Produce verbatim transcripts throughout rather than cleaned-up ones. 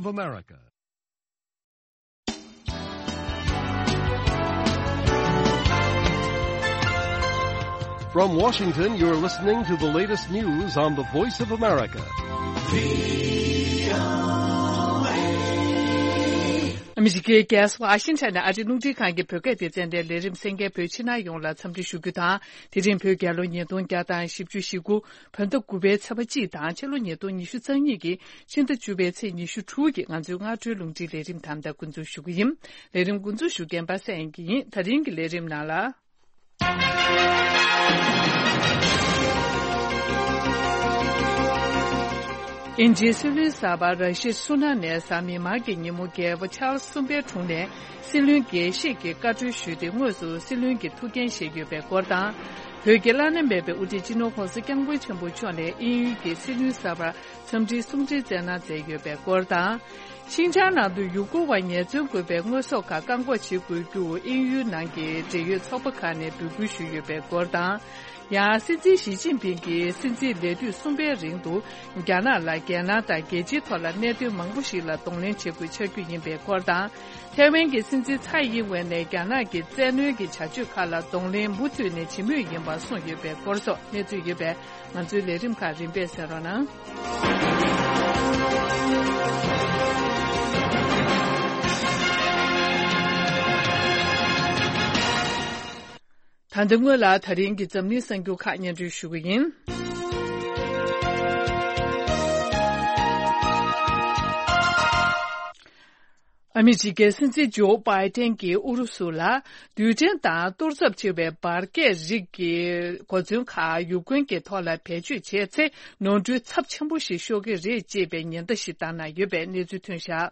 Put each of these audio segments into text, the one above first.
of America. From Washington, you're listening to the latest news on the Voice of America. ཨ་མི་རི་ཀའི་རྒྱལ་ས་ཝ་ཤིང་ཊོན་ནས་ཨ་རིའི་རླུང་འཕྲིན་ཁང་གི་བོད་སྐད་སྡེ་ཚན་ནས་ལས་རིམ་གསན་མཁན་བོད་ཕྱི་ནང་ཡོངས་ལ་འཚམས་འདྲི་ཞུ་རྒྱུ་དང་། དེ་རིང་བོད་རྒྱལ་ལོ་ཉིས་སྟོང་བརྒྱ་དང་བཞི་བཅུ་ཞེ་དགུ། བོད་ཟླ་དགུ་པའི་ཚེས་པ་གཅིག་དང་ཕྱི་ལོ་ཉིས་སྟོང་ཉི་ཤུ་རྩ་གཉིས་ཀྱི་ཕྱི་ཟླ་བཅུ་པའི་ཚེས་ཉི་ཤུ་དྲུག་གི་ང་ཚོའི་སྔ་དྲོའི་རླུང་འཕྲིན་ལས་རིམ་དམ་དང་འགོ་འཛུགས་ཞུ་གི་ཡིན། ལས་རིམ་འགོ་འཛུགས་ཞུ་མཁན་པ་སངས་དབྱངས་སྐྱིད་ཡིན། ད་རིང་གི་ལས་རིམ་ནང་ལ། དབྱིན་ཇིའི་སྲིད་བློན་གསར་པ་ར་ཤི་སུ་ན་ནས་གཟའ་མིག་དམར་གྱི་ཉིན་མོ་རྒྱལ་པོ་ཆཱལ་སི་གསུམ་པའི་དྲུང་ནས་སྲིད་བློན་དགེ་བཤེས་ཀྱི་བཀའ་འཁྲོལ་ཞུས་ཏེ་དངོས་སུ་སྲིད་བློན་གྱི་ཐུགས་འགན་བཞེས་ཡོད་པའི་སྐོར་དང་། བོད་ཀྱི་བླ་ན་མེད་པའི་དབུ་ཁྲིད་སྤྱི་ནོར་༧གོང་ས་༧སྐྱབས་མགོན་ཆེན་པོ་མཆོག་ནས་དབྱིན་ཡུལ་གྱི་སྲིད་བློན་གསར་པར་འཚམས་འདྲིའི་གསུང་འཕྲིན་བསྩལ་གནང་མཛད་ཡོད་པའི་སྐོར་དང་། ཤིན་ཅང་ནང་དུ་ཡུ་གུར་བ་ཉེས་ཚབས་དགོས་པའི་དངོས་ཟོག་ཁག་བཀག་འགོག་བྱེད་དགོས་རྒྱུར་དབྱིན་ཡུལ་ནང་གི་འབྲེལ་ཡོད་ཚོགས་པ་ཁག་ནས་འབོད་སྐུལ་ཞུས་ཡོད་པའི་སྐོར་དང་། ཡང་སྲིད་འཛིན་ཞི་ཅིན་ཕིང་གིས་སྲིད་འཛིན་ལས་དུས་གསུམ་པའི་རིང་དུ་རྒྱ་ནག་ལ་རྒྱལ་ནང་དང་རྒྱལ་སྤྱིའི་ཐོག་ལ་གནད་དོན་མང་པོ་ཞིག་ལ་གདོང་ལེན་བྱེད་དགོས་ཆགས་རྒྱུ་ཡིན་པའི་སྐོར་དང་། ཐའེ་ཝན་གྱི་སྲིད་འཛིན་ཚའེ་ཡིན་ཝེན་ནས་རྒྱ་ནག་གི་བཙན་གནོན་གྱི་བྱ་སྤྱོད་ཁག་ལ་གདོང་ལེན་མུ་མཐུད་ནས་བྱེད་མུས་ཡིན་པ་གསུངས་ཡོད་པའི་སྐོར་སོགས་གནས་ཚུལ་ཡོད་པས། ང་ཚོའི་ལས་རིམ་ཁག་རིམ་པས་གསན་རོགས་གནང་། ད་ལྟ་སྔོན་ལ་ད་རིང་གི་འཛམ་གླིང་གསར་འགྱུར་ཁག་སྙན་སྒྲོན་ཞུ་གི་ཡིན། ཨ་མི་རི་ཀའི་སྲིད་འཛིན་ཇོ་བྷའི་ཏན་གྱིས་ཨུ་རུ་སུ་ལ་རྡུལ་ཕྲན་དང་གཏོར་ཚབས་ཆེ་བའི་འབར་གས་རིགས་ཀྱི་གོ་མཚོན་ཁག་ཡུཀ་རེན་གྱི་ཐོག་ལ་བེད་སྤྱོད་བྱས་ཚེ་ནོར་འཁྲུལ་ཚབས་ཆེན་པོ་ཞིག་ཤོར་གྱི་རེད་ཅེས་པའི་ཉེན་བརྡ་ཞིག་བཏང་གནང་ཡོད་པའི་གནས་ཚུལ་ཐོན་བཞག་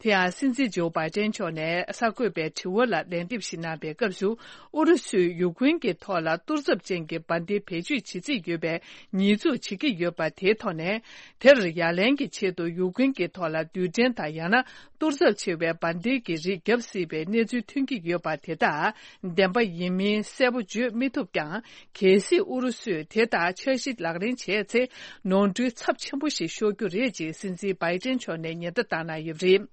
དེ་ཡང་སྲིད་འཛིན་ཇོ་བྷའི་ཏན་མཆོག་ནས་གསར་འགོད་པའི་དྲི་བ་ལ་ལན་འདེབས་ཤིག་གནང་པའི་སྐབས་སུ། ཨུ་རུ་སུས་ཡུཀ་རེན་གྱི་ཐོག་ལ་གཏོར་ཚབས་ཅན་གྱི་འབར་མདེལ་བེད་སྤྱོད་བྱེད་རྩིས་ཡོད་པའི་ཉེས་འཛུགས་བྱེད་ཀྱི་ཡོད་པ་དེའི་ཐོག་ནས། དེར་ཡ་ལན་གྱི་ཆེད་དུ་ཡུཀ་རེན་གྱི་ཐོག་ལ་རྡུལ་ཕྲན་དང་ཡང་ན་གཏོར་ཚབས་ཆེ་བའི་འབར་མདེལ་གྱི་རིགས་བརྒྱབ་སྲིད་པའི་གནས་ཚུལ་ཐོན་གྱི་ཡོད་པ་དེ་དག་བདེན་པ་ཡིན་མིན་གསལ་པོ་བརྗོད་མི་ཐུབ་ཀྱང་། གལ་སྲིད་ཨུ་རུ་སུས་དེ་ལྟར་འཆར་གཞི་ལག་ལེན་བྱས་ཚེ། ནོར་འཁྲུལ་ཚབས་ཆེན་པོ་ཞིག་ཤོར་རྒྱུ་རེད་ཅེས་སྲིད་འཛིན་བྷའི་ཏན་མཆོག་ནས་ཉེན་བརྡ་བཏང་གནང་ཡོད་པ་རེད།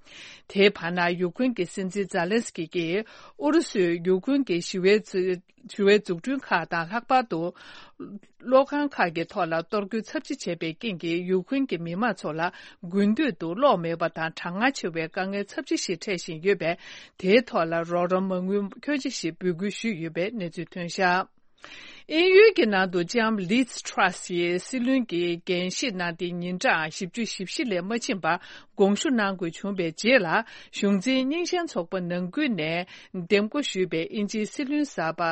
དེའི་བར་ན་ཡུཀ་རེན་གྱི་སྲིད་འཛིན་ཛ་ལན་སི་ཀི་གིས་ཨུ་རུ་སུས་ཡུཀ་རེན་གྱི་ཞི་བའི་རྩི་ཞི་བའི་འཛུགས་སྐྲུན་ཁག་དང་ལྷག་པར་དུ། གློག་ཁང་ཁག་གི་ཐོག་ལ་གཏོར་རྒོལ་ཚབས་ཆེ་བྱས་པའི་རྐྱེན་གྱིས་ཡུཀ་རེན་གྱི་མི་མང་ཚོ་ལ་དགུན་དུས་སུ་གློག་མེད་པ་དང་གྲང་ངར་ཆེ་བའི་དཀའ་ངལ་ཚབས་ཆེ་ཞིག་འཕྲད་བཞིན་ཡོད་པས། དེའི་ཐོག་ལ་རོགས་རམ་མ་དངུལ་ཁྱོན་ཆེ་ཞིག་འབོད་སྐུལ་ཞུས་ཡོད་པའི་གནས་ཚུལ་ཐོན་བཞག་དབྱིན་ཡུལ་གྱི་ནང་དུ་ལྕམ་ལིཛ་ཊྲ་སི་ཡིས་སྲིད་བློན་གྱི་འགན་བཞེས་གནང་སྟེ་ཉིན་གྲངས་བཞི་བཅུ་ཞེ་བཞི་ལས་མ་ཕྱིན་པར་དགོངས་ཞུ་གནང་དགོས་བྱུང་བའི་རྗེས་ལ། གཞུང་འཛིན་རྙིང་ཞེན་ཚོགས་པ་ནང་ཁུལ་ནས་འདེམས་བསྐོ་ཞུས་པའི་དབྱིན་ཇིའི་སྲིད་བློན་གསར་པ་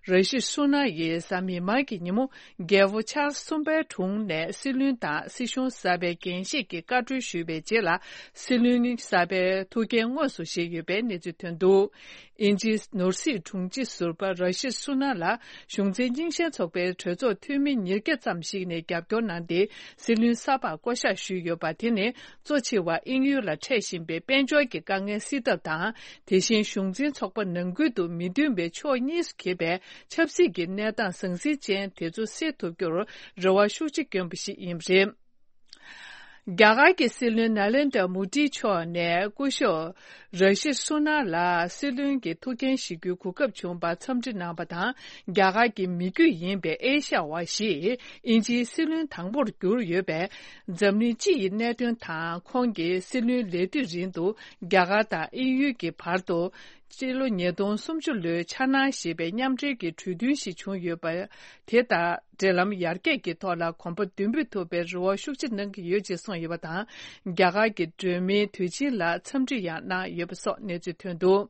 ར་ཤི་སུ་ན་ཡིས་གཟའ་མིག་དམར་གྱི་ཉིན་མོ། རྒྱལ་པོ་ཆཱལ་སི་གསུམ་པའི་དྲུང་ནས་སྲིད་བློན་དང་སྲིད་གཞུང་གསར་པའི་འགན་བཞེས་ཀྱི་བཀའ་འཁྲོལ་ཞུས་པའི་རྗེས་ལ། སྲིད་བློན་གསར་པའི་ཐུགས་འགན་དངོས་སུ་བཞེས་ཡོད་པའི་གནས་ཚུལ་ཐོན་འདུག་དབྱིན་ཇིའི་ནོར་སྲིད་དྲུང་ཆེ་ཟུར་པ་ར་ཤི་སུ་ན་ལ་གཞུང་འཛིན་རྙིང་ཞེན་ཚོགས་པའི་གྲོས་ཚོགས་འཐུས་མི་ཉིས་བརྒྱ་ཙམ་ཞིག་ནས་རྒྱབ་སྐྱོར་གནང་སྟེ། སྲིད་བློན་གསར་པར་བསྐོ་གཞག་ཞུས་ཡོད་པ་དེ་ནི། གཙོ་ཆེ་བ་དབྱིན་ཡུལ་ལ་འཕྲད་བཞིན་པའི་དཔལ་འབྱོར་གྱི་དཀའ་ངལ་སེལ་ཐབས་དང་། དེ་བཞིན་གཞུང་འཛིན་ཚོགས་པ་ནང་ཁུལ་དུ་མི་མཐུན་པའི་ཕྱོགས་གཉིས་སུ་གྱེས་པའི་ཆབ་སྲིད་ཀྱི་གནས་སྟངས་ཟང་ཟིང་ཅན་དེ་ཚོ་སེལ་ཐུབ་རྒྱུར་རེ་བ་ཤུགས་ཆེ་བསྐྱོན་པ་ཞིག་ཡིན་པ་རེད། རྒྱ་གར་གྱི་སྲིད་བློན་ནཱ་ལེནྡྲ་མོ་དི་མཆོག་ནས་སྐུ་ཞབས་ར་ཤི་སུ་ན་ལ་སྲིད་བློན་གྱི་ཐུགས་འགན་བཞེས་རྒྱུའི་གོ་སྐབས་བྱུང་བར་འཚམས་འདྲི་གནང་བ་དང་། རྒྱ་གར་གྱི་མི་རྒྱུད་ཡིན་པའི་ཨེ་ཤ་ཡ་བ་ཞིག་དབྱིན་ཇིའི་སྲིད་བློན་དང་པོར་གྱུར་ཡོད་པས། འཛམ་གླིང་སྤྱི་ཡི་གནད་དོན་དང་ཁོང་གི་སྲིད་བློན་ལས་དུས་རིང་དུ་རྒྱ་གར་དང་དབྱིན་ཡུལ་གྱི་བར་དུ། སྤྱི་ལོ་ཉིས་སྟོང་སུམ་ཅུ་ལོའི་འཆར་སྣང་ཞེས་པའི་མཉམ་འབྲེལ་གྱི་གྲོས་མཐུན་ཞིག་བྱུང་ཡོད་པ། དེ་དང་འབྲེལ་ལམ་ཡར་རྒྱས་ཀྱི་ཐོག་ལ་གོམ་པ་མདུན་སྤོས་ཐུབ་པའི་རེ་བ་ཤུགས་ཆེ་གནང་གི་ཡོད་ཅེས་གསུངས་ཡོད་པ་དང་། རྒྱ་གར་གྱི་སྒྲོན་མེའི་དུས་ཆེན་ལ་འཚམས་འདྲི་ཡང་གནང་ཡོད་པ་སོགས་གནས་ཚུལ་ཐོན་འདུག་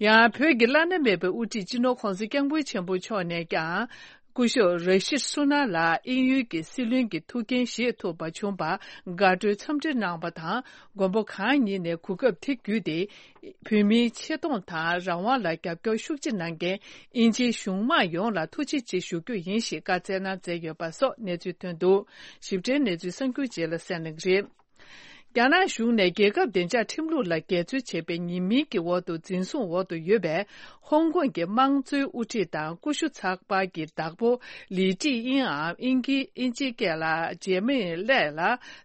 ཡང་བོད་ཀྱི་བླ་ན་མེད་པའི་དབུ་ཁྲིད་སྤྱི་ནོར་༧གོང་ས་༧སྐྱབས་མགོན་ཆེན་པོ་མཆོག་ནས་ཀྱང་། སྐུ་ཞབས་ར་ཤིད་སུ་ན་ལ་དབྱིན་ཡུལ་གྱི་སྲིད་བློན་གྱི་ཐུགས་འགན་བཞེས་ཐུབ་པ་བྱུང་བར་དགའ་སྤྲོའི་འཚམས་འདྲི་གནང་བ་དང་། མགོན་པོ་གང་ཉིད་ནས་གོ་སྐབས་དེ་བརྒྱུད་དེ། བོད་མིའི་ཆེ་མཐོང་དང་རང་དབང་ལ་རྒྱབ་སྐྱོར་ཤུགས་ཆེ་གནང་མཁན་དབྱིན་ཇིའི་གཞུང་མང་ཡོངས་ལ་ཐུགས་རྗེ་ཆེ་ཞུ་རྒྱུ་ཡིན་ཞེས་བཀའ་སྩལ་གནང་མཛད་ཡོད་པ་སོགས་གནས་ཚུལ་ཐོན་འདུག་ཞིབ་ཕྲའི་གནས་ཚུལ་གསར་འགྱུར་རྗེས་ལ་གསན་གནང་གི་རེད། རྒྱ་ནག་གཞུང་ནས་རྒྱལ་ཁབ་བདེ་འཇགས་ཁྲིམས་ལུགས་ལ་འགལ་འཛོལ་བྱས་པའི་ཉེས་མིང་གི་འོག་ཏུ་འཛིན་བཟུང་འོག་ཏུ་ཡོད་པའི་ཧོང་ཀོང་གི་དམངས་གཙོའི་དབུ་ཁྲིད་དང་ཀུ་ཤུ་ཚགས་པར་གྱི་བདག་པོ་ལི་ཀྲི་དབྱིན་འམ་དབྱིན་སྐད་དབྱིན་ཇིའི་སྐད་ལ་ཇེ་མེ་ལེ་ལ་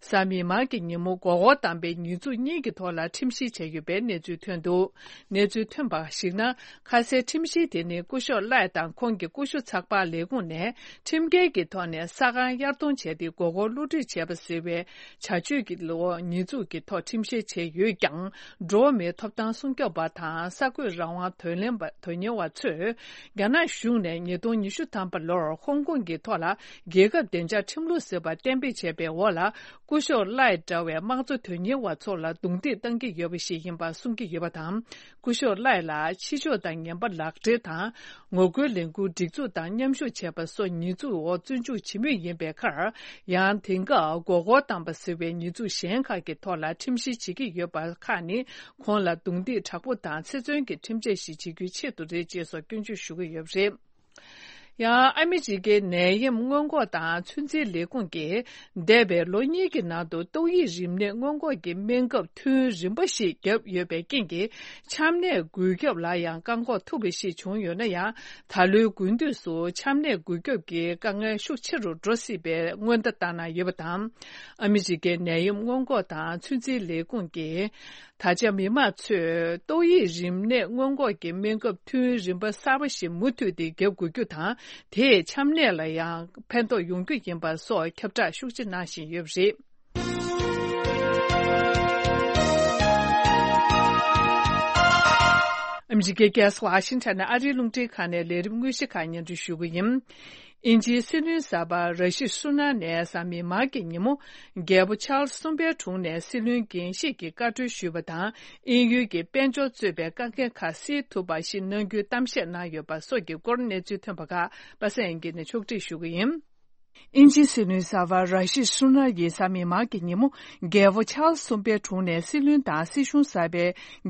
གཟའ་མིག་དམར་གྱི་ཉིན་མོ་མགོ་སྐོར་བཏང་པའི་ཉེས་འཛུགས་གཉིས་ཀྱི་ཐོག་ལ་ཁྲིམས་བཤེར་བྱས་ཡོད་པའི་གནས་ཚུལ་ཐོན་འདུག་གནས་ཚུལ་ཐོན་པར་གཞིགས་ན། ཁ་གསལ་ཁྲིམས་གཞི་དེ་ནི་སྐུ་ཞབས་ལའེ་དང་ཁོང་གི་ཀུ་ཤུ་ཚགས་པར་ལས་ཁུངས་ནས་ཁྲིམས་འགལ་གྱི་ཐོག་ནས་ས་ཁང་གཡར་གཏོང་བྱས་ཏེ་མགོ་སྐོར་བསླུ་བྲིད་བྱས་པ་ཟེར་བའི་བྱ་སྤྱོད་ཀྱི་ལོ་ཉེས་འཛུགས་ཀྱི་ཐོག་ཁྲིམས་བཤེར་བྱས་ཡོད་ཀྱང་། འགྲོ་བ་མིའི་ཐོབ་ཐང་སྲུང་སྐྱོབ་པ་དང་གསར་འགོད་རང་དབང་དོན་ལེན་པ་དོན་གཉེར་བ་ཚོས་རྒྱ་ནག་གཞུང་ནས་ཉིས་སྟོང་ཉི་ཤུ་ཐམ་པ་ལོར་ཧོང་ཀོང་གི་ཐོག་ལ་རྒྱལ་ཁབ་བདེ་འཇགས་ཁྲིམས་ལུགས་ཟེར་བ་གཏན་འབེབས་བྱས་པའི་འོག་ལ། སྐུ་ཞབས་ལའེ་འདྲ་བའི་དམངས་གཙོ་དོན་གཉེར་བ་ཚོ་ལ་རྡུང་རྡེག་བཏང་གི་ཡོད་པ་ཞིག་ཡིན་པ་གསུང་གི་ཡོད་པ་དང་། སྐུ་ཞབས་ལའེ་ལ་ཕྱི་ཕྱོགས་དང་ངན་པ་ལག་འབྲེལ་དང་། ངོ་རྒོལ་ལས་འགུལ་སྒྲིག་འཛུགས་དང་མཉམ་ཞུགས་བྱས་པ་སོགས་ཉེས་འཛུགས་འོག་བཙོན་འཇུག་བྱེད་མུས་ཡིན་པའི་ཁར། ཡང་དེང་སྐབས་མགོ་སྐོར་བཏང་པ་ཟེར་བའི་ཉེས་འཛུགས་གཞན་ཁག་གི་ཐོག་ལ་ཁྲིམས་བཤེར་བྱེད་ཀྱི་ཡོད་པ་ཁག་ནི། ཁོང་ལ་རྡུང་རྡེག་དྲག་པོ་དང་ཚེ་བཙོན་གྱི་ཁྲིམས་ཆད་ཞིག་བྱེད་རྒྱུའི་ཆེད་དུ་རེད་ཅེས་སོགས་སྐྱོན་བརྗོད་ཞུ་གི་ཡོད་པ་རེད། ཡང་ཨ་མི་རི་ཀའི་ནད་ཡམས་སྔོན་འགོག་དང་ཚོད་འཛིན་ལས་ཁུངས་ཀྱིས་འདས་པའི་ལོ་གཉིས་ཀྱི་ནང་དུ་ཏོག་དབྱིབས་རིམས་ནད་སྔོན་འགོག་གི་སྨན་ཁབ་ཐུན་རིམ་པ་ཞིག་བརྒྱབ་ཡོད་པའི་རྐྱེན་གྱིས་ཆམ་ནད་འགོས་ཁྱབ་ལ་ཡང་བཀག་འགོག་ཐུབ་པ་ཞིག་བྱུང་ཡོད་ན་ཡང་། ད་ལོའི་དགུན་དུས་སུ་ཆམ་ནད་འགོས་ཁྱབ་ཀྱི་དཀའ་ངལ་ཤུགས་ཆེ་རུ་འགྲོ་སྲིད་པའི་སྔོན་བརྡ་བཏང་གནང་ཡོད་པ་དང་། ཨ་མི་རི་ཀའི་ནད་ཡམས་སྔོན་འགོག་དང་ཚོད་འཛིན་ལས་ཁུངས་ཀྱིས། ད་ཆ་མི་མང་ཚོས་ཏོག་དབྱིབས་རིམས་ནད་སྔོན་འགོག་གི་སྨན་ཁབ་ཐུན་རིམ་པ་གསར་པ་ཞིག་མུ་མཐུད་དེ་བརྒྱབ་དགོས་རྒྱུ་དང་། དེས་ཆམ་ནད་ལ་ཡང་ཕན་ཐོགས་ཡོང་རྒྱུ་ཡིན་པ་སོགས་ཁྱབ་བསྒྲགས་ཤུགས་ཆེ་གནང་བཞིན་ཡོད་པ་རེད། ཨ་མི་རི་ཀའི་རྒྱལ་ས་ཝ་ཤིང་ཊོན་ནས་ཨ་རིའི་རླུང་འཕྲིན་ཁང་ནས་ལས་རིམ་དངོས་གཞི་ཁག་སྙན་སྒྲོན་ཞུ་གི་ཡིན། དབྱིན་ཇིའི་སྲིད་བློན་གསར་པ་ར་ཤི་སུ་ན་ནས་གཟའ་མིག་དམར་གྱི་ཉིན་མོ། རྒྱལ་པོ་ཆཱལ་སི་གསུམ་པའི་དྲུང་ནས་སྲིད་བློན་འགན་བཞེས་ཀྱི་བཀའ་འཁྲོལ་ཞུས་པ་དང་། དབྱིན་ཡུལ་གྱི་དཔལ་འབྱོར་གཙོས་པའི་དཀའ་ངལ་ཁག་སེལ་ཐུབ་པ་ཞིག་གནང་རྒྱུའི་གཏམ་བཤད་གནང་ཡོད་པ་སོགས་ཀྱི་སྐོར་གནས་ཚུལ་ཐོན་པ་ཁག་པ་སངས་དབྱངས་སྐྱིད་ནས་ཕྱོགས་སྒྲིག་ཞུ་གི་ཡིན། དབྱིན་ཇིའི་སྲིད་བློན་གསར་པ་ར་ཤི་སུ་ན་ཡིས་གཟའ་མིག་དམར་གྱི་ཉིན་མོ། རྒྱལ་པོ་ཆཱལ་སི་གསུམ་པའི་དྲུང་ནས་སྲིད་བློན་དང་སྲིད་གཞུང་གསར་པའི་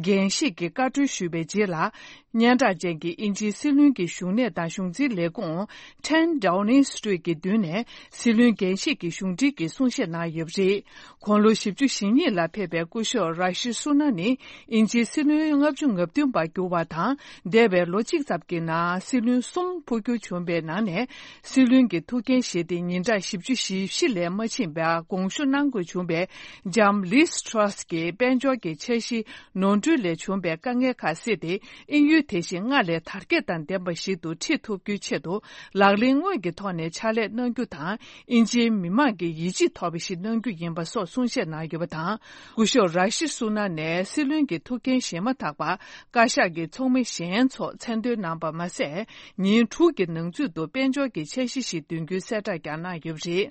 འགན་བཞེས་ཀྱི་བཀའ་འཁྲོལ་ཞུས་པའི་རྗེས་ལ། སྙན་གྲགས་ཅན་གྱི་དབྱིན་ཇིའི་སྲིད་བློན་གྱི་བཞུགས་གནས་དང་གཞུང་འཛིན་ལས་ཁུངས་ཊེན་ཌའོ་ནིང་སི་ཊི་རིཊ་གྱི་མདུན་ནས་སྲིད་བློན་འགན་བཞེས་ཀྱི་གཞུང་འབྲེལ་གྱི་གསུང་བཤད་གནང་ཡོད་པ་རེད། དགུང་ལོ་བཞི་བཅུ་ཞེ་གཉིས་ལ་ཕེབས་པའི་སྐུ་ཞབས་ར་ཤི་སུ་ན་ནི་དབྱིན་ཇིའི་སྲིད་བློན་ལྔ་བཅུ་ང་བདུན་པར་གྱུར་བ་དང་། འདས་པའི་ལོ་གཅིག་ཙམ་གྱི་ནང་སྲིད་བློན་གསུམ་འཕོ་འགྱུར་བྱུང་བའི་ནང་ནས་སྲིད་བློན་གྱི་ཐུགས་འགན་བཞེས་ཏེ་ཉིན་གྲངས་བཞི་བཅུ་ཞེ་བཞི་ལས་མ་ཕྱིན་པར་དགོངས་ཞུ་གནང་དགོས་བྱུང་བའི་ལྕམ་ལིས་ཊྲ་སི་གྱི་དཔལ་འབྱོར་གྱི་འཆར་གཞི་ནོར་འཁྲུལ་ལས་བྱུང་བའི་དཀའ་ངལ་ཁག་སེལ་ཏེ། དབྱིན་ཡུལ་དེ་བཞིན་སྔར་ལས་དར་རྒྱས་དང་ལྡན་པ་ཞིག་ཏུ་ཁྲིད་ཐུབ་རྒྱུའི་ཆེད་དུ་ལག་ལེན་དངོས་ཀྱི་ཐོག་ནས་ཕྱག་ལས་གནང་རྒྱུ་དང་། དབྱིན་ཇིའི་མི་མང་གི་ཡིད་ཆེས་ཐོབ་པ་ཞིག་གནང་རྒྱུ་ཡིན་པ་སོགས་གསུང་བཤད་གནང་ཡོད་པ་དང་། སྐུ་ཞབས་ར་ཤི་སུ་ན་ནས་སྲིད་བློན་གྱི་ཐུགས་འགན་བཞེས་མ་ཐག་པར་བཀའ་ཤག་གི་ཚོགས་མི་གཞན་ཚོ་མཚན་འདོན་གནང་པ་མ་ཟད། ཉིན་དྲུག་གི་ནང་ཚུད་དུ་དཔལ་འབྱོར་གྱི་འཆར་གཞི་ཞིག་འདོན་རྒྱུའི་གསལ་བསྒྲགས་ཀྱང་གནང་ཡོད་པ་རེད།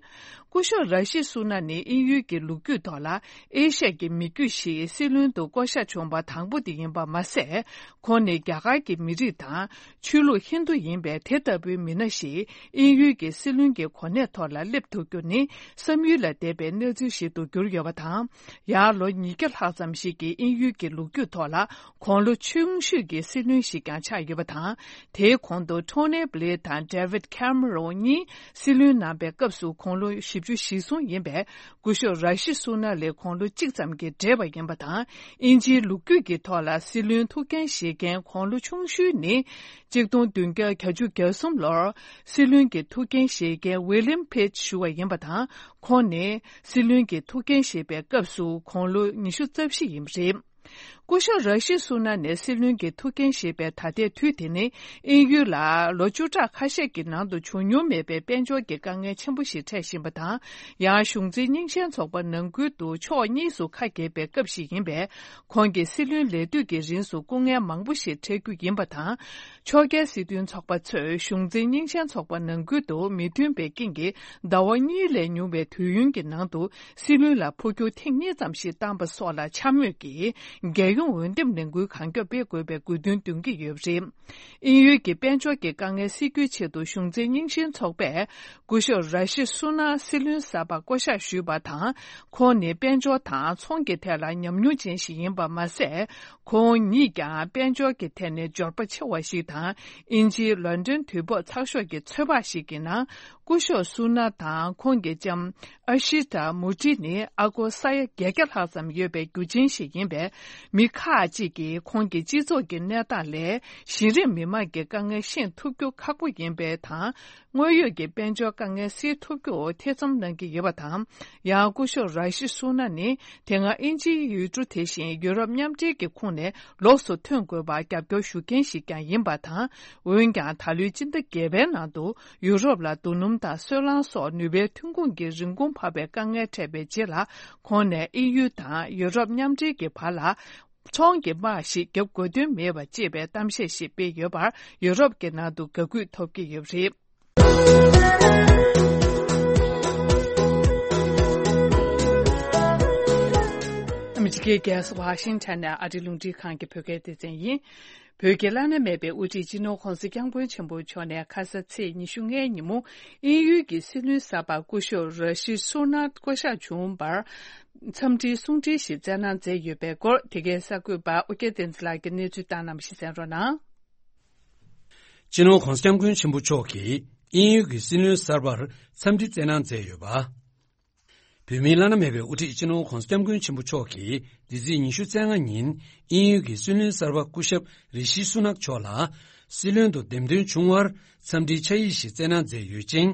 སྐུ་ཞབས་ར་ཤི་སུ་ན་ནི་དབྱིན་ཡུལ་གྱི་ལོ་རྒྱུས་ཐོག་ལ་ཨེ་ཤ་ཡའི་མི་རྒྱུད་ཞིག་སྲིད་བློན་དུ་བསྐོ་གཞག་བྱུང་བ་དང་པོ་དེ་ཡིན་པ་མ་ཟད། ཁོང་ནི་རྒྱ་གར་གྱི་མི་རིགས་དང་ཆོས་ལུགས་ཧིན་རྡུ་ཡིན་པས། དེ་ལྟ་བུའི་མི་སྣ་ཞིག་དབྱིན་ཡུལ་གྱི་སྲིད་བློན་གྱི་གོ་གནས་ཐོག་ལ་སླེབས་ཐུབ་རྒྱུ་ནི་བསམ་ཡུལ་ལས་འདས་པའི་གནས་ཚུལ་ཞིག་ཏུ་གྱུར་ཡོད་པ་དང་། ཡང་ལོ་ཉིས་བརྒྱ་ལྷག་ཙམ་ཞིག་གི་དབྱིན་ཡུལ་གྱི་ལོ་རྒྱུས་ཐོག་ལ་དགུང་ལོ་ཆུང་ཤོས་ཀྱི་སྲིད་བློན་ཞིག་ཀྱང་ཆགས་ཡོད་པ་དང་། དེའི་གོང་དུ་ཊོ་ནི་བྷི་ལེར་དང་ཌེ་ཝིད་ཁེ་མེ་རོན་གཉིས་སྲིད་བློན་གནང་པའི་སྐབས་སུ་དགུང་ལོ་བཞི་བཅུ་ཞེ་གསུམ་ཡིན་པས། སྐུ་ཞབས་ར་ཤི་སུ་ན་ལས་དགུང་ལོ་གཅིག་ཙམ་གྱིས་བགྲེས་པ་ཡིན་པ་དང་། དབྱིན་ཇིའི་ལོ་རྒྱུས་ཀྱི་ཐོག་ལ་སྲིད་བློན་ཐུགས་འགན་བཞེས་མཁན་དགུང་ལོ་ཆུང་ཤོས་ནི། གཅིག་སྟོང་བདུན་བརྒྱ་གྱ་གསུམ་ལོར་སྲིད་བློན་གྱི་ཐུགས་འགན་བཞེས་མཁན་ཝི་ལིམ་ཕེ་ཇི་ཞུ་བ་ཡིན་པ་དང་། ཁོང་ནི་སྲིད་བློན་གྱི་ཐུགས་འགན་བཞེས་པའི་སྐབས་སུ་དགུང་ལོ་ཉི་ཤུ་རྩ་བཞི་ཡིན་པ་རེད། སྐུ་ཞབས་ར་ཤི་སུ་ན་ནས་སྲིད་བློན་གྱི་ཐུགས་འགན་བཞེས་པའི་ད་ལྟའི་དུས་དེ་ནི། དབྱིན་ཡུལ་ལ་ལོ་བཅུ་ཕྲག་ཁ་ཤས་ཀྱི་ནང་དུ་བྱུང་མྱོང་མེད་པའི་དཔལ་འབྱོར་གྱི་དཀའ་ངལ་ཆེན་པོ་ཞིག་འཕྲད་བཞིན་པ་དང་། ཡང་གཞུང་འཛིན་རྙིང་ཞེན་ཚོགས་པ་ནང་ཁུལ་དུ་ཕྱོགས་གཉིས་སུ་ཁ་གྱེས་པའི་སྐབས་ཤིག་ཡིན་པས། ཁོང་གི་སྲིད་བློན་ལས་དུས་ཀྱི་རིང་སུ་སྐུ་ངལ་མང་པོ་ཞིག་འཕྲད་རྒྱུ་ཡིན་པ་དང་། ཕྱོགས་འགལ་སྲིད་དོན་ཚོགས་པ་ཚོས་གཞུང་འཛིན་རྙིང་ཞེན་ཚོགས་པ་ནང་ཁུལ་དུ་མི་མཐུན་པའི་རྐྱེན་གྱིས་ཟླ་བ་གཉིས་ལས་ཉུང་བའི་དུས་ཡུན་གྱི་ནང་དུ་སྲིད་བློན་ལ་འཕོ་འགྱུར་ཐེངས་གཉིས་ཙམ་ཞིག་བཏང་པ་སོགས་ལ་འཕྱ་སྨོད་ཀྱིས་རྒྱལ། ཡོང་འོས་འདེམས་ལས་འགུལ་གང་མགྱོགས་སྤེལ་དགོས་པའི་དགོས་འདུན་འདོན་གྱི་ཡོད་པ་རེད། དབྱིན་ཡུལ་གྱི་དཔལ་འབྱོར་གྱི་དཀའ་ངལ་སེལ་རྒྱུའི་ཆེད་དུ་གཞུང་འཛིན་རྙིང་ཞེན་ཚོགས་པས་སྐུ་ཞབས་ར་ཤི་སུ་ན་སྲིད་བློན་གསར་པ་བསྐོ་གཞག་ཞུས་པ་དང་། ཁོང་ནི་དཔལ་འབྱོར་དང་ཚོང་གི་ཐད་ལ་ཉམས་མྱོང་ཅན་ཞིག་ཡིན་པ་མ་ཟད། ཁོང་ཉིད་ཀྱང་དཔལ་འབྱོར་གྱི་ཐད་ནས་འབྱོར་པ་ཆེ་བ་ཞིག་དང་། དབྱིན་ཇིའི་ལོན་ཌོན་དུས་བབ་ཚགས་ཤོག་གི་ཚོད་དཔག་ཞིག་གི་ནང་། སྐུ་ཞབས་སུ་ན་དང་ཁོང་གི་ལྕམ་ཨ་ཤི་ཏ་མུ་ཏི་ནི་ཨ་སྒོར་ས་ཡ་བརྒྱད་བརྒྱ་ལྷག་ཙམ་ཡོད་པའི་རྒྱུ་ཆེན་ཞིག་ཡིན་པས། མི་ཁག་ཅིག་གིས་ཁོང་གི་སྤྱི་ཚོགས་ཀྱི་གནས་སྟངས་ལས་གཞི་རིམ་མི་མང་གི་དཀའ་ངལ་ཤེས་ཐུབ་རྒྱུ་ཁག་པོ་ཡིན་པས་དང་། དངོས་ཡོད་ཀྱི་དཔལ་འབྱོར་དཀའ་ངལ་སེལ་ཐུབ་རྒྱུར་ཐེ་ཚོམ་གནང་གི་ཡོད་པ་དང་། ཡང་སྐུ་ཞབས་ར་ཤི་སུ་ན་ནི་དེ་སྔ་དབྱིན་ཇིའི་ཡུལ་གྲུ་དེ་བཞིན་ཡུ་རོབ་མཉམ་འབྲེལ་གྱི་ཁོངས་ནས་ལོགས་སུ་ཐོན་དགོས་པར་རྒྱབ་སྐྱོར་ཞུ་མཁན་ཞིག་ཀྱང་ཡིན་པ་དང་། འོན་ཀྱང་ད་ལོའི་སྤྱི་ཟླ་བརྒྱད་པའི་ནང་དུ་ཡུ་རོབ་ལ་རྡོ་སྣུམ་དང་སོལ་རླངས་སོགས་ནུས་པའི་ཐོན་ཁུངས་ཀྱི་རིན་གོང་འཕར་བའི་དཀའ་ངལ་འཕྲད་པའི་རྗེས་ལ། ཁོང་ནས་དབྱིན་ཡུལ་དང་ཡུ་རོབ་མཉམ་འབྲེལ་གྱི་བར་ལ། ཚོང་གི་དམག་ཞིག་བརྒྱབ་དགོས་དོན་མེད་པ་ཅེས་པའི་གཏམ་བཤད་ཞིག་སྤེལ་ཡོད་པར་ཡུ་རོབ་ཀྱི་ནང་དུ་དགའ་གུས་ཐོབ་ཀྱི་ཡོད་པ་རེད། ཨ་མི་རི་ཀའི་རྒྱལ་ས་ཝ་ཤིང་ཊོན་ནས་ཨ་རིའི་རླུང་འཕྲིན་ཁང་གི་བོད་སྐད་སྡེ་ཚན་ཡིན། བོད་ཀྱི་བླ་ན་མེད་པའི་དབུ་ཁྲིད་སྤྱི་ནོར་༧གོང་ས་༧སྐྱབས་མགོན་ཆེན་པོ་མཆོག་ནས་ཁ་ས་ཚེས་ཉི་ཤུ་ལྔའི་ཉིན་མོ་དབྱིན་ཡུལ་གྱི་སྲིད་བློན་གསར་པ་སྐུ་ཞབས་ར་ཤི་སུ་ན་བསྐོ་གཞག་བྱུང་བར། འཚམས་འདྲིའི་གསུང་འཕྲིན་ཞིག་བསྩལ་གནང་མཛད་ཡོད་པའི་སྐོར། དེ་གའི་གསར་འགོད་པ་ཨོ་རྒྱན་བསྟན་འཛིན་ལགས་ཀྱིས་གནས་ཚུལ་བཏང་གནང་བ་ཞིག་གསན་རོགས་གནང་། སྤྱི་ནོར་༧གོང་ས་༧སྐྱབས་མགོན་ཆེན་པོ་མཆོག་གིས་དབྱིན་ཡུལ་གྱི་སྲིད་བློན་གསར་པར་འཚམས་འདྲི་བསྩལ་གནང་མཛད་ཡོད་པ། བོད་མིའི་བླ་ན་མེད་པའི་དབུ་ཁྲིད་སྤྱི་ནོར་༧གོང་ས་༧སྐྱབས་མགོན་ཆེན་པོ་མཆོག་གིས་འདི་ཚེས་ཉི་ཤུ་རྩ་ལྔ་ཉིན་དབྱིན་ཡུལ་གྱི་སྲིད་བློན་གསར་པ་སྐུ་ཞབས་རི་ཤི་སུ་ནག་མཆོག་ལ་སྲིད་བློན་དུ་འདེམས་ཐོན་བྱུང་བར་འཚམས་འདྲིའི་ཕྱག་ཡིག་ཞིག་བསྩལ་གནང་མཛད་ཡོད་ཅིང་།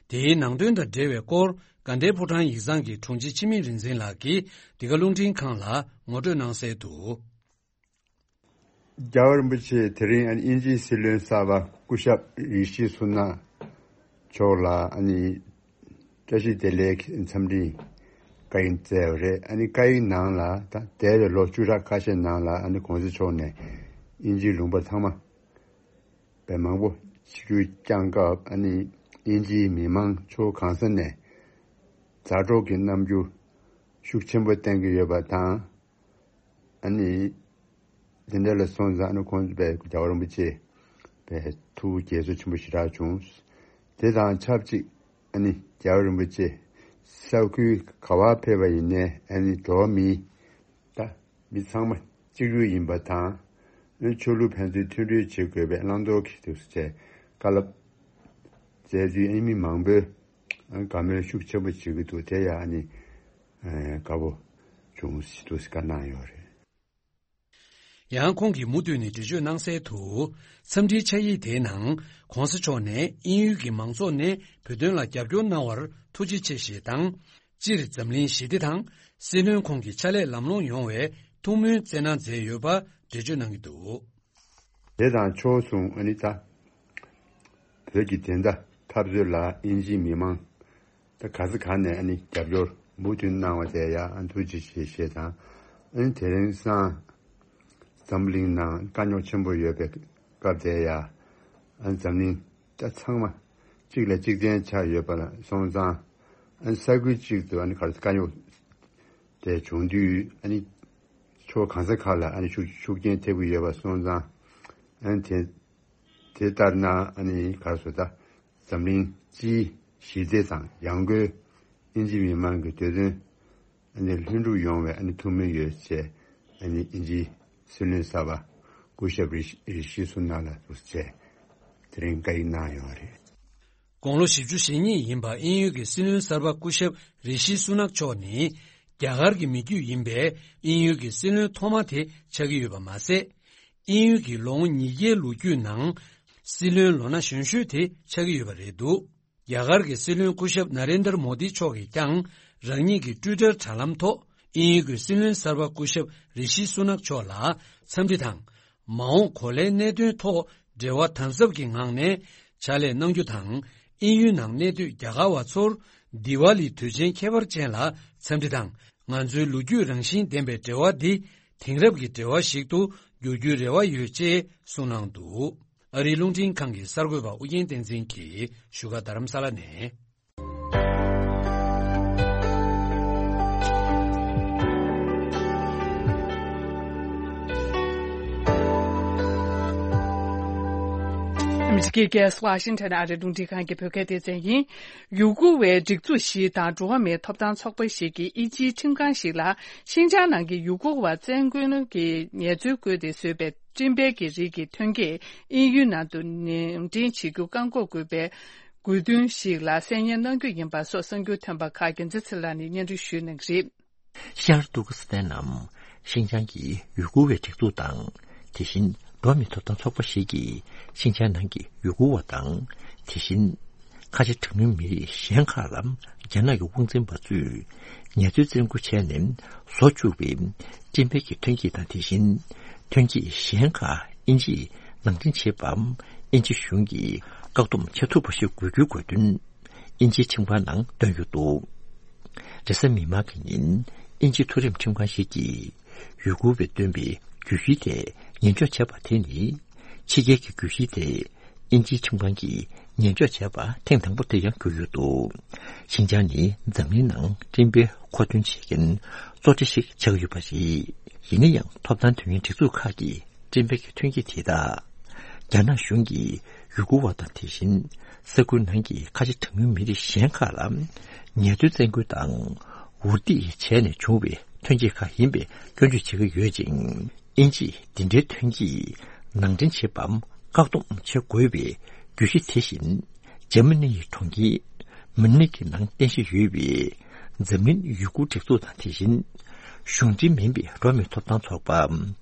དེའི་ནང་དོན་དང་འབྲེལ་བའི་སྐོར་དགའ་ལྡན་ཕོ་བྲང་ཡིག་ཚང་གི་དྲུང་ཆེ་འཆི་མེད་རིག་འཛིན་ལགས་ཀྱིས་འདི་ག་རླུང་འཕྲིན་ཁང་ལ་ངོ་སྤྲོད་གནང་གསལ་དུ། རྒྱལ་བ་རིན་པོ་ཆེ་དེ་རིང་ཨ་ནི་དབྱིན་ཇིའི་སྲིད་བློན་གསར་པ་སྐུ་ཞབས་རི་ཤི་སུ་ན་མཆོག་ལ་ཨ་ནི་བཀྲ་ཤིས་བདེ་ལེགས་འཚམས་འདྲི་བཀའ་ཡིག་བསྩལ་བ་རེད། ཨ་ནི་བཀའ་ཡིག་ནང་ལ་ད་འདས་པའི་ལོ་བཅུ་ཕྲག་ཁ་ཤས་ནང་ལ་ཨ་ནི་གོང་ས་མཆོག་ནས་དབྱིན་ཇིའི་ལུང་པ་ཚང་མ་པའི་མང་པོ་ཆིབས་བསྒྱུར་བསྐྱངས་སྐབས་ཨ་ནི་དབྱིན་ཇིའི་མི་མང་ཕྱོགས་གང་ས་ནས་མཛའ་གྲོགས་ཀྱི་རྣམ་འགྱུར་ཤུགས་ཆེན་པོ་བསྟན་གྱི་ཡོད་པ་དང་། ཨ་ནི་དེ་འདྲ་ལ་སོང་ཙང་ཨ་ནི་ཁོང་ཚོ་པའི་རྒྱལ་བ་རིན་པོ་ཆེ་པའི་ཐུགས་དགྱེས་ཚོར་ཆེན་པོ་ཞེ་དྲག་བྱུང་། དེ་དང་ཆབས་ཅིག་ཨ་ནི་རྒྱལ་བ་རིན་པོ་ཆེ་ས་ཁུལ་ག་བར་ཕེབས་པ་ཡིན་ནའི་ཨ་ནི་འགྲོ་བ་མི་ད་མི་ཚང་མ་གཅིག་གྱུར་ཡིན་པ་དང་། ཨ་ནི་ཆོས་ལུགས་ཕན་ཚུན་མཐུན་སྒྲིལ་བྱེད་དགོས་པའི་བླང་དོར་གྱི་དུས་སུ་བྱས་བཀའ་སློབ་སྩལ་དུས་ཨ་ནི་མི་མང་པོས་ཨ་ནི་དགའ་མོས་ཤུགས་ཆེན་པོ་བྱེད་ཀྱི་འདུག་དེ་ཡང་ཨ་ནི་དགའ་པོ་བྱུང་ཞེས་དུས་བཀའ་གནང་ཡོད་རེད། ཡང་ཁོང་གིས་མུ་མཐུད་ནས་འགྲེལ་བརྗོད་གནང་གསལ་དུ། འཚམས་འདྲིའི་ཕྱག་ཡིག་དེའི་ནང་གོང་ས་མཆོག་ནས་དབྱིན་ཡུལ་གྱི་མང་ཚོགས་ནས་བོད་དོན་ལ་རྒྱབ་སྐྱོར་གནང་བར་ཐུགས་རྗེ་ཆེ་ཞེས་དང་། སྤྱིར་འཛམ་གླིང་ཞི་བདེ་དང་སྲིད་བློན་ཁོང་གི་ཕྱག་ལས་ལམ་ལྷོང་ཡོང་བའི་ཐུགས་སྨོན་བསྩལ་གནང་མཛད་ཡོད་པ་འགྲེལ་བརྗོད་གནང་གི་འདུག་དེ་དང་ཕྱོགས་མཚུངས་ཨ་ནི་ད་བོད་ཀྱི་བདེན་མཐའ་འཐབ་རྩོད་ལ་དབྱིན་ཇིའི་མི་མང་ད་ག་ས་ག་ནས་ཨ་ནི་རྒྱབ་སྐྱོར་མུ་མཐུད་གནང་བ་དེ་ཡང་ཨ་ཐུགས་རྗེ་ཆེ་ཞེས་དང་། ཨ་ནི་དེ་རིང་སང་འཛམ་གླིང་ནང་དཀའ་རྙོག་ཆེན་པོ་ཡོད་པའི་སྐབས་དེ་ཡང་ཨ་ནི་འཛམ་གླིང་ད་ཚང་མ་གཅིག་ལ་གཅིག་བརྟེན་ཆགས་ཡོད་པ་ལ་སོང་ཙང་། ཨ་ནི་ས་ཁུལ་གཅིག་ཏུ་ཨ་ནི་ག་རེ་དཀའ་རྙོག་དེ་བྱུང་དུས་ཨ་ནི་ཕྱོགས་གང་ས་ག་ལ་ཨ་ནི་ཤུགས་ཤུགས་རྐྱེན་ཐེབས་ཀྱི་ཡོད་པ་སོང་ཙང་། ཨ་ནི་དེ་དེ་ལྟར་ན་ཨ་ནི་ག་རེ་ཟེར་ད་འཛམ་གླིང་སྤྱིའི་ཞི་བདེ་དང་ཡང་སྒོས་དབྱིན་ཇི་མི་མང་གི་འདོད་དོན་ཨ་ནི་ལྷུན་གྲུབ་ཡོང་བའི་ཨ་ནི་ཐུགས་སྨོན་ཡོད་ཅེས་ཨ་ནི་དབྱིན་ཇིའི་སྲིད་བློན་གསར་པ་སྐུ་ཞབས་རི་ཤི་རི་ཤི་སུ་ན་ལ་འདུག་ཅེས་དེ་རིང་བཀའ་ཡིག་གནང་ཡོད་རེད། དགུང་ལོ་བཞི་བཅུ་ཞེ་གཉིས་ཡིན་པ་དབྱིན་ཡུལ་གྱི་སྲིད་བློན་གསར་པ་སྐུ་ཞབས་རི་ཤི་སུ་ནག་མཆོག་ནི་རྒྱ་གར་གྱི་མི་རྒྱུད་ཡིན་པས་དབྱིན་ཡུལ་གྱི་སྲིད་བློན་ཐོག་མ་དེ་ཆགས་ཀྱི་ཡོད་པ་མ་ཟད། དབྱིན་ཡུལ་གྱི་ལོ་ངོ་ཉིས་བརྒྱའི་ལོ་རྒྱུས་ནང་སྲིད་བློན་ལོ་ན་གཞོན་ཤོས་དེ་ཆགས་ཀྱི་ཡོད་པ་རེད་འདུག་རྒྱ་གར་གྱི་སྲིད་བློན་སྐུ་ཞབས་ན་རེན་དར་མོ་དི་མཆོག་གིས་ཀྱང་རང་ཉིད་ཀྱི་ཊུའི་ཊར་དྲ་ལམ་ཐོག་དབྱིན་ཡུལ་གྱི་སྲིད་བློན་གསར་པ་སྐུ་ཞབས་རི་ཤི་སུ་ནག་མཆོག་ལ་འཚམས་འདྲི་དང་། མ་འོངས་གོ་ལའི་གནད་དོན་ཐོག་འབྲེལ་བ་དམ་ཟབ་ཀྱི་ངང་ནས་ཕྱག་ལས་གནང་རྒྱུ་དང་། དབྱིན་ཡུལ་ནང་གནས་སྡོད་རྒྱ་གར་བ་ཚོར་དི་ཝ་ལི་དུས་ཆེན་ཁྱད་པར་ཅན་ལ་འཚམས་འདྲི་དང་། ང་ཚོའི་ལོ་རྒྱུས་རང་བཞིན་ལྡན་པའི་འབྲེལ་བ་འདི་དེང་རབས་ཀྱི་འབྲེལ་བ་ཞིག་ཏུ་འགྱུར་རྒྱུའི་རེ་བ་ཡོད་ཅེས་གསུངས་གནང་འདུག་ཨ་རིའི་རླུང་འཕྲིན་ཁང་གི་གསར་འགོད་པ་ཨུ་རྒྱན་བསྟན་འཛིན་གྱིས་བཞུགས་སྒར་རྡ་རམ་ས་ལ་ནས། ཨ་མི་རི་ཀའི་རྒྱལ་ས་ཝ་ཤིང་ཊོན་ཨ་རིའི་རླུང་འཕྲིན་ཁང་གི་བོད་སྐད་སྡེ་ཚན་ཡིན། ཡུ་གུར་བའི་སྒྲིག་འཛུགས་ཤིག་དང་འགྲོ་བ་མིའི་ཐོབ་ཐང་ཚོགས་པ་ཞིག་གིས་དབྱིན་ཇིའི་ཁྲིམས་ཁང་ཞིག་ལ་ཤིན་ཅང་ནང་གི་ཡུ་གུར་བ་བཙན་རྒོལ་གྱི་ངལ་རྩོལ་བཀོལ་ཏེ་བཟོས་པའི་སྤྲིན་པའི་གི་རིགས་ཀྱི་ཐོན་སྐྱེད་དབྱིན་ཡུལ་ནང་དུ་ནང་འདྲེན་བྱེད་རྒྱུ་བཀག་འགོག་དགོས་པའི་དགོས་འདུན་ཞིག་ལ་གསན་སྙན་གནང་རྒྱུ་ཡིན་པ་སོགས་གསར་འགྱུར་ཐོན་པ་ཁག་རྒྱལ་མཚན་ཚེ་ལགས་ནས་སྙན་སྒྲོན་ཞུ་གནང་གི་རེད། ཤར་ཏུར་ཀི་སི་ཐན་ནམ་ཤིན་ཅང་གི་ཡུ་གུར་བའི་སྒྲིག་འཛུགས་དང་། དེ་བཞིན་འགྲོ་བ་མིའི་ཐོབ་ཐང་ཚོགས་པ་ཞིག་གིས་ཤིན་ཅང་ནང་གི་ཡུ་གུར་བ་དང་། དེ་བཞིན་ཁ་ཆེ་གྲངས་ཉུང་མི་རིགས་གཞན་ཁག་ལ་རྒྱ་ནག་གི་དབང་འཛིན་པ་ཚོས་ངལ་རྩོལ་བཙན་སྐུལ་བྱས་ནས་བཟོ་བཅུག་པའི་སྤྲིན་པའི་གི་ཐོན་སྐྱེད་དང་། དེ་བཞིན་ཐོན་སྐྱེད་གཞན་ཁག་དབྱིན་ཇིས་ནང་འདྲེན་བྱེད་པའམ་དབྱིན་ཇི་གཞུང་གིས་བཀག་སྡོམ་བྱེད་ཐུབ་པ་ཞིག་དགོས་རྒྱུའི་དགོས་འདུན་དབྱིན་ཇིའི་ཁྲིམས་ཁང་ནང་བཏོན་ཡོད་འདུག་རེས་གཟའ་མིག་དམར་གྱི་ཉིན་དབྱིན་ཇིའི་མཐོ་རིམ་ཁྲིམས་ཁང་ཞིག་གིས་ཡུ་གུར་བས་བཏོན་པའི་གྱོད་གཞི་དེ་ཉེས་འཇོག་བྱས་པ་དེ་ནི་ཕྱི་རྒྱལ་གྱི་གྱོད་གཞི་དེ་དབྱིན་ཇིའི་ཁྲིམས་ཁང་གིས་ཉེས་འཇོག་བྱས་པ་ཐེངས་དང་པོ་དེ་ཡང་གྱུར་ཡོད་འདུག་ཤིན་ཅང་ནི་འཛམ་གླིང་ནང་སྤྲིན་པའི་མཁོ་འདོན་བྱེད་མཁན་གཙོ་གྲས་ཤིག་ཆགས་ཡོད་པ་རེད། ཡིན་ན་ཡང་ཐོབ་ཐང་དོན་གཉེར་སྒྲིག་འཛུགས་ཁག་གིས་སྤྲིན་པའི་གི་ཐོན་སྐྱེད་དེ་དག་རྒྱ་ནག་གཞུང་གིས་ཡུ་གུར་བ་དང་། དེ་བཞིན་ས་ཁུལ་ནང་གི་ཁ་ཆེ་གྲངས་ཉུང་མི་རིགས་གཞན་ཁག་ལ་ངལ་རྩོལ་བཙན་སྐུལ་དང་འུར་སྡེ་བྱས་ནས་བྱུང་བའི་ཐོན་སྐྱེད་ཁག་ཡིན་པའི་སྐྱོན་བརྗོད་བྱེད་ཀྱི་ཡོད་ཅིང་། དབྱིན་ཇིས་འདི་འདྲའི་ཐོན་སྐྱེད་ནང་འདྲེན་བྱེད་པའམ་བཀག་སྡོམ་བྱེད་དགོས་པའི་གྱོད་གཞི་དེ་བཞིན། འཇར་མ་ནི་ཡི་གྲོང་ཁྱེར་མུན་ནིག་གི་ནང་རྟེན་གཞི་ཡོད་པའི་འཛམ་གླིང་ཡུ་གུར་སྒྲིག་འཛུགས་དང་། དེ་བཞིན་གཞུང་འབྲེལ་མིན་པའི་འགྲོ་བ་མིའི་ཐོབ་ཐང་ཚོགས་པ།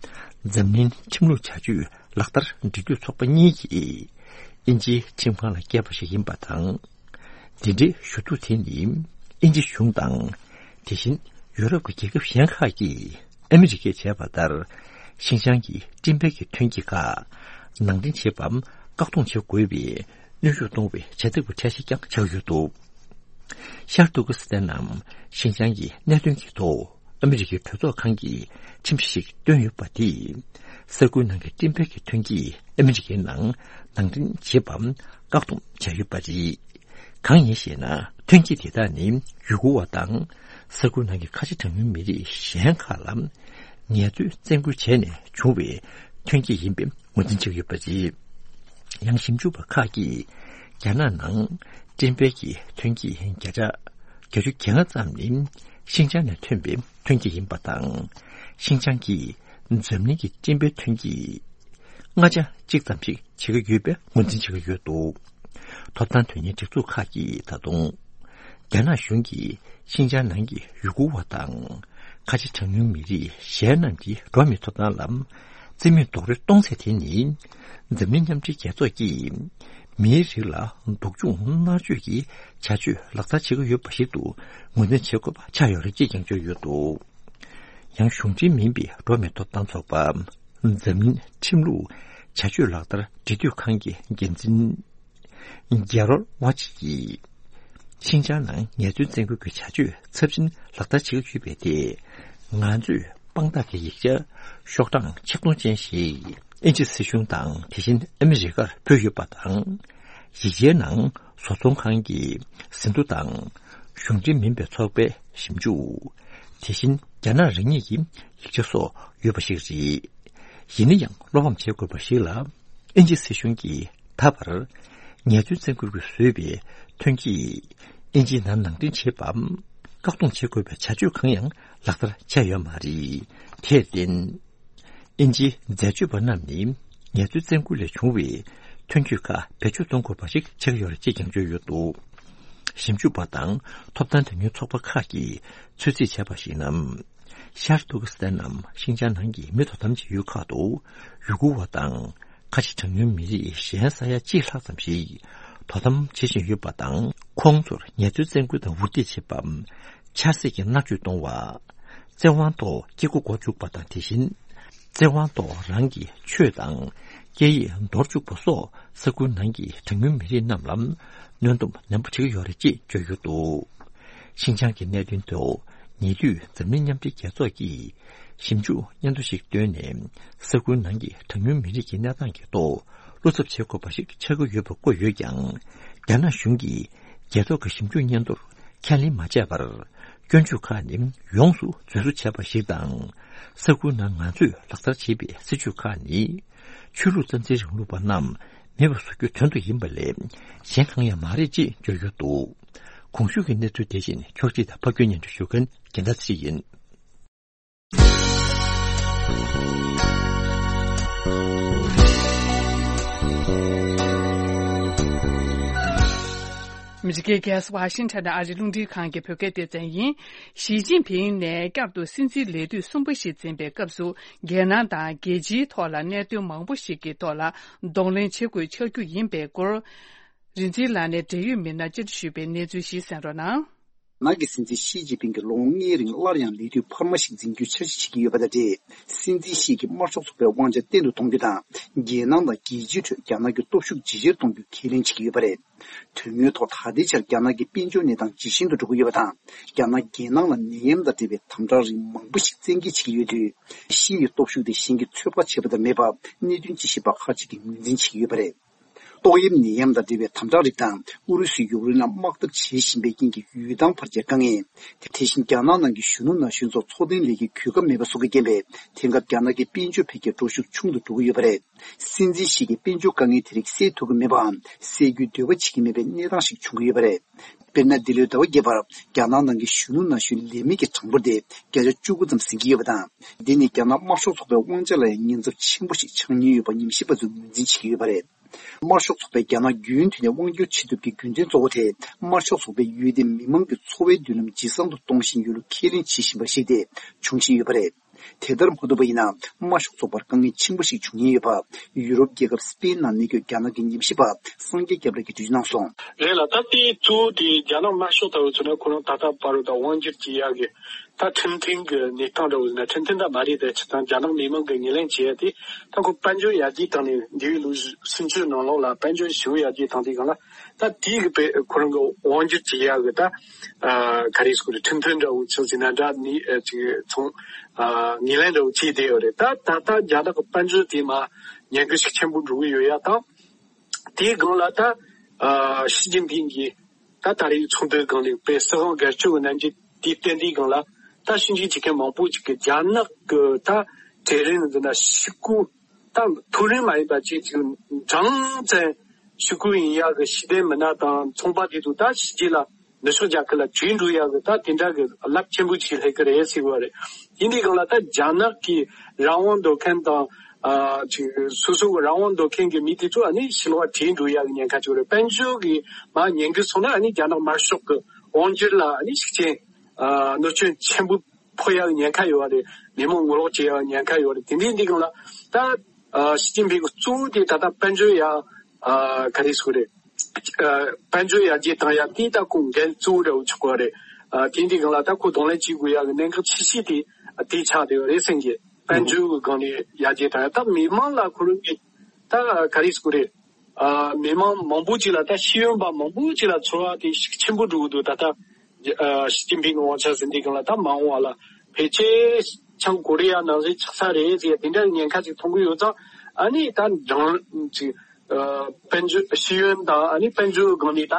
འཛམ་གླིང་ཁྲིམས་ལུགས་བྱ་སྤྱོད་ལག་བསྟར་འབྲེལ་མཐུད་ཚོགས་པ་གཉིས་ཀྱིས་དབྱིན་ཇིའི་ཁྲིམས་ཁང་ལ་བསྐྱལ་བ་ཞིག་ཡིན་པ་དང་། འདི་འདྲའི་ཞུ་གཏུག་དེ་ནི་དབྱིན་ཇི་གཞུང་དང་། དེ་བཞིན་ཡོ་རོབ་ཀྱི་རྒྱལ་ཁབ་གཞན་ཁག་གིས་ཨ་མི་རི་ཀས་བྱས་པ་ལྟར། ཤིན་ཅང་གི་སྤྲིན་པའི་གི་ཐོན་སྐྱེད་ཁག་ནང་འདྲེན་བྱེད་པའམ་བཀག་སྡོམ་བྱེད་དགོས་པའི་གནོན་ཤུགས་གཏོང་བའི་བྱ་ཐབས་ཀྱི་གྲས་ཤིག་ཀྱང་ཆགས་ཡོད་འདུག་ཤར་ཏུར་ཀི་སི་ཐན་ནམ་ཤིན་ཅང་གི་གནད་དོན་གྱི་ཐོག་ཨ་མི་རི་ཀའི་གྲོས་ཚོགས་ཁང་གིས་ཁྲིམས་གཞི་ཞིག་བཏོན་ཡོད་པ་དེས། ས་ཁུལ་ནང་གི་སྤྲིན་པའི་གི་ཐོན་སྐྱེད་ཨ་མི་རི་ཀའི་ནང་ནང་འདྲེན་བྱེད་པའམ་བཀག་སྡོམ་བྱས་ཡོད་པ་རེད། གང་ཡིན་ཞེ་ན། ཐོན་སྐྱེད་དེ་དག་ནི་ཡུ་གུར་བ་དང་ས་ཁུལ་ནང་གི་ཁ་ཆེ་གྲངས་ཉུང་མི་རིགས་གཞན་ཁག་ལ་ངལ་རྩོལ་བཙན་སྐུལ་བྱས་ནས་བྱུང་བའི་ཐོན་སྐྱེད་ཡིན་པའི་ངོས་འཛིན་བྱས་ཡོད་པ་རེད། ཡང་ཞིབ་འཇུག་པ་ཁག་གིས་རྒྱ་ནག་ནང་སྤྲིན་པའི་གི་ཐོན་སྐྱེད་བརྒྱ་ཆ་བརྒྱད་ཅུ་གྱ་ལྔ་ཙམ་ནི་ཤིན་ཅང་ནས་ཐོན་པའི་ཐོན་སྐྱེད་ཡིན་པ་དང་། ཤིན་ཅང་གིས་འཛམ་གླིང་གི་སྤྲིན་པའི་ཐོན་སྐྱེད་ལྔ་ཆ་གཅིག་ཙམ་ཞིག་བྱེད་ཀྱི་ཡོད་པའི་ངོས་འཛིན་བྱེད་ཀྱི་ཡོད་འདུག་ཐོབ་ཐང་དོན་གཉེར་སྒྲིག་འཛུགས་ཁག་གིས་ད་དུང་། རྒྱ་ནག་གཞུང་གིས་ཤིན་ཅང་ནང་གི་ཡུ་གུར་བ་དང་། ཁ་ཆེ་གྲངས་ཉུང་མི་རིགས་གཞན་རྣམས་ཀྱི་འགྲོ་བ་མིའི་ཐོབ་ཐང་ལ་རྩིས་མེད་རྡོག་རོལ་གཏོང་ཚད་དེ་ནི། འཛམ་གླིང་མཉམ་འབྲེལ་རྒྱལ་ཚོགས་ཀྱིས་མིའི་རིགས་ལ་སྡུག་སྦྱོང་མནར་གཅོད་ཀྱི་བྱ་སྤྱོད་ལག་བསྟར་བྱེད་ཀྱི་ཡོད་པ་ཞིག་ཏུ་ངོས་འཛིན་བྱེད་དགོས་པ་ཆགས་ཡོད་རེད་ཅེས་ཀྱང་བརྗོད་ཡོད་འདུག་ཡང་གཞུང་འབྲེལ་མིན་པའི་འགྲོ་བ་མིའི་ཐོབ་ཐང་ཚོགས་པ། འཛམ་གླིང་ཁྲིམས་ལུགས་བྱ་སྤྱོད་ལག་བསྟར་འབྲེལ་མཐུད་ཁང་གི་འགན་འཛིན་རྒྱ་རོལ་ཝ་ཅི་ཡིས། ཤིན་ཅང་ནང་ངལ་རྩོལ་བཙན་སྐུལ་གྱི་བྱ་སྤྱོད་ཚབས་ཆེན་ལག་བསྟར་བྱེད་ཀྱི་ཡོད་པའི་ཐད། ང་ཚོས་དཔང་རྟགས་ཀྱི་ཡིག་ཆ་ཤོག་གྲངས་ཆིག་སྟོང་ཅན་ཞིག་དབྱིན་ཇི་སྲིད་གཞུང་དང་། དེ་བཞིན་ཨ་མི་རི་ཀར་ཕུལ་ཡོད་པ་དང་། ཡིག་ཆའི་ནང་བཟོ་ཚོང་ཁང་གི་ཟིན་ཐོ་དང་། གཞུང་འབྲེལ་མིན་པའི་ཚོགས་པའི་ཞིབ་འཇུག་དེ་བཞིན་རྒྱ་ནག་རང་ཉིད་ཀྱི་ཡིག་ཆ་སོགས་ཡོད་པ་ཞིག་རེད། ཡིན་ན་ཡང་བློ་ཕམ་བྱེད་དགོས་པ་ཞིག་ལ། དབྱིན་ཇི་སྲིད་གཞུང་གིས་ད་བར་ངལ་རྩོལ་བཙན་སྐུལ་གྱིས་བཟོས་པའི་ཐོན་སྐྱེད་དབྱིན་ཇིའི་ནང་ནང་འདྲེན་བྱེད་པའམ་བཀག་སྡོམ་བྱེད་དགོས་པའི་བྱ་སྤྱོད་གང་ཡང་ལག་བསྟར་བྱས་ཡོད་མ་རེད། དེར་བརྟེན། དབྱིན་ཇིའི་འཛད་སྤྱོད་པ་རྣམས་ནི་ངལ་རྩོལ་བཙན་སྐུལ་ལས་བྱུང་བའི་ཐོན་སྐྱེད་ཁག་བེད་སྤྱོད་གཏོང་དགོས་པ་ཞིག་ཆགས་ཡོད་རེད་ཅེས་ཀྱང་བརྗོད་ཡོད་འདུག་ཞིབ་འཇུག་པ་དང་ཐོབ་ཐང་དོན་གཉེར་ཚོགས་པ་ཁག་གིས་ཚོད་རྩིས་བྱས་པར་གཞིགས་ན། ཤར་ཏུར་ཀི་སི་ཐན་ནམ་ཤིན་ཅང་ནང་གི་མི་དོ་དམ་བྱེད་ཡུལ་ཁག་ཏུ་ཡུ་གུར་བ་དང་། ཁ་ཆེ་གྲངས་ཉུང་མི་རིགས་གཞན་ས་ཡ་གཅིག་ལྷག་ཙམ་ཞིག་དོ་དམ་བྱེད་བཞིན་ཡོད་པ་དང་། ཁོང་ཚོར་ངལ་རྩོལ་བཙན་སྐུལ་དང་འུར་སྡེ་བྱེད་པ། ཆབ་སྲིད་ཀྱི་མནར་གཅོད་གཏོང་བ། བཙན་དབང་ཐོག་སྐྱེ་སྒོ་འགོ་འཛུགས་པ་དང་། དེ་བཞིན་བཙན་དབང་ཐོག་རང་གི་ཆོས་དང་སྐད་ཡིག་འདོར་བཅུག་པ་སོགས་ས་ཁུལ་ནང་གི་གྲངས་ཉུང་མི་རིགས་རྣམས་ལ་གནོན་སྡོམ་ནན་པོ་བྱེད་ཀྱི་ཡོད་རེད་ཅེས་བརྗོད་ཡོད་འདུག་ཤིན་ཅང་གི་གནད་དོན་ཐོག་ཉེ་དུས་འཛམ་གླིང་མཉམ་འབྲེལ་རྒྱལ་ཚོགས་ཀྱིས་ཞིབ་འཇུག་སྙན་ཐོ་ཞིག་བཏོན་ནས། ས་ཁུལ་ནང་གི་གྲངས་ཉུང་མི་རིགས་ཀྱི་གནས་སྟངས་ཀྱི་ཐོག་བློ་འཚབ་བྱེད་དགོས་པ་ཞིག་ཆགས་ཀྱི་ཡོད་པ་བཀོད་ཡོད་ཀྱང་། རྒྱ་ནག་གཞུང་གིས་རྒྱལ་ཚོགས་ཀྱི་ཞིབ་འཇུག་སྙན་ཐོར་ཁས་ལེན་མ་བྱས་པར། སྐྱོན་བརྗོད་ཁག་ནི་ཡོངས་སུ་རྫུན་བཟོ་བྱས་པ་ཞིག་དང་། ས་ཁུལ་ནང་ང་ཚོས་ལག་བསྟར་བྱེད་པའི་སྲིད་བྱུས་ཁག་ནི། ཆོས་ལུགས་རྩ་འཛིན་རིང་ལུགས་པ་རྣམས་ མེད་པ་བཟོ་རྒྱུའི་དོན་དུ་ཡིན་པ་ལས་གཞན་གང་ཡང་མ་རེད་ཅེས་བརྗོད་ཡོད་འདུག། གོང་ཞུས་ཀྱི་གནས་ཚུལ་དེ་བཞིན་ཕྱོགས་སྒྲིག་དང་ཕབ་སྒྱུར་སྙན་སྒྲོན་ཞུ་མཁན་རྒྱལ་ལྟ་ཚེ་རིང་ཡིན། ཨ་མི་རི་ཀའི་རྒྱལ་ས་ཝ་ཤིང་ཊོན་ནས་ཨ་རིའི་རླུང་འཕྲིན་ཁང་གི་བོད་སྐད་སྡེ་ཚན་ཡིན། ཞི་ཅིན་ཕིང་ནས་བསྐྱར་དུ་སྲིད་འཛིན་ལས་དུས་གསུམ་པ་ཞིག་འཛིན་པའི་སྐབས་སུ། རྒྱལ་ནང་དང་རྒྱལ་སྤྱིའི་ཐོག་ལ་གནད་དོན་མང་པོ་ཞིག་གི་ཐོག་ལ་གདོང་ལེན་བྱེད་དགོས་ཆགས་རྒྱུ་ཡིན་པའི་སྐོར། རིག་འཛིན་ལགས་ནས་འབྲེལ་ཡོད་མི་སྣར་བཅར་འདྲི་ཞུས་པའི་གནས་ཚུལ་ཞིག་གསན་རོགས་གནང་། རྒྱ་ནག་གི་སྲིད་འཛིན་ཞི་ཅིན་ཕིང་གིས་ལོ་ངོ་ལྔའི་རིང་སླར་ཡང་ལས་དུས་འཕར་མ་ཞིག་འཛིན་རྒྱུའི་འཆར་གཞི་བྱེད་ཀྱི་ཡོད་པ་དང་འབྲེལ། སྲིད་འཛིན་ཞི་གིས་དམར་ཤོག་ཚོགས་པའི་དབང་ཆ་བརྟན་དུ་གཏོང་རྒྱུ་དང་། རྒྱལ་ནང་དང་རྒྱལ་སྤྱིའི་ཁྲོད་རྒྱ་ནག་གི་སྟོབས་ཤུགས་ཇེ་ཆེར་གཏོང་རྒྱུ་ཁས་ལེན་བྱེད་ཀྱི་ཡོད་པ་རེད། དོན་དངོས་ཐོག་ད་ལྟའི་ཆར་རྒྱ་ནག་གི་དཔལ་འབྱོར་གནས་སྟངས་ཇེ་ཞན་དུ་འགྲོ་གི་ཡོད་པ་དང་། རྒྱ་ནག་རྒྱལ་ནང་ལ་ནད་ཡམས་དང་འབྲེལ་བའི་དམ་དྲག་རིགས་མང་པོ་ཞིག་བཙན་འགེལ་བྱེད་ཀྱི་ཡོད་དུས། ཞི་ཡི་སྟོབས་ཤུགས་དེ་གཞན་གྱིས་ཚོད་དཔག་བྱས་པ་དང་མེད་པ་གནད་དོན་དཔྱད་ཞིབ་པ་ཁག་ཅིག་གིས་ངོས་འཛིན་བྱེད་ཀྱི་ཡོད་པ་རེད། ཏོག་དབྱིབས་ནད་ཡམས་དང་འབྲེལ་བའི་དམ་དྲག་རིགས་དང་། ཨུ་རུ་སུས་ཡུཀ་རེན་ལ་དམག་འཐབ་བྱེད་བཞིན་པའི་རྐྱེན་གྱིས་ཡུལ་ཐང་འཕར་རྒྱས་དཀའ་ངལ། དེ་བཞིན་རྒྱ་ནག་ནང་གི་གཞོན་ནུ་ན་གཞོན་ཚོར་འཚོ་རྟེན་ལས་ཀའི་གོ་སྐབས་མེད་པ་སོགས་ཀྱིས་རྐྱེན་པས། དེང་སྐབས་རྒྱ་ནག་གི་དཔལ་འབྱོར་འཕེལ་རྒྱས་འགྲོ་ཤུགས་ཆུང་དུ་འགྲོ་གི་ཡོད་པ་རེད། སྲིད་འཛིན་ཞི་གིས་དཔལ་འབྱོར་དཀའ་ངལ་དེ་རིགས་སེལ་ཐུབ་ཀྱི་མེད་པའམ། སེལ་རྒྱུའི་འདོད་པ་བྱེད་ཀྱི་མེད་པའི་གནས་སྟངས་ཤིག་བྱུང་གི་ཡོད་པ་རེད། དཔེར་ན། འདི་ལོའི་ཟླ་བ་བརྒྱད་པར་རྒྱ་ནག་ནང་གི་གཞོན་ནུ་ན་གཞོན་ལས་མེད་ཀྱི་གྲངས་འབོར་དེ་བརྒྱ་ཆ་བཅུ་དགུ་ཙམ་ཟིན་གྱི་ཡོད་པ་དང་། འདི་ནི་རྒྱ་ནག་དམར་ཤོག་ཚོགས་པའི་དབང་ཆ་ལ་ཡང་ཉེན་ཚབས་ཆེན་པོ་ཞིག་ཆགས་ཉེན་ཡོད་པ་ཉམས་ཞིབ་པ་ཚོས་ངོས་འཛིན་བྱེད་ཀྱི་ཡོད་པ་རེད། དམར་ཤོག་ཚོགས་པས་རྒྱ་ནག་རྒྱུན་མཐུད་ནས་དབང་སྒྱུར་བྱེད་ཐབས་ཀྱི་རྒྱུ་མཚན་གཙོ་བོ་དེ། དམར་ཤོག་ཚོགས་པས་ཡུལ་དེའི་མི་མང་གི་འཚོ་བའི་མདུན་ལམ་ཇེ་བཟང་དུ་གཏོང་བཞིན་ཡོད་ལུགས་ཁས་ལེན་བྱེད་བཞིན་པར་གཞིགས་ཏེ་བྱུང་བཞིན་ཡོད་པ་རེད། དེ་ལྟར་མ་ཐུབ་པ་ཡིན་ན། དམར་ཤོག་ཚོགས་པར་དཀའ་ངལ་ཆེན་པོ་ཞིག་འབྱུང་ཉེན་ཡོད་པ། ཡུ་རོབ་རྒྱལ་ཁབ་སི་པེན་ནང་གནས་འཁོད་རྒྱ་ནག་གི་ཉམས་ཞིབ་པ་སངས་རྒྱས་སྐྱབས་ལགས་ཀྱིས་འགྲེལ་བརྗོད་གནང་སོང་། རེད་ལ། ད་དེའི་གཙོ་བོ་དེ་རྒྱ་ནག་དམར་ཤོག་ལྟ་བུ་ཚོ་ནི་ཁོ་རང་ད་ལྟ་བར་དུ་དབང་སྒྱུར་བྱེད་ཡག་གི་ད་ཁྲིམས་མཐུན་གྱི་གནས་སྟངས་འདྲ་བོ་ཡིན་ན། ཁྲིམས་མཐུན་ད་མ་རེད་དེ། སྤྱིར་བཏང་རྒྱ་ནག་མི་མང་གིས་ངོས་ལེན་བྱེད་ཡ་དེ། ད་ཁོ་དཔལ་འབྱོར་ཡར་རྒྱས་བཏང་ནས་འདས་པའི་ལོ་སུམ་ཅུ་ནང་ལོགས་ལ་དཔལ་འབྱོར་ཞེ་པོ་ཡར་རྒྱས་བཏང་དུས་སྒང་ལ། ད་དེའི་གི་དཔེ་ཁོ་རང་གི་དབང་སྒྱུར་བྱེད་ཡག་གི་ད་ཨ་ག་རེ་ཟེར་དགོས་རེད། ཁྲིམས་མཐུན་འདྲ་བོ་ཆགས་ཟིན་ན་འདྲ་ནི་ཨ་ཅིག་ཚོང་ཨ་ངོས་ལེན་འདྲ་བོ་བྱས་བསྡད་ཡོད་རེད། ད་ད་ལྟ་རྒྱ་ནག་གི་དཔལ་འབྱོར་དེ་མར་ཉེན་ཁ་ཤུགས་ཆེན་པོ་འགྲོ་གི་ཡོད་ཡ་དང་། དེའི་སྒང་ལ་ད་ཨ་ཞི་ཅིན་ཕིང་གིས་ད་ད་རེས་ཚོགས་འདུའི་སྒང་ནས་དཔེ་སྲིད་དབང་སྒེར་གཅོད་ཀྱི་རྣམ་འགྱུར་དེ་བསྟན་དུས་སྒང་ལ། ད་ཞིབ་འཇུག་བྱེད་མཁན་མང་པོ་ཅིག་གིས་རྒྱ་ནག་གི་ད་གྲལ་རིམ་འདི་ན་ཤི་རྐུ་ད་མཐོ་རིམ་མ་ཡིན་པ་ཅིག་ཅིག་གྲངས་ཙམ་ཤི་རྐུ་ཡིན་ཡག་གི་ཤེས་ལྡན་མི་སྣ་དང་ཚོང་པ་དེ་ཚོ་ད་ཕྱི་རྒྱལ་ལ་ནུབ་ཕྱོགས་རྒྱལ་ཁབ་ལ་བྲོས་འགྲོ་ཡག་གི་ད་དེ་འདྲ་གི་རླབས་ཆེན་པོ་ཅིག་སླེབས་ཀྱི་རེད་ཟེར་བ་རེད། དེ་འདྲའི་སྒང་ལ་ད་རྒྱ་ནག་གི་རང་དབང་འདོད་མཁན་དང་། ཨ་ཅིག་སོ་སོ་གི་རང་དབང་འདོད་མཁན་གྱི་མི་དེ་ཚོ་ཨ་ནི་ཕྱི་ལོགས་བྲོས་འགྲོ་ཡག་གི་ཉེན་ཁ་ཅིག་རེད། དཔལ་འབྱོར་གྱི་མར་ཉེན་ཁ་སོང་ན་ཨ་ནི་རྒྱ་ནག་དམར་ཤོག་གི་དབང་སྒྱུར་ལ་ཨ་ནི་ཤུགས་རྐྱེན་ཨ་གནོད་སྐྱོན་ཆེན་པོ་ཕོག་ཡག་གི་ཉེན་ཁ་ཡོད་པ་རེད། མི་མང་ངོ་ལོག་བྱེད་ཡག་གི་ཉེན་ཁ་ཡོད་པ་རེད། དེ་འདྲའི་འདི་སྒང་ལ་ད་ཨ་ཞི་ཅིན་ཕིང་གི་གཙོ་བོ་དེ་ད་ལྟ་དཔལ་འབྱོར་ཡ་ཨ་ག་རེ་ཟེར་དགོས་རེད། ཨ་དཔལ་འབྱོར་ཡར་རྒྱས་བཏང་ཡ་དེ་ད་ཁོ་འགན་གཙོ་བོ་འདྲ་བོ་ཆགས་པ་རེད། ཨ་དེ་འདི་སྒང་ལ་ད་ཁོ་གདོང་ལེན་བྱེད་དགོས་ཡག་གི་གནད་འགག་ཆེ་ཤོས་དེ་དེ་ཆགས་བསྡད་ཡོད་རེད་སེང་གེ། དཔལ་འབྱོར་གྱི་སྒང་ནས་ཡར་རྒྱས་དང་། ད་མི་མང་ལ་ཁོ་རང་གིས་ད་ག་རེ་ཟེར་དགོས་རེད། ཨ་མི་མང་མང་པོ་ཅིག་ལ་ད་ཤེས་ཡོན་པ་མང་པོ་ཅིག་ལ་ཚོར་བ་དེ་ཤུགས་ཆེན་པོ་འགྲོ་གི་འདུག། ད་ལྟ་ཨ་ཞི་ཅིན་ཕིང་གི་དབང་ཆ་ཟིན་དུས་སྒང་ལ་ད་མ་འོངས་པ་ལ་ཕལ་ཆེར་བྱང་ཀོ་རི་ཡ་ནང་བཞིན་ཆགས་ས་རེད་ཟེར་དེ་འདྲ་ཉེན་ཁ་ཅིག་མཐོང་གི་ཡོད་ཙང་། ཨ་ནི་ད་འགྲངས་ཅིག་ཨ་དཔལ་འབྱོར་ཤེས་ཡོན་དང་ཨ་ནི་དཔལ་འབྱོར་སྒང་ནས་ད་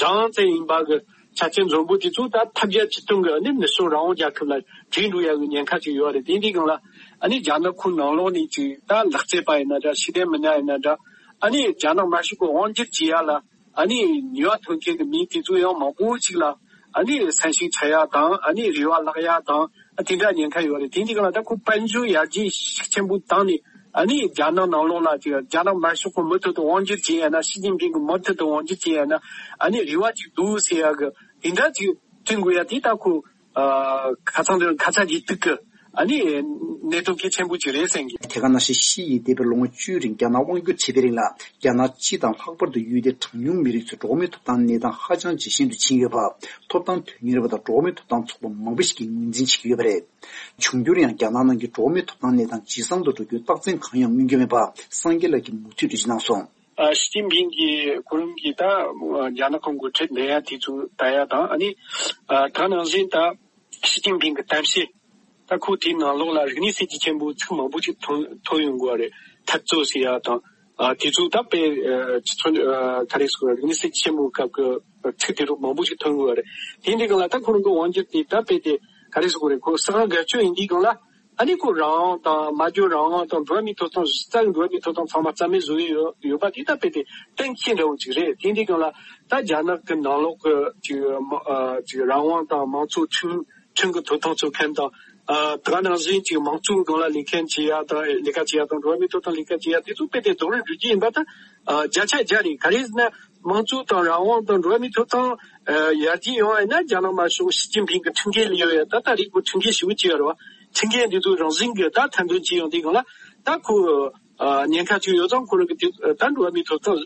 འགྲངས་ཙམ་ཡིན་པ་གི་ཆ་རྐྱེན་འཛོམས་པོ་དེ་ཚོ་ད་ཐབས་བརྒྱ་ཇུས་སྟོང་གི་ཨ་ནི་ནུབ་ཕྱོགས་རང་དབང་རྒྱལ་ཁབ་ལ་བྲོས་འགྲོ་ཡག་གི་ཉེན་ཁ་ཅིག་ཡོད་རེད། དེ་འདི་སྒང་ལ་ཨ་ནི་རྒྱ་ནག་ཁོ་ནང་ལོགས་ནས་ཅིག་ད་ལག་རྩལ་པ་ཡིན་ན་འདྲ། ཤེས་ལྡན་མི་སྣ་ཡིན་ན་འདྲ། ཨ་ནི་རྒྱ་ནག་དམར་ཤོག་གི་དབང་སྒྱུར་བྱེད་ཡག་ལ་ཨ་ནི་ནུས་པ་ཐོན་མཁན་གི་མི་དེ་ཚོ་ཡང་མང་པོ་ཅིག་ལ་ཨ་ནི་སེམས་ཤུགས་ཆག་ཡག་དང་། ཨ་ནི་རེ་བ་བརླག་ཡག་དང་། ཨ་དེ་འདྲ་ཉེན་ཁ་ཡོད་རེད། དེ་འདི་སྒང་ལ་ད་ཁོ་དཔལ་འབྱོར་ཡར་རྒྱས་ཤུགས་ཆེན་པོ་བཏང་ནས། ཨ་ནི་རྒྱ་ནག་ནང་ལོགས་ལ་ཅིག་རྒྱ་ནག་དམར་ཤོག་གི་མུ་མཐུད་དུ་དབང་སྒྱུར་བྱེད་ཡ་ན། ཞི་ཅིན་ཕིང་གི་མུ་མཐུད་དུ་དབང་སྒྱུར་བྱེད་ཡ་ན་ཨ་ནི་རེ་བ་ཅིག་འདུག་ཟེར་ཡ་གི་དེ་འདྲ་ཅིག་བསྐྲུན་དགོས་ཡ་དེ་ད་ཁོ་ཨ་ཁ་སང་དེར་ཁ་ཚ་དགོས་གཏུགས་གི་ཨ་ནི་གནད་དོན་གལ་ཆེན་པོ་ཅིག་རེད་སེང་གེ། དེ་ག་ནང་བཞིན་ཞི་ཡིས་འདས་པའི་ལོ་ངོ་བཅུའི་རིང་རྒྱ་ནག་དབང་སྒྱུར་བྱས་པའི་རིང་ལ། རྒྱ་ནག་སྤྱི་དང་ལྷག་པར་དུ་ཡུལ་དེའི་གྲངས་ཉུང་མི་རིགས་ཚོའི་འགྲོ་བ་མིའི་ཐོབ་ཐང་གནས་སྟངས་ཧ་ཅང་ཇེ་ཞན་དུ་ཕྱིན་ཡོད་པ། ཐོབ་ཐང་དོན་གཉེར་བ་དང་འགྲོ་བ་མིའི་ཐོབ་ཐང་ཚོགས་པ་མང་པོ་ཞིག་གིས་ངོས་འཛིན་བྱེད་ཀྱི་ཡོད་པ་རེད། འབྱུང་འགྱུར་ཡང་རྒྱ་ནག་ནང་གི་འགྲོ་བ་མིའི་ཐོབ་ཐང་གནས་སྟངས་ཇེ་བཟང་དུ་འགྲོ་རྒྱུའི་རྟགས་མཚན་གང་ཡང་མངོན་གྱི་མེད་པ་སངས་རྒྱས་ལགས་ཀྱིས་མུ་མཐུད་འགྲེལ་བརྗོད་གནང་སོང་། ཨ་ཞི་ཅིན་ཕིང་གིས་ཁོ་རང་གིས་ད་རྒྱ་ནག་གི་འགོ་ཁྲིད་ལེན་ཡ་དེ་ཚོ་ལྟ་ཡ་དང་། ཨ་ནི་ཨ་ད་ནང་བཞིན་ད་ཞི་ཅིན་ཕིང་གི་གཏམ་བཤད་ད་ཁོ་དེའི་ནང་ལོགས་ལ་རིག་གནས་གསར་བརྗེ་ཆེན་པོའི་ཚིག་མང་པོ་ཞིག་ཐོན་ཐོན་ཡོང་གི་ཡོད་རེད། འཐབ་རྩོད་ཟེར་ཡ་དང་། ཨ་དེ་ཚོ་ད་དཔེ་ཨ་ཅི་ཚོ་ཨ་ག་རེ་ཟེར་དགོས། རིག་གནས་གསར་བརྗེ་ཆེན་པོའི་སྐབས་ཀྱི་ཚིག་དེ་ཚོ་མང་པོ་ཞིག་ཐོན་ཡོང་གི་ཡོད་རེད། དེ་འདི་སྒང་ལ་ད་ཁོ་རང་གི་དབང་སྒྱུར་དེ་ད་དཔེ་དེ་ག་རེ་ཟེར་དགོས་རེད། ཁོ་སྲིད་དབང་སྒེར་གཅོད་ཡིན་དུས་སྒང་ལ། ཨ་ནི་ཁོ་རང་དབང་དང་། སྨྲ་བརྗོད་རང་དབང་དང་། འགྲོ་བ་མིའི་ཐོབ་ཐང་གཞི་རྩ་གི་འགྲོ་བ་མིའི་ཐོབ་ཐང་ཚང་མ་རྩ་མེད་བཟོ་ཡི་ཡོད་ཡོད་པ་དེ་ད་དཔེ་དེ་གཏན་འཁེལ་འདྲ་བོ་ཅིག་རེད། དེ་འདི་སྒང་ལ་ད་རྒྱ་ནག་གི་ནང་ལོགས་ཀྱི་ཅིག་མ་ཨ་ཅིག་རང་དབང་དང་། མང་གཙོ་ཁྲིམས་ཁྲིམས་ཀྱི་ཐོབ་ཐང་རྩོད་མཁན་དང་། ཨ་དེ་ག་ནང་བཞིན་ཅིག་མང་གཙོའི་སྒང་ལ་ལས་འགན་བྱེད་ཡ་དང་། ལས་ཀ་བྱེད་ཡ་དང་། འགྲོ་བ་མིའི་ཐོབ་ཐང་ལས་ཀ་བྱེད་ཡ་དེ་ཚོ་དཔེ་དེ་རྡོག་རོལ་འགྲོ་རྒྱུ་ཡིན་པ་ད་ཨ་བརྒྱ་ཆ་བརྒྱ་རེད། ག་རེ་ཟེར་ན། དམངས་གཙོ་དང་རང་དབང་དང་འགྲོ་བ་མིའི་ཐོབ་ཐང་ཨ་ཡར་རྒྱས་ཡོང་བ་ཡིན་ན། རྒྱ་ནག་དམར་ཤོག་ཞི་ཅིན་ཕིང་གི་ཁྲིམས་འགལ་ལས་ཡོད་ཡ། ད་ལྟ་རིག་པ་ཁྲིམས་འགལ་ཞེ་པོ་ཅིག་ཡོད་རེད་བ། ཁྲིམས་འགལ་འདི་ཚོ་རང་བཞིན་གྱིས་ད་མཐའ་འདོན་བྱེད་ཡོང་དུས་སྒང་ལ། ད་ཁོ་ཨ་ཉེན་ཁ་ཅིག་ཡོད་ཙང་ཁོ་རང་གི་དེ་ད་འགྲོ་བ་མིའི་ཐོབ་ཐང་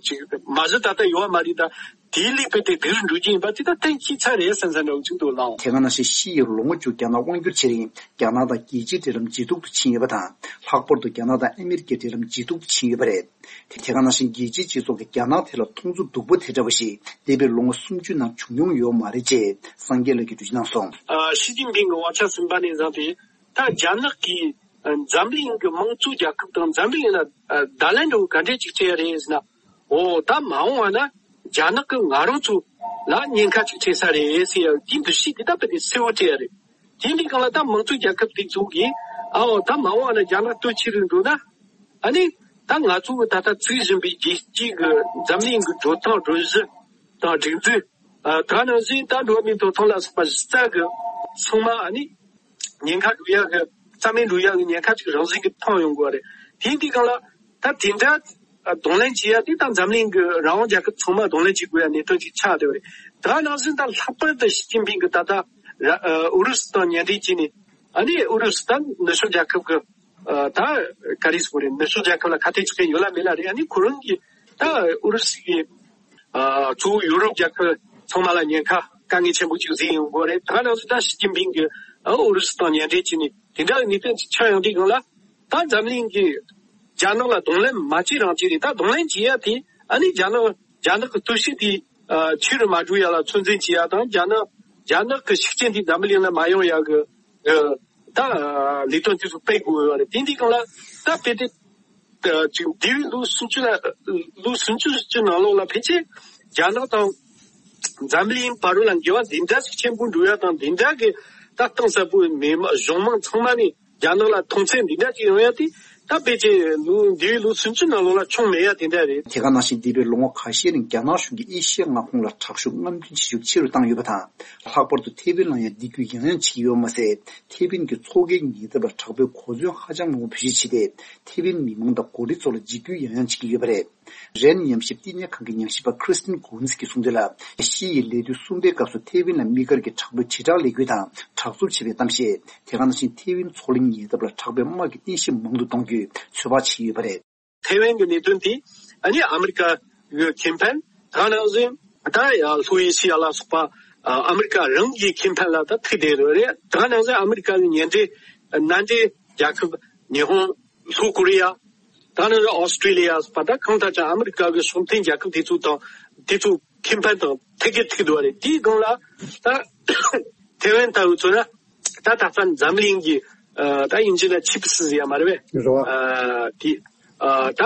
ཅིག་མ་གཞི་ད་ལྟ་ཡོད་པ་མ་རེད། ད་དེའི་ལུགས་དཔེ་དེ་སྡུག་རུ་འགྲོ་གི་ཡིན་པ་ཅིག་ད་གཏན་འཁེལ་ཚར་རེད་བསམ་བསམ་འདྲ་བོ་ཅིག་འདུག་ལགས། དེ་ག་ནང་བཞིན་ཕྱི་ཡི་ལོ་ངོ་བཅུ་རྒྱ་ནག་དབང་བསྒྱུར་བྱེད་རིང་རྒྱ་ནག་དང་རྒྱལ་སྤྱིའི་འབྲེལ་ལམ་ཇེ་སྡུག་ཏུ་ཕྱིན་ཡོད་པ་དང་། ལྷག་པར་དུ་རྒྱ་ནག་དང་ཨ་མེ་རི་ཀའི་འབྲེལ་ལམ་ཇེ་སྡུག་ཏུ་ཕྱིན་ཡོད་པ་རེད། དེ་དེ་ག་ནང་བཞིན་རྒྱལ་སྤྱིའི་སྤྱི་ཚོགས་ཀྱིས་རྒྱ་ནག་ཐད་ལ་མཐོང་ཚུལ་སྡུག་པོ་དེ་འདྲ་བ་ཞིག་འདས་པའི་ལོ་ངོ་སུམ་ཅུ་ནང་བྱུང་མྱོང་ཡོད་མ་རེད་ཅེས་སངས་རྒྱས་ལགས་ཀྱིས་འགྲེལ་བརྗོད་གནང་སོང་། ཨ་ཞི་ཅིན་ཕིང་གི་དབང་ཆ་ཟིན་པ་ནས་བཟུང་སྟེ། ད་རྒྱ་ནག་གིས་ཨ་འཛམ་གླིང་གི་དམངས་གཙོ་རྒྱལ་ཁབ་དང་འཛམ་གླིང་ལ་ཨ་བརྡ་ལན་འདྲ་བོ་ག་འདྲས་ཅིག་སྤྲད་ཡ་རེད་ཟེར་ན། འོ་ད་མ་འོངས་པ་ན་རྒྱ་ནག་གིས་ང་རང་ཚོ་ལ་ཉེན་ཁ་ཅིག་འཕྲད་ས་རེད་ཟེར་ཡ་དེའི་འདུ་ཤེས་དེ་ད་དཔེ་དེ་གསལ་བོ་སྤྲད་ཡ་རེད། དེ་འདི་སྒང་ལ་ད་དམངས་གཙོ་རྒྱལ་ཁབ་དེ་ཚོ་གིས་ཨའོ་ད་མ་འོངས་པ་ན་རྒྱ་ནག་སྟོབས་ཆེ་རུ་འགྲོ་ན། ཨ་ནི་ད་ང་ཚོ་གི་ད་ལྟ་བཙུགས་བཞིན་པའི་རྒྱལ་སྤྱིའི་གི་འཛམ་གླིང་གི་འགྲོ་སྟངས་སྒྲོམ་གཞི་དང་སྒྲིག་འཛུགས། ཨ་ད་ནང་བཞིན་ད་འགྲོ་བ་མིའི་ཐོབ་ཐང་ལ་སོགས་པ་གཞི་རྩ་གི་ཚང་མ་ཨ་ནི་ཉེན་ཁ་འགྲོ་ཡ་གི་རྩ་མེད་འགྲོ་ཡ་གི་ཉེན་ཁ་ཅིག་རང་བཞིན་གྱིས་མཐོང་ཡོང་གི་ཡོད་རེད། དེ་འདི་སྒང་ལ་ད་དེ་འདྲ་གདོང་ལེན་བྱེད་ཡ་དེ་ད་འཛམ་གླིང་གི་རང་དབང་རྒྱལ་ཁབ་ཚང་མ་གདོང་ལེན་བྱེད་དགོས་ཡ་གནད་དོན་ཅིག་ཆགས་བསྡད་ཡོད་རེད། ད་ནང་བཞིན་ད་ལྷག་པར་དུ་ཞི་ཅིན་ཕིང་གིས་ད་ལྟ་ར་ཨ་ཨུ་རུ་སུ་དང་མཉམ་འབྲེལ་བྱས་ནས། ཨ་ནི་ཨུ་རུ་སུ་དང་ནུབ་ཕྱོགས་རྒྱལ་ཁབ་ཀྱི་ཨ་ད་ག་རེ་ཟེར་དགོས་རེད། ནུབ་ཕྱོགས་རྒྱལ་ཁབ་ལ་ཁ་གཏད་གཅོག་མཁན་ཡོད་ལ་མེད་ལ་རེད། ཨ་ནི་ཁོ་རང་གིས་ད་ཨུ་རུ་སུ་གིས་ཨ་གཙོ་བོ་ཡུ་རོབ་རྒྱལ་ཁབ་ཚང་མ་ལ་ཉེན་ཁ་དཀའ་ངལ་ཆེན་པོ་ཅིག་བཟོས་ཡོང་གི་ཡོད་རེད། ད་ག་ནང་བཞིན་ད་ཞི་ཅིན་ཕིང་གིས་ཨ་ཨུ་རུ་སུ་དང་མཉམ་འབྲེལ་བྱས་ནས་དེ་འདྲ་གི་གནད་དོན་ཅིག་ཆགས་ཡོང་དུས་སྒང་ལ། ད་འཛམ་གླིང་གིས་རྒྱ་ནག་ལ་གདོང་ལེན་མ་བྱེད་རང་བྱེད་རེད། ད་གདོང་ལེན་བྱེད་ཡ་དེ་ཨ་ནི་རྒྱ་ནག་རྒྱ་ནག་གི་སྟོབས་ཤུགས་དེ་ཨ་ཆེ་རུ་མ་འགྲོ་ཡ་ལ་ཚོད་འཛིན་བྱེད་ཡ་དང་། རྒྱ་ནག་རྒྱ་ནག་གི་ཤུགས་རྐྱེན་དེ་འཛམ་བུ་གླིང་ལ་མ་ཡོང་ཡ་གི་ཨ་ད་ལས་དོན་དེ་ཚོ་སྤེལ་དགོས་ཡོད་རེད། དེ་འདི་སྒང་ལ་ད་དཔེ་དེ་ཨ་ཅིག་འདས་པའི་ལོ་སུམ་ཅུ་ལ་ལོ་སུམ་ཅུ་ཅིག་ནང་ལོགས་ལ་ཕལ་ཆེར་རྒྱ་ནག་དང་འཛམ་བུ་གླིང་བར་ལ་འགལ་བ་འདི་འདྲ་ཞིག་ཆེན་པོ་འགྲོ་ཡ་དང་། འདི་འདྲ་གི་ད་གཏིང་ཟབ་པོའི་མི་མང་གཞུང་མང་ཚང་མ་ནས་རྒྱ་ནག་ལ་མཐོང་ཚད་འདི་འདྲ་ཅིག་ཡོང་ཡ་དེ་ད་ཕལ་ཆེར་ལོ་འདས་པའི་ལོ་སུམ་ཅུ་ནང་ལོགས་ལ་བྱུང་མེད་ཡ་དེ་འདྲ་རེད། དེ་ག་ནང་བཞིན་འདས་པའི་ལོ་ངོ་ཁ་ཤས་རིང་རྒྱ་ནག་གཞུང་གིས་ཨེ་ཤི་ཡ་མངའ་ཁོངས་ལ་དྲག་ཤུགས་རྔམ་སྟོན་བྱེད་ཤུགས་ཆེ་རུ་བཏང་ཡོད་པ་དང་། ལྷག་པར་དུ་ཐེ་ཝན་ལ་ཡང་འདེད་སྐུལ་ཡང་ཡང་བྱེད་ཀྱི་ཡོད་མ་ཟད། ཐེ་ཝན་གྱི་མཚོ་ཁའི་ཉེ་འདབས་ལ་དྲག་པོའི་གོ་མཚོན་ཧ་ཅང་མང་པོ་བེད་སྤྱོད་བྱས་ཏེ། ཐེ་ཝན་མི་མང་དང་འགོ་ཁྲིད་ཚོ་ལ་འཇིགས་སྐུལ་ཡང་ཡང་བྱེད་ཀྱི་ཡོད་པ་རེད། རན་ཉམས་ཞིབ་བསྟི་གནས་ཁང་གི་ཉམས་ཞིབ་པ་Christine Goonz གྱིས་གསུངས་དོན་ལ། ཕྱི་ཡི་ལས་དུས་གསུམ་པའི་སྐབས་སུ་ཐེ་ཝན་ལ་དམིགས་བཀར་གྱི་དྲག་པོའི་དྲིལ་བསྒྲགས་ལས་འགུལ་དང་དྲག་རྩུབ་ཆེ་བའི་གཏམ་བཤད། དེ་ག་ནང་བཞིན་ཐེ་ཝན་མཚོ་གླིང་ཉེ་འདབས་ལ་དྲག་པོའི་དམག་གི་རྟེན་གཞི་མང་དུ་གཏོང་རྒྱུའི་ཚོད་དཔག་བྱས་ཡོད་པ་རེད། ཐེ་ཝན་གྱི་གནད་དོན་དེ་ཨ་ནི་ཨ་མི་རི་ཀ་གི་ཁེ་ཕན། དེ་ག་ནང་བཞིན་ད་ཡ་ལྷོ་ཨེ་ཤི་ཡ་ལ་སོགས་པ་ཨ་མི་རི་ཀ་རང་གི་ཁེ་ཕན་ལ་ད་ཐུག་བསྡད་ཡོད་རེད། དེ་ག་ནང་བཞིན་ཨ་མི་རི་ཀ་གི་མཉམ་འབྲེལ་མནའ་འབྲེལ་རྒྱལ་ཁབ་ཉི་ཧོང་། ལྷོ་ཀོ་རི་ཡ། ད་ནི་ཨོ་སི་ཀྲི་ལི་ཡ་སོགས་པ་ད་གང་ལྟར་ཀྱང་ཨ་མི་རི་ཀ་གི་སྲོག་ལྡན་རྒྱལ་ཁབ་དེ་ཚོ་དང་དེ་ཚོ་ཁེ་ཕན་དང་ཐད་ཀར་ཐུག་འདུག་བ་རེད། དེའི་སྒང་ལ་ད་ཐེ་ཝན་ལྟ་བུ་ཚོ་ན་ད་ད་ལྟ་འཛམ་གླིང་གི་ཨ་ད་དབྱིན་ཇི་ལ་ཆིབ་སི་ཟེར་ཡ་མ་རེད་པས། རེད་བ། ཨ་དེ་ཨ་ད་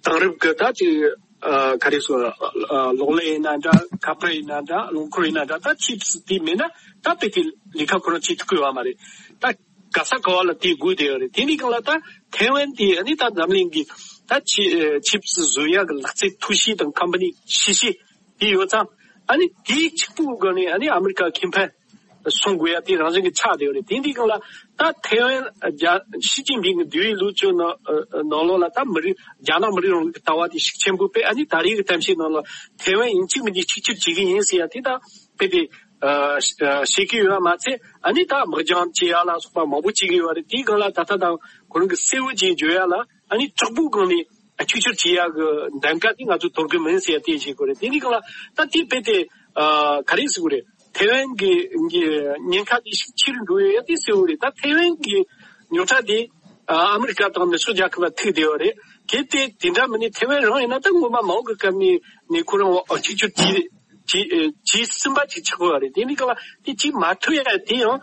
དེང་རབས་ཀྱི་ད་ཅིག་ཨ་ག་རེ་ཟེར། ཨ་གློག་ཀླད་ཡིན་ན་འདྲ། ཁ་པར་ཡིན་ན་འདྲ། རླངས་འཁོར་ཡིན་ན་འདྲ། ད་ཆིབ་སི་དེ་མེད་ན་ད་དཔེ་དེ་ལས་ཀ་ཁོ་རང་བྱེད་ཐུབ་ཀྱི་ཡོད་མ་རེད། ད་ག་ས་ག་བ་ལ་དེ་དགོས་བསྡད་ཡོད་རེད། དེ་འདི་སྒང་ལ་ད་ཐེ་ཝན་དེ་ཨ་ནི་ད་འཛམ་གླིང་གི་ད་ཆི་ཆིབ་སི་བཟོ་ཡག་གི་ལག་རྩལ་མཐོ་ཤོས་དང་ཁམ་པ་ནི་ཆེ་ཤོས་དེ་ཡོད་ཙང་། ཨ་ནི་དེའི་གཅིག་པུའི་སྒང་ནས་ཨ་ནི་ཨ་མི་རི་ཀ་ཁེ་ཕན་སྲུང་དགོས་ཡ་དེ་རང་བཞིན་གྱི་ཆགས་བསྡད་ཡོད་རེད། དེ་འདི་སྒང་ལ་ད་ཐེ་ཝན་རྒྱ་ཞི་ཅིན་ཕིང་གི་འདས་པའི་ལོ་བཅུ་ནང་ནང་ལོགས་ལ་ད་མི་རིགས་རྒྱ་ནག་མི་རིགས་རང་ལུགས་ཀྱི་ལྟ་བ་དེ་ཤུགས་ཆེན་པོ་སྤེལ། ཨ་ནི་ད་རེས་ཀྱི་གཏམ་བཤད་ནང་ལ་ཐེ་ཝན་ཡིན་གཅིག་མིན་གཅིག་གཅིག་གྱུར་བྱེད་ཀྱི་ཡིན་ཟེར་ཡ་དེ་ད་དཔེ་དེ་ཨ་ཨ་བཤད་ཀྱི་ཡོད་པ་མ་ཚད། ཨ་ནི་ད་དམག་རྒྱག་བྱེད་ཡ་ལ་སོགས་པ་མང་པོ་བྱེད་ཀྱི་ཡོད་རེད། དེའི་སྒང་ལ་ད་ལྟ་དང་ཁོ་རང་གི་གསལ་བོ་ཅིག་བརྗོད་ཡ་ལ་ཨ་ནི་དྲག་པོའི་སྒང་ནས་ཨ་གཅིག་གྱུར་བྱེད་ཡ་གི་གདམ་ག་དེ་ང་ཚོ་དོར་གི་མིན་ཟེར་ཡ་དེ་བཤད་དགོས་རེད། དེ་འདི་སྒང་ལ་ད་དེ་དཔེ་དེ་ཨ་ག་རེ་ཟེར་དགོས་རེད། ཐེ་ཝན་གྱི་གི་ཉེན་ཁ་དེ་ཤུགས་ཆེ་རུ་འགྲོ་ཡ་དེ་གསལ་བོ་རེད། ད་ཐེ་ཝན་གྱི་རྙོག་དྲ་དེ་ཨ་ཨ་མི་རི་ཀ་དང་ནུབ་ཕྱོགས་རྒྱལ་ཁབ་ལ་ཐུག་བསྡད་ཡོད་རེད། གལ་ཏེ་དེ་འདྲ་མིན་ནས་ཐེ་ཝན་རང་ཡིན་ན་ད་སྔོན་མ་མའོ་གི་སྐབས་ནས་ནས་ཁོ་རང་ཨ་གཅིག་གྱུར་བྱེད་བྱེད་བྱེད་ཟིན་པ་ཅིག་ཆགས་ཡོད་རེད། དེ་འདི་སྒང་ལ་དེ་བྱེད་མ་ཐུབ་ཡ་དེ་ཡང་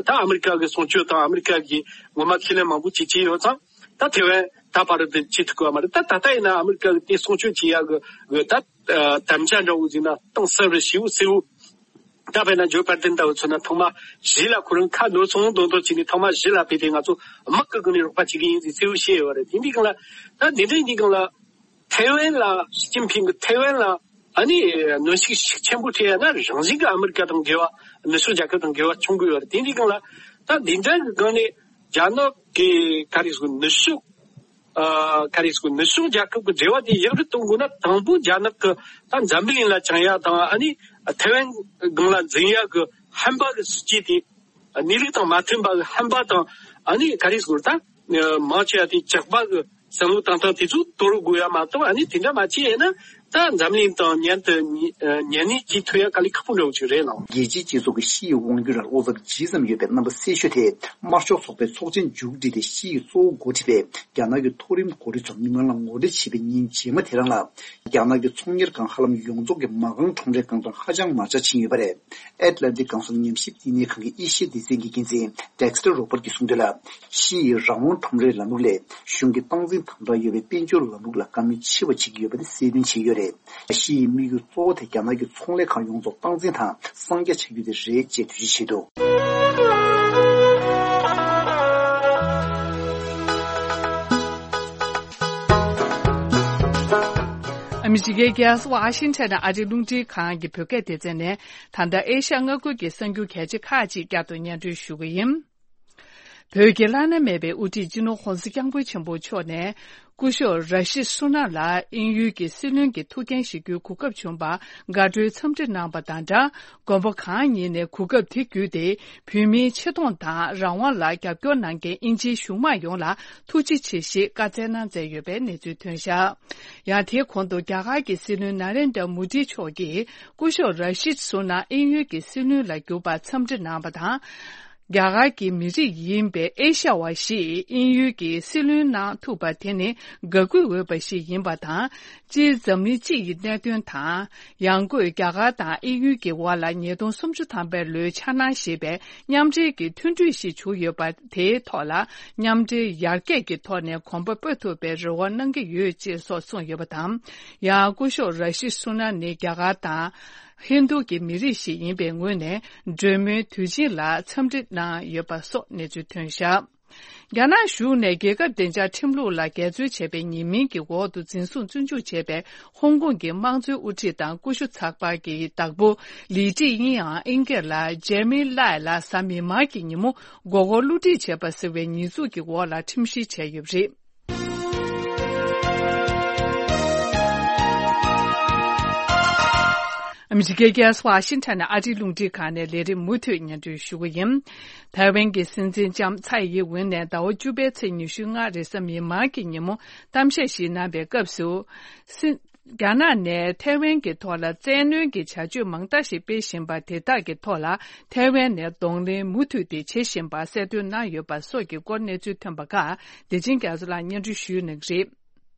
ད་ཨ་མི་རི་ཀ་གི་གསུང་ཆོས་དང་ཨ་མི་རི་ཀ་གི་ངོ་མ་ཁས་ལེན་མང་པོ་ཅིག་བྱས་ཡོད་ཙང་། ད་ཐེ་ཝན་ད་བར་དུ་བྱེད་ཐུབ་ཀྱི་ཡོད་མ་རེད། ད་ད་ལྟ་ཡིན་ན་ཨ་མི་རི་ཀ་གི་དེ་སྲུང་སྐྱོབ་བྱེད་ཡག་གི་གི་ད་ཨ་དམ་བཅའ་འདྲ་བོ་ཟིན་ན་གཏིང་ཟབ་རེ་ཞེ་པོ་གསལ་བོ་ ད་དཔེར་ན་ཇོ་བྷའི་ཌེན་ལྟ་བུ་མཚོན་ན་ཐོག་མ་གཞི་ལ་ཁོ་རང་ཁ་ནོར་སོང་མདོག་མདོག་བྱས་ནས་ཐོག་མ་གཞི་ལ་ཕེབས་ཏེ་ང་ཚོ་དམག་གི་སྒང་ནས་རོགས་པ་བྱེད་ཀྱི་ཡིན་ཟེར་གསལ་པོ་བཤད་ཡོད་རེད། དེ་འདྲའི་སྒང་ལ་ད་དེ་འདྲའི་འདི་སྒང་ལ་ཐའེ་ཝན་ལ་ཞི་ཅིན་ཕིང་གི་ཐའེ་ཝན་ལ་ཨ་ནི་གནོན་ཤུགས་ཤུགས་ཆེན་པོ་སྤྲད་ཡ་ན་རང་བཞིན་གྱི་ཨ་མི་རི་ཀ་དང་འགལ་བ། ནུབ་ཕྱོགས་རྒྱལ་ཁབ་དང་འགལ་བ་བྱུང་དགོས་ཡོད་རེད། དེ་འདྲའི་སྒང་ལ་ད་འདི་འདྲ་གི་སྒང་ནས་རྒྱ་ནག་གི་ག་རེ་ཟེར་ནུབ་ཕྱོགས་ཨ་ག་རེ་ཟེར་ནུབ་ཕྱོགས་རྒྱལ་ཁབ་ཀྱི་འབྲེལ་བ་དེ་ཡག་རུ་གཏོང་དགོས་ན་དང་པོ་རྒྱ་ནག་གི་ད་འཛམ་བུ་གླིང་ལ་བཅིངས་ཡ་དང་ཨ་ནི་ཐའེ་ཝན་སྒང་ལ་འཛིན་ཡ་གི་ཧམ་པ་གི་སྲིད་ཇུས་དེ་གནས་ལུགས་དང་མ་མཐུན་པ་གི་ཧམ་པ་དང་ཨ་ནི་ག་རེ་ཟེར་ད་མང་ཆེ་བ་དེ་ཇག་པ་གི་བསམ་བློ་བཏང་སྟངས་དེ་ཚོ་དོར་དགོས་ཡ་མ་གཏོགས་ཨ་ནི་དེ་འདྲ་མ་བྱས་ཡིན་ན་ད་འཛམ་གླིང་དང་མཉམ་དུ་ཉེ་ཉེ་གནས་བྱེད་ཐུབ་ཡ་དཀའ་ལས་ཁག་པོ་འདྲ་བོ་ཅིག་རེད་ལགས། རྒྱལ་སྤྱིའི་སྤྱི་ཚོགས་ཀྱི་ཕྱི་ཡི་དབང་སྒྱུར་ལ་བློ་འཚབ་ཇི་ཙམ་ཡོད་པའི་རྣམ་པ་གསལ་ཤོས་དེ་དམར་ཤོག་ཚོགས་པའི་ཚོགས་ཆེན་མཇུག་བསྒྲིལ་ཏེ་ཕྱི་ཡི་གཙོ་བོ་འགོ་ཁྲིད་པས་རྒྱ་ནག་གི་མཐོ་རིམ་འགོ་ཁྲིད་ཚོར་མི་མང་ལ་ངོ་སྤྲོད་བྱས་པའི་ཉིན་རྗེས་མ་དེ་རང་ལ་རྒྱ་ནག་གི་ཚོང་གཉེར་ཁང་ཧ་ལམ་ཡོངས་རྫོགས་ཀྱི་མ་རྐང་ཁྲོམ་རའི་སྒང་དུ་ཧ་ཅང་མར་ཆག་ཕྱིན་ཡོད་པ་རེད། ཨེཊ་ལན་ཊིག་གང་ཟག་ཉམས་ཞིབ་བསྟི་གནས་ཁང་གི་ཨེ་ཤི་ཡ་སྡེ་ཚན་གྱི་འགན་འཛིན་ཌེག་སི་ཊར་རོ་བར་གྱིས་གསུངས་དོན་ལ། ཕྱི་ཡི་རང་དབང་ཁྲོམ་རའི་ལམ་ལུགས་ལས་གཞུང་གི་སྟངས་འཛིན་དམ་དྲག་ཡོད་པའི་དཔལ་འབྱོར་ལམ་ལུགས་ལ་བཀའ་མོལ་ཆེ་བ་བྱེད་ཀྱི་ཡོད་པ་དེ་གསལ་སྟོན་བྱས་ཡོད་རེད། ཕྱི་ཡི་དམིགས་ཡུལ་གཙོ་བོ་དེ་རྒྱ་ནག་གི་ཚོང་ལས་ཁང་ཡོངས་རྫོགས་སྟངས་འཛིན་དང་གསང་རྒྱ་བྱ་རྒྱུ་དེ་རེད་ཅེས་འགྲེལ་བརྗོད་བྱས་འདུག་ཨ་མི་རི་ཀའི་རྒྱལ་ས་ཝ་ཤིང་ཊོན་ནས་ཨ་རིའི་རླུང་འཕྲིན་ཁང་གི་བོད་སྐད་སྡེ་ཚན་ནས་ད་ལྟ་ཨེ་ཤ་ཡ་མངའ་ཁུལ་གྱི་གསར་འགྱུར་གལ་ཆེ་ཁག་ཅིག་བསྐྱར་དུ་སྙན་སྒྲོན་ཞུ་གི་ཡིན། བོད་ཀྱི་བླ་ན་མེད་པའི་དབུ་ཁྲིད་སྤྱི་ནོར་༧གོང་ས་༧སྐྱབས་མགོན་ཆེན་པོ་མཆོག་ནས་སྐུ་ཞབས་ར་ཤིད་སུ་ན་ལ་དབྱིན་ཡུལ་གྱི་སྲིད་བློན་གྱི་ཐུགས་འགན་བཞེས་རྒྱུའི་གོ་སྐབས་བྱུང་བར་དགའ་སྤྲོའི་འཚམས་འདྲི་གནང་བ་དང་སྦྲགས། མགོན་པོ་གང་ཉིད་ནས་གོ་སྐབས་དེ་བརྒྱུད་དེ་བོད་མིའི་ཆེ་མཐོང་དང་རང་དབང་ལ་རྒྱབ་སྐྱོར་གནང་མཁན་དབྱིན་ཇིའི་གཞུང་མང་ཡོངས་ལ་ཐུགས་རྗེ་ཆེ་ཞེས་བཀའ་སྩལ་གནང་མཛད་ཡོད་པའི་གནས་ཚུལ་ཐོན་བཞག་ཡང་དེའི་གོང་དུ་རྒྱ་གར་གྱི་སྲིད་བློན་ན་རེན་དྲ་མུ་ཏི་མཆོག་གིས་སྐུ་ཞབས་ར་ཤིད་སུ་ན་དབྱིན་ཡུལ་གྱི་སྲིད་བློན་ལ་གྱུར་པར་འཚམས་འདྲི་གནང་བ་དང་། རྒྱ་གར་གྱི་མི་རིགས་ཡིན་པའི་ཨེ་ཤ་ཡ་བ་ཞིག་དབྱིན་ཡུལ་གྱི་སྲིད་བློན་གནང་ཐུབ་པ་དེ་ནི་དགའ་གུས་འོས་པ་ཞིག་ཡིན་པ་དང་། སྤྱིར་འཛམ་གླིང་སྤྱི་ཡི་གནད་དོན་དང་། ཡང་སྒོས་རྒྱ་གར་དང་དབྱིན་ཡུལ་གྱི་དབར་ལ་ཉིས་སྟོང་སུམ་ཅུ་ཐམ་པའི་ལོའི་འཆར་སྣང་ཞེས་པའི་མཉམ་འབྲེལ་གྱི་མཐུན་གྲོས་ཤིག་བྱུང་ཡོད་པ་དེའི་ཐོག་ལ་མཉམ་འབྲེལ་ཡར་རྒྱས་ཀྱི་ཐོག་ནས་གོམ་པ་སྤོ་ཐུབ་པའི་རེ་བ་གནང་གི་ཡོད་ཅེས་སོགས་གསུངས་ཡོད་པ་དང་། ཡང་སྐུ་ཞབས་ར་ཤིད་སུ་ན་ནི་རྒྱ་གར་དང་། ཧིན་རྡུ་གི་མི་རིགས་ཤིག་ཡིན་པའི་ངོས་ནས་གྲོས་མོལ་དུས་ཆེན་ལ་འཚམས་འདྲི་གནང་ཡོད་པ་སོགས་གནས་ཚུལ་ཐོན་བཞག་རྒྱ་ནག་གཞུང་ནས་རྒྱལ་ཁབ་བདེ་འཇགས་ཁྲིམས་ལུགས་ལ་འགལ་འཛོལ་བྱས་པའི་ཉེས་མིང་གི་འོག་ཏུ་འཛིན་བཟུང་བཙོན་འཇུག་བྱས་པའི་ཧོང་ཀོང་གི་དམངས་གཙོའི་དབུ་ཁྲིད་དང་ཀུ་ཤུ་ཚགས་པར་གྱི་བདག་པོ་ལི་ཀྲི་དབྱིན་ཡང་ཨིན་སྐད་ལ་ཇེ་མི་ལའེ་ལ་གཟའ་མིག་དམར་གྱི་ཉིན་མོ་མགོ་སྐོར་བསླུ་བྲིད་བྱས་པ་ཟེར་བའི་ཉེས་འཛུགས་ཀྱི་འོག་ལ་ཁྲིམས་བཤེར་བྱས་ཡོད་པ་རེད། ཨ་མི་རི་ཀའི་རྒྱལ་ས་ཝ་ཤིང་ཊོན་ནས་ཨ་རིའི་རླུང་འཕྲིན་ཁང་ནས་ལས་རིམ་མུ་མཐུད་སྙན་སྒྲོན་ཞུ་གི་ཡིན། ཐའེ་ཝན་གྱི་སྲིད་འཛིན་ལྕམ་ཚའེ་ཡིན་ཝུན་ནས་ཟླ་བ་བཅུ་པའི་ཚེས་ཉི་ཤུ་ལྔ་རེས་གཟའ་མིག་དམར་གྱི་ཉིན་མོ་གཏམ་བཤད་ཞིག་གནང་བའི་སྐབས་སུ། སྲིད། རྒྱ་ནག་ནས་ཐའེ་ཝན་གྱི་ཐོག་ལ་བཙན་གནོན་གྱི་བྱ་སྤྱོད་མང་དག་ཞིག་སྤེལ་བཞིན་པ་དེ་དག་གི་ཐོག་ལ་ཐའེ་ཝན་ནས་གདོང་ལེན་མུ་མཐུད་དེ་བྱེད་བཞིན་པ་གསལ་སྟོན་གནང་ཡོད་པ་སོགས་ཀྱི་སྐོར་གནས་ཚུལ་ཐོན་པ་ཁག་བདེ་ཆེན་རྒྱ་མཚོ་ལགས་སྙན་སྒྲོན་ཞུ་གནང་གི་རེད།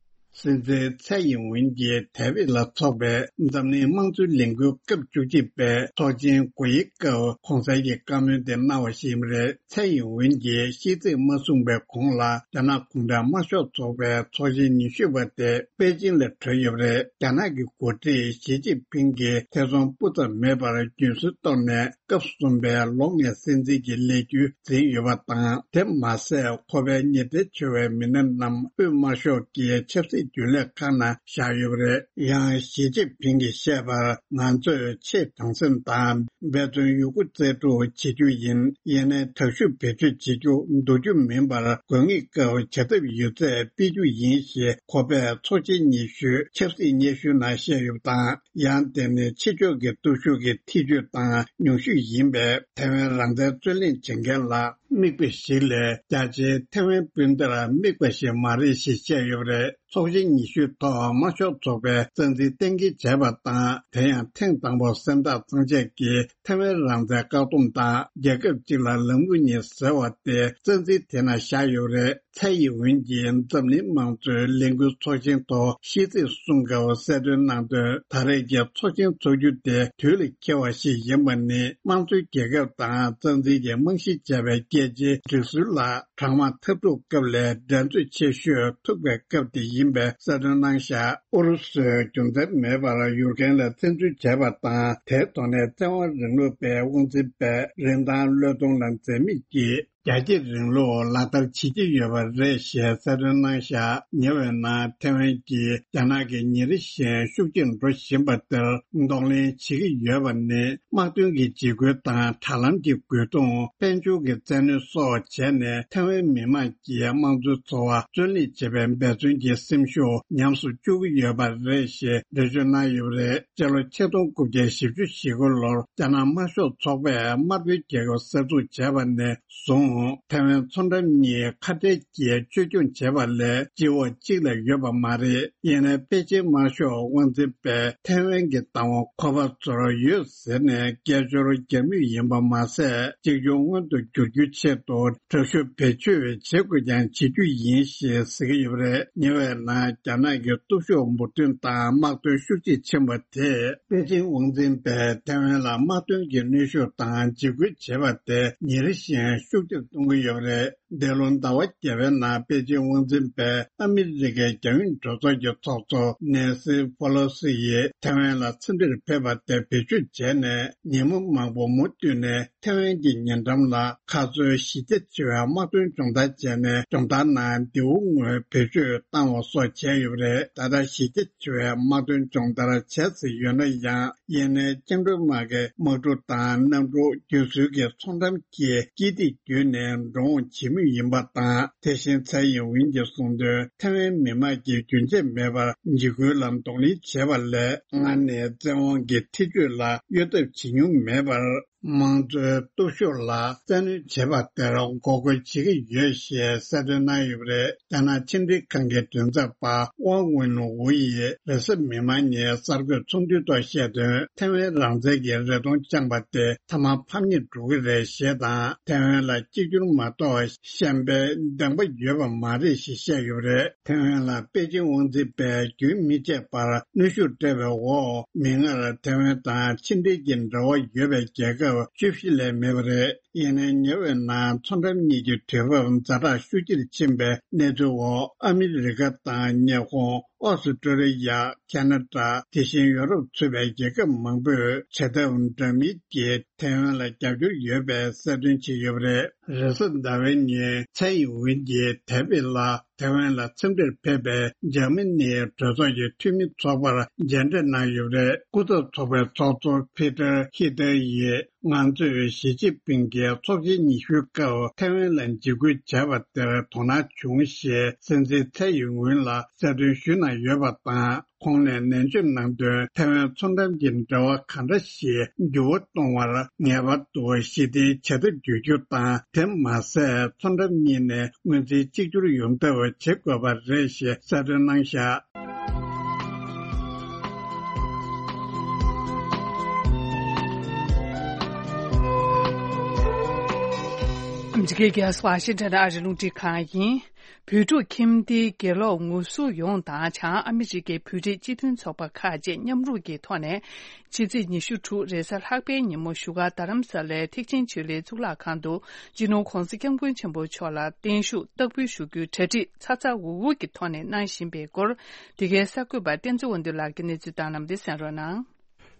སྲིད་འཛིན་ཚའེ་ཡིན་ཝུན་གྱིས་ཐའེ་ཝན་ལ་འཚོགས་པའི་འཛམ་གླིང་དམངས་གཙོའི་ལས་འགུལ་སྐབས་བཅུ་གཅིག་པའི་ཚོགས་ཆེན་དགུ་ཡི་སྐབས་གོང་གསལ་གྱི་བཀའ་མོལ་དེ་གནང་བ་ཞིག་ཡིན་པ་རེད། ཚའེ་ཡིན་ཝུན་གྱིས་ཤིས་ཚིག་མ་གསུངས་པའི་གོང་ལ་རྒྱ་ནག་གུང་ཁྲན་དམར་ཤོག་ཚོགས་པའི་ཚོགས་ཆེན་ཉི་ཤུ་པ་དེ་པེ་ཅིང་ལ་གྲོལ་ཡོད་པ་རེད། རྒྱ་ནག་གི་འགོ་ཁྲིད་ཞི་ཅིན་ཕིང་གིས་ཐེ་ཚོམ་སྤུ་ཙམ་མེད་པར་རྒྱུན་སྲོལ་ཐོག་ནས་སྐབས་གསུམ་པའི་ལོ་ལྔའི་སྲིད་འཛིན་གྱི་ལས་འགུལ་འཛིན་ཡོད་པ་དང་། དེ་མ་ཟད་ཁོ་པའི་ཉེ་འབྲེལ་ཆེ་བའི་མི་སྣ་རྣམས་དབུས་དམར་ཤོག་གི་ཆབ་སྲིད་རྒྱུན་ལས་ཁག་ནང་བཞག་ཡོད་པ་རེད། ཡང་ཞི་ཅིན་ཕིང་གིས་བཤད་པར། ང་ཚོས་ཆེས་དྲང་སེམས་དང་འབད་བརྩོན་ཡོད་རྒུ་རྩལ་སྤྲུགས་བྱེད་རྒྱུ་ཡིན། ཡིན་ནའི་དྲག་ཤུགས་བེད་སྤྱོད་བྱེད་རྒྱུ་འདུག་རྒྱུ་མིན་པར། དགོས་ངེས་སྐབས་བྱ་ཐབས་ཡོད་ཚད་སྤེལ་རྒྱུ་ཡིན་ཞེས་ཁོ་པས་ཚོགས་ཆེན་ཉི་ཤུའི་ཆབ་སྲིད་སྙན་ཞུ་ནང་བཤད་ཡོད་པ་དང་། ཡང་དེ་ནི་ཕྱི་ཕྱོགས་ཀྱི་སྟོབས་ཤུགས་ཀྱི་ཐེ་བྱུས་དང་ཉུང་ཤོས་ཡིན་པས། ཐའེ་ཝན་རང་བཙན་རྩོད་ལེན་བྱེད་མཁན་ལ་དམིགས་པ་ཞིག་ལས་རྒྱ་ཆེའི་ཐའེ་ཝན་སྤུན་ཟླར་དམིགས་པ་ཞིག་མ་རེད་ཞེས་བཤད་ཡོད་པ་རེད། ཚོགས་ཆེན་ཉི་ཤུའི་ཐོག་དམར་ཤོག་ཚོགས་པའི་རྩ་འཛིན་གཏན་འཁེལ་བྱས་པ་དང་། དེ་ཡང་ཐེངས་དང་པོ་སེམས་ཐག་གཙང་བཅད་ཀྱིས་ཐའེ་ཝན་རང་བཙན་བཀག་སྡོམ་དང་རྒྱལ་ཁབ་གཅིག་ལ་ལམ་ལུགས་གཉིས་ཟེར་བ་དེ་རྩ་འཛིན་དེ་ནང་བཞག་ཡོད་པ་རེད། ཚའེ་ཡིན་ཝུན་གྱིས་འཛམ་གླིང་དམངས་གཙོའི་ལས་འགུལ་ཚོགས་ཆེན་ཐོག་ཤིས་ཚིག་གསུང་སྐབས་གསལ་སྟོན་གནང་དོན། ད་རེས་ཀྱི་ཚོགས་ཆེན་འཚོགས་རྒྱུ་དེ་དུས་ལ་འཁེལ་བ་ཞིག་ཡིན་པ་ནི། དམངས་གཙོའི་རྒྱལ་ཁབ་དང་རྩ་འཛིན་གྱི་རྨང་གཞི་བྱས་པའི་རྒྱལ་སྤྱིའི་སྒྲིག་སྲོལ་ལ་གྲང་དམག་འཐབ་འཁྲུག་སྐབས་ལས་འགྲན་རྩོད་ཆེ་ཤོས་ཐུག་པའི་སྐབས་དེ་ཡིན། ཡིན་པའི་གསལ་སྟོན་གནང་བཞག་ཨུ་རུ་སུས་རྒྱུ་མཚན་མེད་པར་ཡུཀ་རེན་ལ་བཙན་འཛུལ་བྱས་པ་དང་། དེའི་ཐོག་ནས་བཙན་དབང་རིང་ལུགས་པའི་དབང་འཛིན་པས་རིན་ཐང་བློས་གཏོང་ལ་འཛེམ་མེད་ཀྱིས། རྒྱ་སྐྱེད་རིང་ལུགས་ལག་བསྟར་བྱེད་ཀྱི་ཡོད་པ་རེད་ཞེས་གསལ་སྟོན་གནང་བཞག་ཉེ་བའི་ནང་ཐེ་ཝན་གྱིས་རྒྱ་ནག་གིས་ཉིན་རེ་བཞིན་ཤུགས་ཆེར་འགྲོ་བཞིན་པ་དེར་གདོང་ལེན་བྱེད་ཀྱི་ཡོད་པ་ནི། དམག་དོན་གྱི་འཇིགས་སྐུལ་དང་། དྲ་ལམ་གྱི་རྒོལ་རྡུང་། དཔལ་འབྱོར་གྱི་བཙན་གནོན་སོགས་བྱས་ནས། ཐེ་ཝན་མི་དམངས་ཀྱི་དམངས་གཙོའི་འཚོ་བ་བཙོན་ལེན་བྱེད་པའི་འབད་བརྩོན་གྱི་སེམས་ཤུགས་ཉམས་སུ་བཅུག་གི་ཡོད་པ་རེད་ཞེས་འགྲེལ་བརྗོད་གནང་ཡོད་པ་རེད། སྤྱི་ལོ་ཆིག་སྟོང་དགུ་བརྒྱ་བཞི་བཅུ་ཞེ་དགུ་ལོར་རྒྱ་ནག་དམར་ཤོག་ཚོགས་པས་དམར་པོའི་རྒྱལ་ཁབ་གསར་འཛུགས་བྱས་པ་ནས་བཟུང་། ཐེ་ཝན་མཚོ་འགྲམ་གཉིས་ཁ་བྲལ་གྱིས་བཅོས་སྐྱོང་བྱས་པ་ལས་སྤྱི་འོག་གཅིག་ལས་ཡོད་པ་མ་རེད། ཡིན་ནའི་པེ་ཅིན་དམར་ཤོག་དབང་འཛིན་པས་ཐེ་ཝན་གྱི་བདག་དབང་ཁོ་པ་ཚོར་ཡོད་ཟེར་ནས་སྐད་ཅོར་རྒྱག་མུས་ཡིན་པ་མ་ཟད། གཅིག་གྱུར་མངོན་དུ་འགྱུར་རྒྱུའི་ཆེད་དུ་དྲག་ཤུགས་བེད་སྤྱོད་བྱེད་དགོས་ཀྱང་བྱེད་རྒྱུ་ཡིན་ཞེས་ཟེར་གྱི་ཡོད་པ་རེད། ཉེ་བའི་ནང་རྒྱ་ནག་གི་སྟོབས་ཤུགས་འབུར་ཐོན་དང་དམག་དོན་ཤུགས་ཆེ་ཕྱིན་པ་དེས་པེ་ཅིན་དབང་འཛིན་པས་ཐེ་ཝན་ལ་དམག་དོན་གྱི་གནོན་ཤུགས་དང་འཇིགས་སྐུལ་བྱེད་པ་དེ་ཉིན་རེ་བཞིན་ཤུགས་ཆེར་གཏོང་གི་ཡོད་པ་རེད། འདས་ལོ་ཟླ་བ་བརྒྱད་པའི་ནང་པེ་ཅིན་དབང་འཛིན་པས་ཨ་མི་རི་ཀའི་རྒྱ་ཡོངས་གྲོས་ཚོགས་ཀྱི་ཚོགས་གཙོ་ནེན་སི་ཕོ་ལོ་སི་ཡིས་ཐེ་ཝན་ལ་འཚམས་འདྲིར་ཕེབས་པ་དེ་བེད་སྤྱོད་བྱས་ནས། ཉིན་མོ་མང་པོ་མུ་མཐུད་ནས་ཐེ་ཝན་གྱི་ཉེ་འགྲམ་ལ་ཁ་སོའི་གཞི་རྒྱ་ཆེ་བའི་དམག་དོན་སྦྱོང་བརྡར་བྱས་ནས། སྦྱོང་བརྡར་ནང་མདེའུ་དངོས་བེད་སྤྱོད་བཏང་བ་སོགས་བྱས་ཡོད་པ་རེད། ད་ལྟ་གཞི་རྒྱ་ཆེ་བའི་དམག་དོན་སྦྱོང་བརྡར་བྱས་ཟིན་ཡོད་ན་ཡང་། ཡིན་ནའི་བཅིངས་འགྲོལ་དམག་གི་དམག་གྲུ་དང་གནམ་གྲུ་བརྒྱུད་འཛུལ་གྱི་མཚོ་འགྲམ་གྱི་དཀྱིལ་ཐིག་བརྒྱུད་ནས་འགྲོ་འོང་བྱེད་མུས་ཡིན་པ་དང་། དེ་བཞིན་ཚའེ་ཡིན་ཝིན་གྱིས་གསུངས་དོན། ཐེ་ཝན་མི་དམངས་ཀྱིས་རྒྱུན་ཆད་མེད་པར་འཇིགས་སྐུལ་ལ་གདོང་ལེན་བྱས་པ་ལས། སྔར་ནས་བཙན་དབང་གི་ཐེ་ཇུས་ལ་གཡོལ་ཐབས་བྱེད་མྱོང་མེད་པར། དམངས་གཙོའི་སྟོབས་ཤུགས་ལ་བཙན་གནོན་བྱས་པ་དེར་འགོག་རྒོལ་བྱེད་ཀྱི་ཡོད་ཞེས་གསལ་སྟོན་གནང་ཡོད་པ་རེད། རྒྱ་ནག་ཕྱི་འབྲེལ་ཁང་གི་མགྲིན་ཚབ་པ་ཝང་ཝུན་ཝུ་ཡིས་རེས་གཟའ་མིག་དམར་ཉིན་གསར་འགོད་ཚོགས་འདུའི་ཐོག་བཤད་དོན། ཐེ་ཝན་རང་བཙན་གྱི་རེ་སྟོང་བཅངས་པ་དེ་མཐའ་མ་ཕམ་ཉེས་འགྲོ་གི་རེད་ཞེས་དང་། ཐེ་ཝན་ལ་གཅིག་གྱུར་མ་གཏོགས་ཤན་པའི་འདེང་པ་ཡོད་པ་མ་རེད་ཞེས་བཤད་ཡོད་པ་རེད། ཐེ་ཝན་ལ་པེ་ཅིན་དབང་འཛིན་པས་རྒྱུན་མི་ཆད་པར་གནོན་ཤུགས་སྤྲད་པའི་འོག་མིག་སྔར་ཐེ་ཝན་དང་ཕྱི་འབྲེལ་གྱི་འབྲེལ་བ་ཡོད་པའི་རྒྱལ་ཁབ་བཅུ་བཞི་ལས་མེད་པ་རེད། ཡིན་ནའི་ཉེ་བའི་ནང་མཚོ་འགྲམ་གཉིས་ཀྱི་དུས་བབ་ཛ་དྲག་ཤུགས་ཆེར་ཕྱིན་པའི་གནས་ཚུལ་འོག་ཨ་མི་རི་ཀ་དང་ཉི་ཧོང་། ཨོ་སི་ཀྲོ་ལི་ཡ། ཁ་ན་ཌ། དེ་བཞིན་ཡོ་རོབ་ཚུད་པའི་རྒྱལ་ཁབ་མང་པོས་བྱེད་ཐབས་འདྲ་མིན་གྱིས་ཐེ་ཝན་ལ་རྒྱབ་སྐྱོར་ཡོད་པའི་གསལ་སྟོན་བྱས་ཡོད་པ་རེད། རེས་གཟའ་ཟླ་བའི་ཉིན་ཚའེ་ཡིན་ཝིན་གྱིས་ཐའེ་པེ་ལ་ཐེ་ཝན་ལ་འཚམས་འདྲིར་ཕེབས་པའི་འཇར་མ་ནིའི་གྲོས་ཚོགས་ཀྱི་འཐུས་མི་ཚོགས་པར་མཇལ་འཕྲད་གནང་ཡོད་པ་རེད། སྐུ་ཚབ་ཚོགས་པའི་ཚོགས་གཙོ་ཕི་ཏར་ཧི་ཏར་ཡིས། ང་ཚོས་ཞི་ཅིན་ཕིང་གིས་ཚོགས་ཆེན་ཉི་ཤུའི་སྐབས་ཐའེ་ཝན་ལ་འཇིགས་སྐུལ་བྱས་པ་དེར་དོ་སྣང་བྱུང་ཞེས་སྲིད་འཛིན་ཚའེ་ཡིན་ཝུན་ལ་གསལ་སྟོན་ཞུས་གནང་ཡོད་པ་དང་། ཁོང་ནས་ནན་བརྗོད་གནང་དོན། ཐའེ་ཝན་མཚོ་འགྲམ་གྱི་འབྲེལ་བ་གང་འདྲ་ཞིག་འགྱུར་བ་གཏོང་བར་ངེས་པར་དུ་ཞི་བདེའི་བྱ་ཐབས་བརྒྱུད་རྒྱུ་དང་། དེ་མ་ཟད། མཚོ་འགྲམ་གཉིས་ནས་སྔོན་རྩིས་གཅིག་གྱུར་ཡོང་ཐབས་བྱེད་དགོས་པ་རེད་ཞེས་གསལ་སྟོན་གནང་བཞག་ཨ་མི་རི་ཀའི་རྒྱལ་ས་ཝ་ཤིང་ཊོན་ཨ་རིའི་རླུང་འཕྲིན་ཁང་ཡིན། བོད་ཕྲུག་ཁྱིམ་སྡེའི་དགེ་སློབ་ངོ་སྲུང་ཡོངས་དང་བྱང་ཨ་མི་རི་ཀའི་བོད་རིགས་སྤྱི་མཐུན་ཚོགས་པ་ཁག་བཅས་མཉམ་རུབ་ཀྱི་ཐོག་ནས། ཕྱི་ཚེས་ཉི་ཤུ་དྲུག་རེས་གཟའ་ལྷག་པའི་ཉིན་མོ་བཞུགས་སྒར་རྡ་རམ་ས་ལའི་ཐེག་ཆེན་ཆོས་གླིང་གཙུག་ལག་ཁང་དུ། སྤྱི་ནོར་༧གོང་ས་༧སྐྱབས་མགོན་ཆེན་པོ་མཆོག་ལ་བརྟན་བཞུགས་བསྟར་འབུལ་ཞུ་རྒྱུའི་གྲ་སྒྲིག་ཚ་ཚ་འུར་འུར་གྱི་ཐོག་ནས་གནང་བཞིན་པའི་སྐོར། འདི་གའི་གསར་འགོད་པ་བསྟན་འཛིན་དབང་འདུས་ལགས་ཀྱིས་གནས་ཚུལ་བཏང་གནང་བ་འདི་གསན་རོགས་གནང་།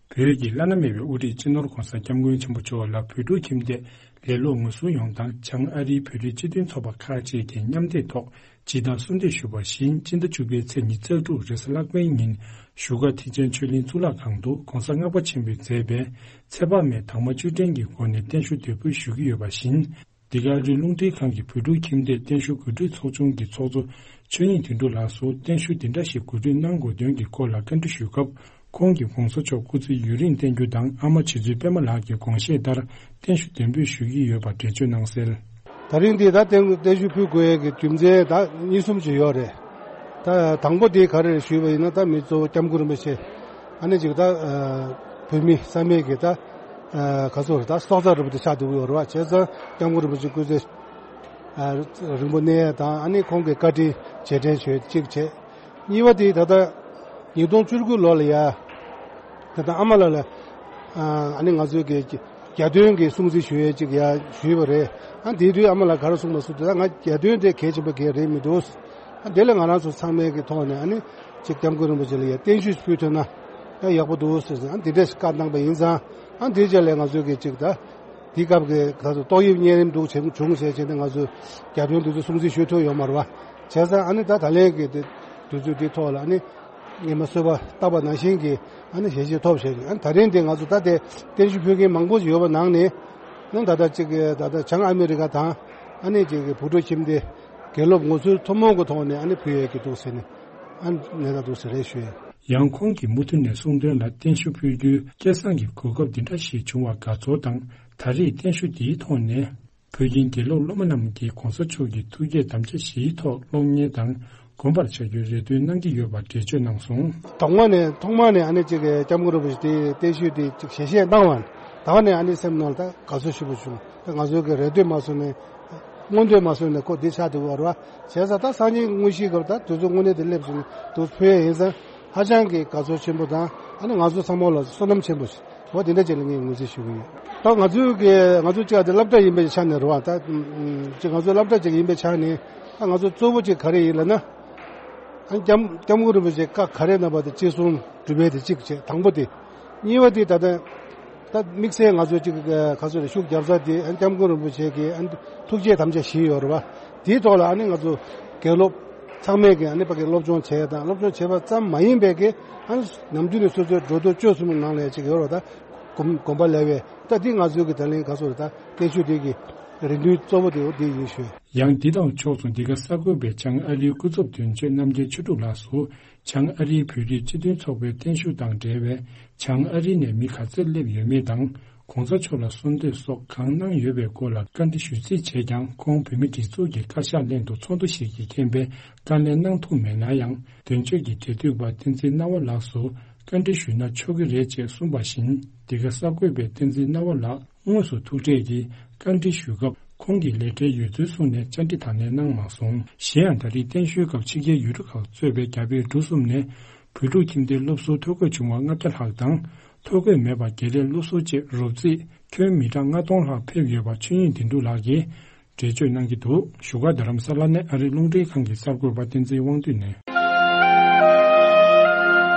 བོད་ཀྱི་བླ་ན་མེད་པའི་དབུ་ཁྲིད་སྤྱི་ནོར་༧གོང་ས་༧སྐྱབས་མགོན་ཆེན་པོ་མཆོག་ལ་བོད་ཕྲུག་ཁྱིམ་སྡེ་ལས་སློབ་ངོ་སྲུང་ཡོངས་དང་། བྱང་ཨ་རིའི་བོད་རིགས་སྤྱི་མཐུན་ཚོགས་པ་ཁག་བཅས་ཀྱིས་མཉམ་འདེགས་ཐོག་སྤྱི་ཟླ་གསུམ་དུ་ཞུ་བ་བཞིན། སྤྱི་ཟླ་བཅུ་པའི་ཚེས་ཉི་ཤུ་རྩ་དྲུག་རེས་གཟའ་ལྷག་པའི་ཉིན། བཞུགས་སྒར་ཐེག་ཆེན་ཆོས་གླིང་གཙུག་ལག་ཁང་དུ་༧གོང་ས་ལྔ་པ་ཆེན་པོས་མཛད་པའི་ཚེ་དཔག་མེད་དྭངས་མ་བཅུད་ལྡན་གྱི་སྒོ་ནས་བརྟན་བཞུགས་འདེགས་འབུལ་ཞུ་གི་ཡོད་པ་བཞིན། འདི་ག་རླུང་འཕྲིན་ཁང་གི་བོད་ཕྲུག་ཁྱིམ་སྡེ་བརྟན་བཞུགས་གོ་སྒྲིག་ཚོགས་ཆུང་གི་ཚོགས་གཙོ་ཆོས་དབྱིངས་དོན་གྲུབ་ལགས་སུ། བརྟན་བཞུགས་འདི་འདྲ་ཞིག་གོ་སྒྲིག་གནང་དགོས་དོན་གྱི་སྐོར་ལ་བཀའ་འདྲི་ཞུས་སྐབས། ཁོང་གིས་༧གོང་ས་མཆོག་སྐུ་ཚེ་ཡུན་རིང་བརྟན་རྒྱུ་དང་། ཨ་མ་རྗེ་བཙུན་པད་མ་ལགས་ཀྱི་དགོངས་བཞེད་ལྟར་བརྟན་བཞུགས་འདེགས་འབུལ་ཞུ་གི་ཡོད་པ་འགྲེལ་བརྗོད་གནང་གསལ། ད་རིང་འདི་ད་བརྟན་བརྟན་བཞུགས་ཕུལ་དགོས་ཡས་ཀྱི་རྒྱུ་མཚན་ད་གཉིས་གསུམ་ཅིག་ཡོད་རེད། ད་དང་པོ་དེ་ག་རེ་རེད་ཞུས་པ་ཡིན་ན། ད་མི་གཙོ་བོ་སྐྱབས་མགོན་རིན་པོ་ཆེ། ཨ་ནི་ཅིག་ད་བོད་མི་ས་མེད་ཀྱི་ད་ག་ཚོད་རེད། ད་སྲོག་རྩ་རིན་པོ་ཆེ་ཆགས་བསྡད་ཀྱི་ཡོད་རེད་བ། བྱས་ཙང་སྐྱབས་མགོན་རིན་པོ་ཆེ་སྐུ་ཚེ་རིང་པོ་གནས་ཡས་དང་། ཨ་ནི་ཁོང་གི་བཀའ་དྲིན་རྗེས་དྲན་ཞུ་ཡས་གཅིག་བྱས། གཉིས་པ་དེ་ད་ལྟ་ཉིས་སྟོང་བཅུ་དགུ་ལོ་ལ་ཡ། ད་ལྟ་ཨ་མ་ལགས་ལ་ཨ་ནི་ང་ཚོའི་གི་གྱ་སྟོན་གྱི་སྲུང་བརྩི་ཞུ་ཡས་ཅིག་ཡ་ཞུས་པ་རེད། ཨ་དེ་དུས་ཨ་མ་ལགས་ག་རེ་གསུངས་པ་སུ་དེ། ད་ང་གྱ་སྟོན་དེ་གལ་ཆེན་པོ་གལ་རེད་མི་འདུག་དེ་ལས་ང་རང་ཚོ་ཚང་མའི་གི་ཐོག་ནས་ཨ་ནི་ཅིག་སྐྱབས་མགོན་རིན་པོ་ཆེ་ལ་ཡ་བརྟན་བཞུགས་ཕུལ་ཐུབ་ན་ཡ་ཡག་པོ་འདུག་ཟེར་ཟིན་ཨ་འདི་འདྲས་བཀའ་གནང་པ་ཡིན་ཙང་ཨ་འདིའི་རྗེས་ལ་ང་ཚོའི་གི་ཅིག་ད་འདི་སྐབས་ཀྱི་ད་ཚོ་ཏོག་དབྱིབས་གཉན་རིམས་འདུག་བྱུང་བྱུང་བྱས་བྱས་ནས་ང་ཚོ་རྒྱ་དོན་འདི་ཚོ་སྲུང་བརྩི་ཞུ་ཐུབ་ཡོད་མ་རེད་བ། བྱས་ཙང་ཨ་ནི་ད་ད་ལན་གི་དེ་དུས་ཚོད་འདི་ཐོག་ལ་ཨ་ནི་ཉི་མ་གསོལ་བ་བཏབ་པ་ནང་བཞིན་གྱི་ཨ་ནི་ཞལ་བཞེས་ཐོབ་བྱས་ཨ་ནི་ད་རིང་དེ་ང་ཚོ་ད་དེ་བརྟན་བཞུགས་ཕུལ་མཁན་མང་པོ་ཞིག་ཡོད་པ་ནང་ནས་ཨ་ནི་ད་ལྟ་ཅིག་ད་ལྟ་བྱང་ཨ་མི་རི་ཀ་དང་ཨ་ནི་ཅིག་བུ་ཕྲུག་ཁྱིམ་སྡེ་དགེ་སློབ་ངོ་ཚུལ་ཐུན་མོང་གི་ཐོག་ནས་ཨ་ནི་ཕུལ་ཡས་ཀྱི་འདུག་ཟེར་ནས་ཨ་ནི་ད་འདུག་ཟེར་རེ་ཞུ་ཡས། ཡང་ཁོང་གིས་མུ་མཐུད་ནས་གསུངས་དོན་ལ་བརྟན་བཞུགས་ཕུལ་རྒྱུའི་སྐལ་བཟང་གི་གོ་སྐབས་འདི་འདྲ་ཞིག་བྱུང་བར་དགའ་ཚོར་དང་ད་རེས་བརྟན་བཞུགས་འདིའི་ཐོག་ནས། བོད་ཀྱི་དགེ་སློབ་སློབ་མ་རྣམས་ཀྱིས་གོང་ས་མཆོག་གི་ཐུགས་བསྐྱེད་དམ་བཅའ་བཞིའི་ཐོག་སློབ་གཉེར་དང་སྒོམ་པར་བྱ་རྒྱུའི་རེ་འདུན་གནང་གི་ཡོད་པར་འགྲེལ་བརྗོད་གནང་སོང་། དང་པོ་ནས་ཐོག་མ་ནས་ཨ་ནི་ཅིག་སྐྱབས་མགོན་རིན་པོ་ཆེ་དེ་བརྟན་བཞུགས་དེ་ཅིག་ཞལ་བཞེས་གནང་བ་ད་ག་ནས་ཨ་ནི་སེམས་ནང་ལ་ད་དགའ་ཚོར་ཞེ་པོ་བྱུང་ད་ང་ཚོའི་གི་རེ་འདོད་མ་སོང་ནས་མངོན་འདོད་མ་སོང་ནས་ཁོ་འདི་ཆགས་འདུག་བར་བ་བྱས་ཙང་ད་སང་ཉིན་དངོས་གཞིའི་སྐབས་ད་དུས་ཚོད་དངོས་གནས་དེ་སླེབས་སོང་ནས་དུ་ཕུལ་ཡས་ཡིན་ཙང་ཧ་ཅང་གི་དགའ་ཚོར་ཆེན་པོ་དང་ཨ་ནི་ང་ཚོ་ཚང་མ་ལ་བསོད་ནམས་ཆེན་པོ་ཞིག་འོ་དེ་འདྲ་ཅིག་ལ་ངས་ངོས་འཛིན་ཞུ་གི་ཡོད། ད་ང་ཚོའི་གི་ང་ཚོ་གཅིག་དེ་སློབ་གྲྭ་ཡིན་པའི་ཆ་ནས་རེད་བ། ད་ཅིག་ང་ཚོ་སློབ་གྲྭ་ཅིག་ཡིན་པའི་ཆ་ནས་ད་ང་ཚོ་གཙོ་བོ་ཅིག་ག་རེ་ཡིན་ལབ་ན། ཨ་སྐྱབས་སྐྱབས་མགོན་རིན་པོ་ཆེ་བཀའ་ག་རེ་གནང་བ་དེ་ཅི་གསུང་སྒྲུབ་པའི་དེ་གཅིག་བྱས་དང་པོ་དེ། གཉིས་པ་དེ་ད་ལྟ་ད་དམིགས་བསལ་ང་ཚོ་ཅིག་ག་ཚོད་རེད་ཤུགས་རྒྱབ་ས་དེ་ཨ་སྐྱབས་མགོན་རིན་པོ་ཆེ་གི་ཨ་ཐུགས་བསྐྱེད་དམ་བཅའ་བཞི་ཡོད་རེད་བ། དེའི་ཐོག་ལ་ཨ་ནི་ང་ཚོ་དགེ་སློབ་ཚང་མས་ཀྱི་ཨ་ནི་ཕ་གི་སློབ་སྦྱོང་བྱས་དང་སློབ་སྦྱོང་བྱས་པ་ཙམ་མ་ཡིན་པའི་གི་ཨ་ནི་ནམ་རྒྱུན་ནས་སོ་སོའི་འགྲོ་འདུག་སྤྱོད་གསུམ་ནང་ལ་ཅིག་ཡོད་རེད་ད། སྒོམ་སྒོམ་པ་ལས་པས་ད་འདི་ང་ཚོའི་གི་ད་ལན་ག་ཚོད་རེད་ད་བརྟན་བཞུགས་འདི་གི་རེ་འདུན་གཙོ་བོ་དེ་འོ་འདི་ཡིན་ཞུ། ཡང་འདི་དང་ཕྱོགས་མཚུངས་འདི་ག་གསར་འགོད་པས་བྱང་ཨ་རིའི་སྐུ་ཚབ་དོན་གཅོད་རྣམ་རྒྱལ་ཆོས་དྲུག་ལགས་སུ་བྱང་ཨ་རིའི་བོད་རིགས་སྤྱི་མཐུན་ཚོགས་པའི་བརྟན་བཞུགས་དང་འབྲེལ་བའི་བྱང་ཨ་རི་ནས་མི་ག་ཚོད་སླེབས་ཡོད་མེད་དང་གོང་ས་མཆོག་ལ་གསོལ་འདེབས་སོགས་གང་གནང་ཡོད་པའི་སྐོར་ལ་བཀའ་འདྲི་ཞུས་རྩིས་བྱས་ཀྱང་ཁོང་བོད་མི་སྒྲིག་འཛུགས་ཀྱི་བཀའ་ཤག་གླེང་དུ་ཚོགས་འདུ་ཞིག་གིས་མཁྱེན་པའི་བཀའ་ལན་གནང་ཐུབ་མེད་ན་ཡང་དོན་གཅོད་ཀྱི་འབྲེལ་མཐུད་པ་བསྟན་འཛིན་སྣང་བ་ལགས་སུ་བཀའ་འདྲི་ཞུས་ན་ཆོག་གི་རེད་ཅེས་གསུངས་པ་བཞིན་འདི་ག་གསར་འགོད་པས་བསྟན་འཛིན་སྣང་བ་ལགས་དངོས་སུ་ཐུག་འཕྲད་ཀྱིས་བཀའ་འདྲི་ཞུས་སྐབས་ཁོང་གིས་ལས་བྲེལ་ཡོད་ཚུལ་གསུངས་ནས་བཅར་འདྲི་དང་ལེན་གནང་མ་སོང་། གཞན་ཡང་ད་རེས་བརྟན་བཞུགས་སྐབས་ཕྱི་རྒྱལ་ཡུལ་གྲུ་ཁག་གཙོས་པའི་རྒྱ་བལ་འབྲུག་གསུམ་ནས་བོད་ཕྲུག་ཁྱིམ་སྡེའི་སློབ་ཟུར་ཐོ་འགོད་བྱུང་བ་ལྔ་བརྒྱ་ལྷག་དང་ཐོ་འགོད་མེད་པ་བརྒྱད་ལས་སློབ་ཟུར་བཅས་རོབ་རྩིས་ཁྱོན་མི་གྲངས་ལྔ་སྟོང་ལྷག་ཕེབས་ཡོད་པ་ཆོས་དབྱིངས་བདེ་འགྲུབ་ལགས་ཀྱིས་འགྲེལ་བརྗོད་གནང་གི་འདུག་བཞུགས་སྒར་རྡ་རམ་ས་ལ་ནས་ཨ་རི་རླུང་འཕྲིན་ཁང་གི་གསར་འགོད་པ་བསྟན་འཛིན་དབང་འདུས་ནས།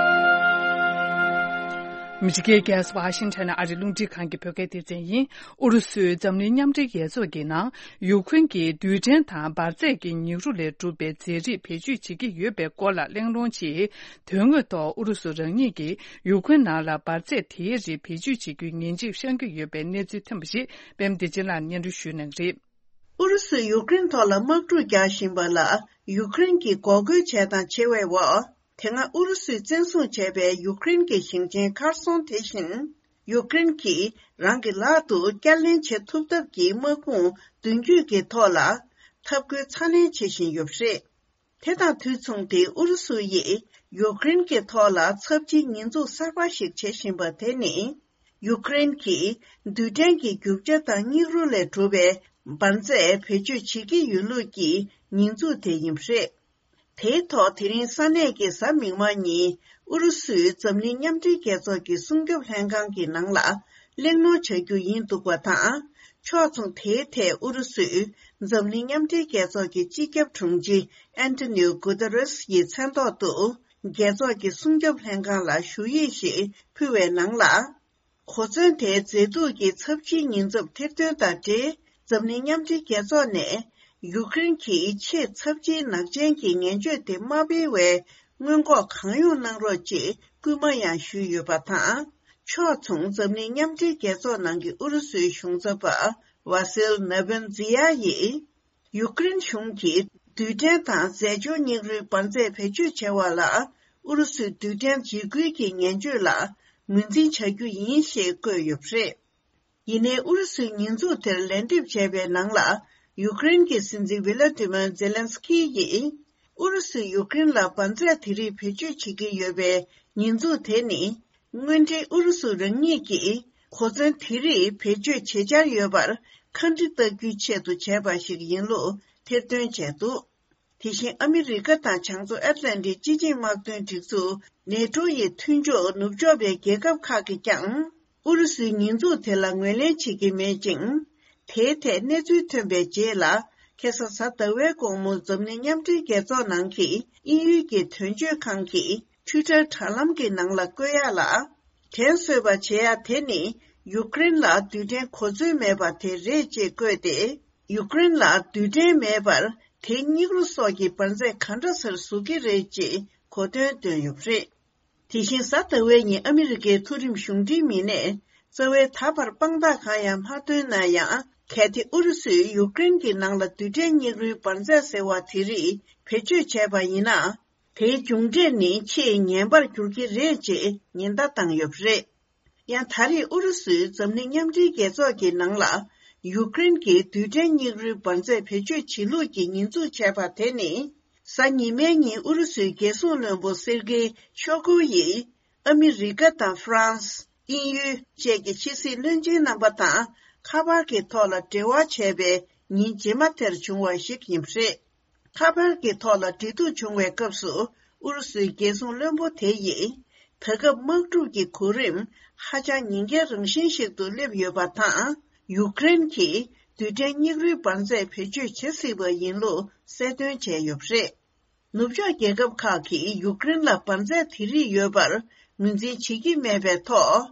མི་རིགས་ཀྱི་རྒྱལ་ས་ཝ་ཤིང་ཊོན་ཨ་རི་རླུང་འཕྲིན་ཁང་གི་བོད་སྐད་སྡེ་ཚན་ཡིན། ཨུ་རུ་སུས་འཛམ་གླིང་མཉམ་འབྲེལ་རྒྱལ་ཚོགས་ཀྱི་ནང་ཡུཀ་རེན་གྱི་རྡུལ་ཕྲན་དང་འབར་རྫས་ཀྱི་ཉེ་རུ་ལས་གྲུབ་པའི་རྫས་རིགས་བེད་སྤྱོད་བྱེད་ཀྱི་ཡོད་པའི་སྐོར་ལ་གླེང་སློང་ཆེད། དོན་དངོས་ཐོག་ཨུ་རུ་སུ་རང་ཉིད་ཀྱིས་ཡུཀ་རེན་ནང་ལ་འབར་རྫས་དེའི་རིགས་བེད་སྤྱོད་བྱེད་རྒྱུའི་ངན་ཇུས་བཤད་ཀྱི་ཡོད་པའི་གནས་ཚུལ་ཐོན་པ་ཞིག་པད་མ་བདེ་ཆེན་ལགས་སྙན་སྒྲོན་ཞུ་གནང་གི་རེད། ཨུ་རུ་སུས་ཡུཀ་རེན་ཐོག་ལ་དམག་འཁྲུག་རྒྱག་བཞིན་པ་ལ་ཡུཀ་རེན་གྱིས་འགོག་རྒོལ་བྱས་དང་བྱེད་པའི་འོག་དེ་སྔ་ཨུ་རུ་སུས་བཙན་བཟུང་བྱས་པའི་ཡུཀ་རེན་གྱི་ཞིང་ཆེན་ཁར་སོང་དེ་བཞིན། ཡུཀ་རེན་གྱིས་རང་གི་ལག་ཏུ་བསྐྱར་ལེན་བྱེད་ཐུབ་ཐབས་ཀྱི་དམག་དཔུང་མདུན་སྐྱོད་ཀྱི་ཐོག་ལ་འཐབ་རྒོལ་ཚ་ནན་བྱེད་བཞིན་ཡོད་པ་རེད། དེ་དང་དུས་མཚུངས་ཏེ་ཨུ་རུ་སུ་ཡིས་ཡུཀ་རེན་གྱི་ཐོག་ལ་ཚབས་ཆེའི་ཉེས་འཛུགས་གསར་པ་ཞིག་བྱེད་བཞིན་པ་དེ་ནི། ཡུཀ་རེན་གྱིས་རྡུལ་ཕྲན་གྱི་རྒྱུ་ཆ་དང་སྙིགས་རོ་ལས་གྲུབ་པའི་འབར་རྫས་བེད་སྤྱོད་བྱེད་ཀྱི་ཡོད་ལུགས་ཀྱི་ཉེས་འཛུགས་དེ་ཡིན་པ་རེད། དེའི་ཐོག་དེ་རིང་ས་གནས་ཀྱི་གཟའ་མིག་དམར་ཉིན་ཨུ་རུ་སུས་འཛམ་གླིང་མཉམ་འབྲེལ་རྒྱལ་ཚོགས་ཀྱི་སྲུང་སྐྱོབ་ལྷན་ཁང་གི་ནང་ལ་གླེང་སློང་བྱ་རྒྱུ་ཡིན་འདུག་པ་དང་། ཕྱོགས་མཚུངས་དེའི་ཐད་ཨུ་རུ་སུས་འཛམ་གླིང་མཉམ་འབྲེལ་རྒྱལ་ཚོགས་ཀྱི་སྤྱི་ཁྱབ་དྲུང་ཆེ་ཨན་ཏོ་ནིའོ་གུ་ཏེ་རེས་ཡི་མཚན་ཐོག་ཏུ་རྒྱལ་ཚོགས་ཀྱི་སྲུང་སྐྱོབ་ལྷན་ཁང་ལ་ཞུ་ཡིག་ཞིག་ཕུལ་བའི་ནང་ལ། གོ་མཚོན་དེའི་མཛེས་སྡུག་གི་ཚབས་ཆེའི་ཉེན་ཚབས་ཐེར་འདོན་དང་འབྲེལ། འཛམ་གླིང་མཉམ་འབྲེལ་རྒྱལ་ཚོགས་ནས་ཡུཀ་རེན་གྱི་ཆེས་ཚབས་ཆེའི་ནག་ཅན་གྱི་ངན་སྤྱོད་དེ་མ་སྤེལ་བའི་སྔོན་འགོག་གང་ཡོང་གནང་རོགས་ཅེས་སྐུལ་མ་ཡང་ཞུས་ཡོད་པ་དང་། ཕྱོགས་མཚུངས་འཛམ་གླིང་མཉམ་འབྲེལ་རྒྱལ་ཚོགས་ནང་གི་ཨུ་རུ་སུའི་གཞུང་ཚབ་པ་ཝ་སིལ་ནེ་བན་ཛི་ཡ་ཡིས། ཡུཀ་རེན་གཞུང་གིས་རྡུལ་ཕྲན་དང་རྫས་སྦྱོར་སྙིགས་རོའི་འབར་རྫས་བེད་སྤྱོད་བྱས་པ་ལ་ཨུ་རུ་སུའི་རྡུལ་ཕྲན་འཇིགས་སྐུལ་གྱི་ངན་སྤྱོད་ལ་ངོས་འཛིན་བྱ་རྒྱུ་ཡིན་ཞེས་བཀོད་ཡོད་པ་རེད། ཡིན་ནའི་ཨུ་རུ་སུའི་ཉེས་འཛུགས་དེར་ལན་འདེབས་བྱས་པའི་ནང་ལ་ཡུཀ་རེན་གྱི་སྲིད་འཛིན་ཝི་ལ་ཏི་མིར་ཛེ་ལན་སི་ཀི་ཡིས་ཨུ་རུ་སུས་ཡུཀ་རེན་ལ་འབར་རྫས་དེ་རིགས་བེད་སྤྱོད་བྱེད་ཀྱི་ཡོད་པའི་ཉེས་འཛུགས་དེ་ནི། དངོས་འབྲེལ་ཨུ་རུ་སུ་རང་ཉིད་ཀྱིས་གོ་མཚོན་དེ་རིགས་བེད་སྤྱོད་བྱེད་འཆར་ཡོད་པར་ཁ་འདྲི་བལྟ་རྒྱུའི་ཆེད་དུ་བྱས་པ་ཞིག་ཡིན་ལུགས་ཐེར་འདོན་བྱས་འདུག་དེ་བཞིན་ཨ་མི་རི་ཀ་དང་བྱང་མཚོ་ཨེཊ་ལན་ཊིག་སྤྱི་ཆིངས་དམག་དོན་སྒྲིག་འཛུགས་ནེ་ཊོ་ཡི་མཐུན་ཕྱོགས་ནུབ་ཕྱོགས་པའི་རྒྱལ་ཁབ་ཁག་གིས་ཀྱང་ཨུ་རུ་སུའི་ཉེས་འཛུགས་དེ་ལ་ངོས་ལེན་བྱེད་ཀྱི་མེད་ཅིང་། དེའི་ཐད་གནས་ཚུལ་ཐོན་པའི་རྗེས་ལ་ ཁ་སང་གཟའ་ཟླ་བའི་དགོང་མོ་འཛམ་གླིང་མཉམ་འབྲེལ་རྒྱལ་ཚོགས་ནང་གི་དབྱིན་ཡུལ་གྱི་དོན་གཅོད་ཁང་གི་Twitter་དྲ་ལམ་གྱི་ནང་ལ་བཀོད་ཡག་ལ། དྲན་གསོས་པ་བྱེད་ཡག་དེ་ནི་ཡུཀ་རེན་ལ་རྡུལ་ཕྲན་གོ་མཚོན་མེད་པ་དེ་རེད་ཅེས་བཀོད་དེ། ཡུཀ་རེན་ལ་རྡུལ་ཕྲན་མེད་པར་དེའི་སྙིགས་རོ་སོགས་ཀྱི་འབར་རྫས་ག་འདྲ་སར་ཟུག་གི་རེད་ཅེས་གོ་དོན་བཏོན་ཡོད་པ་རེད། དེ་བཞིན་གཟའ་ཟླ་བའི་ཉིན་ཨ་མི་རི་ཀའི་མཐོ་རིམ་གཞུང་འབྲེལ་མི་སྣས་རྩ་བའི་ད་བར་དཔང་རྟགས་གང་ཡང་མ་བཏོན་ན་ཡང་། གལ་ཏེ་ཨུ་རུ་སུས་ཡུཀ་རེན་གྱི་ནང་ལ་རྡུལ་ཕྲན་སྙིགས་རོའི་འབར་རྫས་ཟེར་བ་དེ་རིགས་བེད་སྤྱོད་བྱས་པ་ཡིན་ན། དེའི་མཇུག་འབྲས་ནི་ཆེས་ངན་པར་འགྱུར་གྱི་རེད་ཅེས་ཉེན་བརྡ་བཏང་ཡོད་པ་རེད། ཡང་ད་རེས་ཨུ་རུ་སུས་འཛམ་གླིང་མཉམ་འབྲེལ་རྒྱལ་ཚོགས་ཀྱི་ནང་ལ་ཡུཀ་རེན་གྱི་རྡུལ་ཕྲན་སྙིགས་རོའི་འབར་རྫས་བེད་སྤྱོད་བྱེད་ལུགས་ཀྱི་ཉེས་འཛུགས་བྱས་པ་དེ་ནི། གཟའ་ཉི་མའི་ཉིན་ཨུ་རུ་སུའི་རྒྱལ་སྲུང་བློན་པོ་སེར་གེ་ཤོ་གུ་ཡིས་ཨ་མི་རི་ཀ་དང་ཧྥ་རན་སི། དབྱིན་ཡུལ་བཅས་ཀྱི་ཕྱི་སྲིད་བློན་ཆེན་རྣམ་པ་དང་ཁ་པར་གྱི་ཐོག་ལ་འབྲེལ་བ་བྱས་པའི་ཉིན་རྗེས་མ་དེར་བྱུང་བ་ཞིག་ཡིན་པ་རེད། ཁ་པར་གྱི་ཐོག་ལ་འབྲེལ་གཏུག་བྱུང་བའི་སྐབས་སུ་ཨུ་རུ་སུའི་རྒྱལ་སྲུང་བློན་པོ་དེ་ཡིས། ད་སྐབས་དམག་འཁྲུག་གི་གོ་རིམ་ཧ་ཅང་ཉེན་ཁའི་རང་བཞིན་ཞིག་ཏུ་སླེབས་ཡོད་པ་དང་། ཡུཀ་རེན་གྱིས་རྡུལ་ཕྲན་སྙིགས་རོའི་འབར་རྫས་བེད་སྤྱོད་བྱེད་སྲིད་པ་ཡིན་ལུགས་གསལ་སྟོན་བྱས་ཡོད་པ་རེད། ནུབ་ཕྱོགས་རྒྱལ་ཁབ་ཁག་གིས་ཡུཀ་རེན་ལ་འབར་རྫས་དེ་རིགས་ཡོད་པར་ངོས་འཛིན་བྱེད་ཀྱི་མེད་པའི་ཐོག་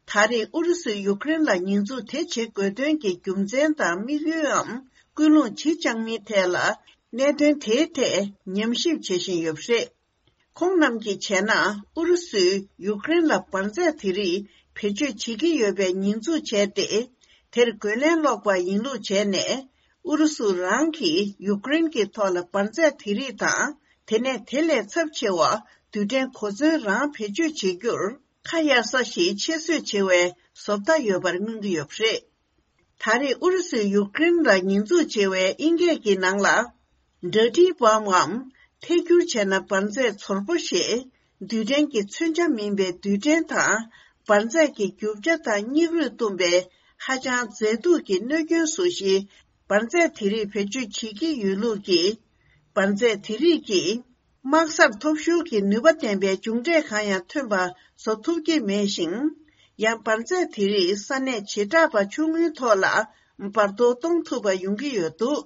ད་རེས་ཨུ་རུ་སུས་ཡུཀ་རེན་ལ་ཉེས་འཛུགས་དེ་བྱེད་དགོས་དོན་གྱི་རྒྱུ་མཚན་དང་དམིགས་ཡུལའམ་ཀུན་སློང་ཇི་བཅངས་མིན་ཐད་ལ། གནད་དོན་དེའི་ཐད་ཉམས་ཞིབ་བྱེད་བཞིན་ཡོད་པ་རེད། ཁོང་རྣམས་ཀྱིས་བྱས་ན། ཨུ་རུ་སུས་ཡུཀ་རེན་ལ་འབར་རྫས་དེ་རིགས་བེད་སྤྱོད་བྱེད་ཀྱི་ཡོད་པའི་ཉེས་འཛུགས་བྱས་ཏེ། དེར་རྒོལ་ལན་སློག་པ་ཡིན་ལུགས་བྱས་ནས། ཨུ་རུ་སུ་རང་གིས་ཡུཀ་རེན་གྱི་ཐོག་ལ་འབར་རྫས་དེ་རིགས་དང་། དེ་ནས་དེ་ལས་ཚབས་ཆེ་བ་རྡུལ་ཕྲན་གོ་མཚོན་རང་བེད་སྤྱོད་བྱེད་རྒྱུར་ཁ་གཡར་ས་ཞིག་ཆེད་བཟོས་བྱེད་པའི་བཟོ་ལྟ་ཡོད་པར་མངོན་གྱི་ཡོད་པ་རེད། ད་རེས་ཨུ་རུ་སུས་ཡུཀ་རེན་ལ་ཉེས་འཛུགས་བྱེད་པའི་དབྱིན་སྐད་ཀྱི་ནང་ལ། འདྲ་འདྲིའི་བམ་ངམ་ཐད་སྒྱུར་བྱས་ན་འབར་རྫས་ཚོར་པོ་ཞེས། རྡུལ་ཕྲན་གྱི་མཚོན་ཆ་མིན་པའི་རྡུལ་ཕྲན་དང་། འབར་རྫས་ཀྱི་རྒྱུ་ཆ་དང་སྙིགས་རོས་བཏུམས་པའི་ཧ་ཅང་མཛེས་སྡུག་གི་གནོད་སྐྱོན་བཟོ་གཞིའི་འབར་རྫས་དེ་རིགས་བེད་སྤྱོད་བྱེད་ཀྱི་ཡོད་ལུགས་ཀྱིས། འབར་རྫས་དེ་རིགས་ཀྱིས། དམག་སར་ཐོབ་ཤོར་གྱི་ནུས་པ་ལྡན་པའི་མཇུག་འབྲས་གང་ཡང་ཐོན་པ་བཟོ་ཐུབ་ཀྱི་མེད་ཅིང་། ཡང་འབར་རྫས་དེ་རིགས་ས་གནས་བྱེ་བྲག་པ་ཆུང་ངུའི་ཐོག་ལ་འབར་གཏོར་གཏོང་ཐུབ་པ་ཡོང་གི་ཡོད་འདུག་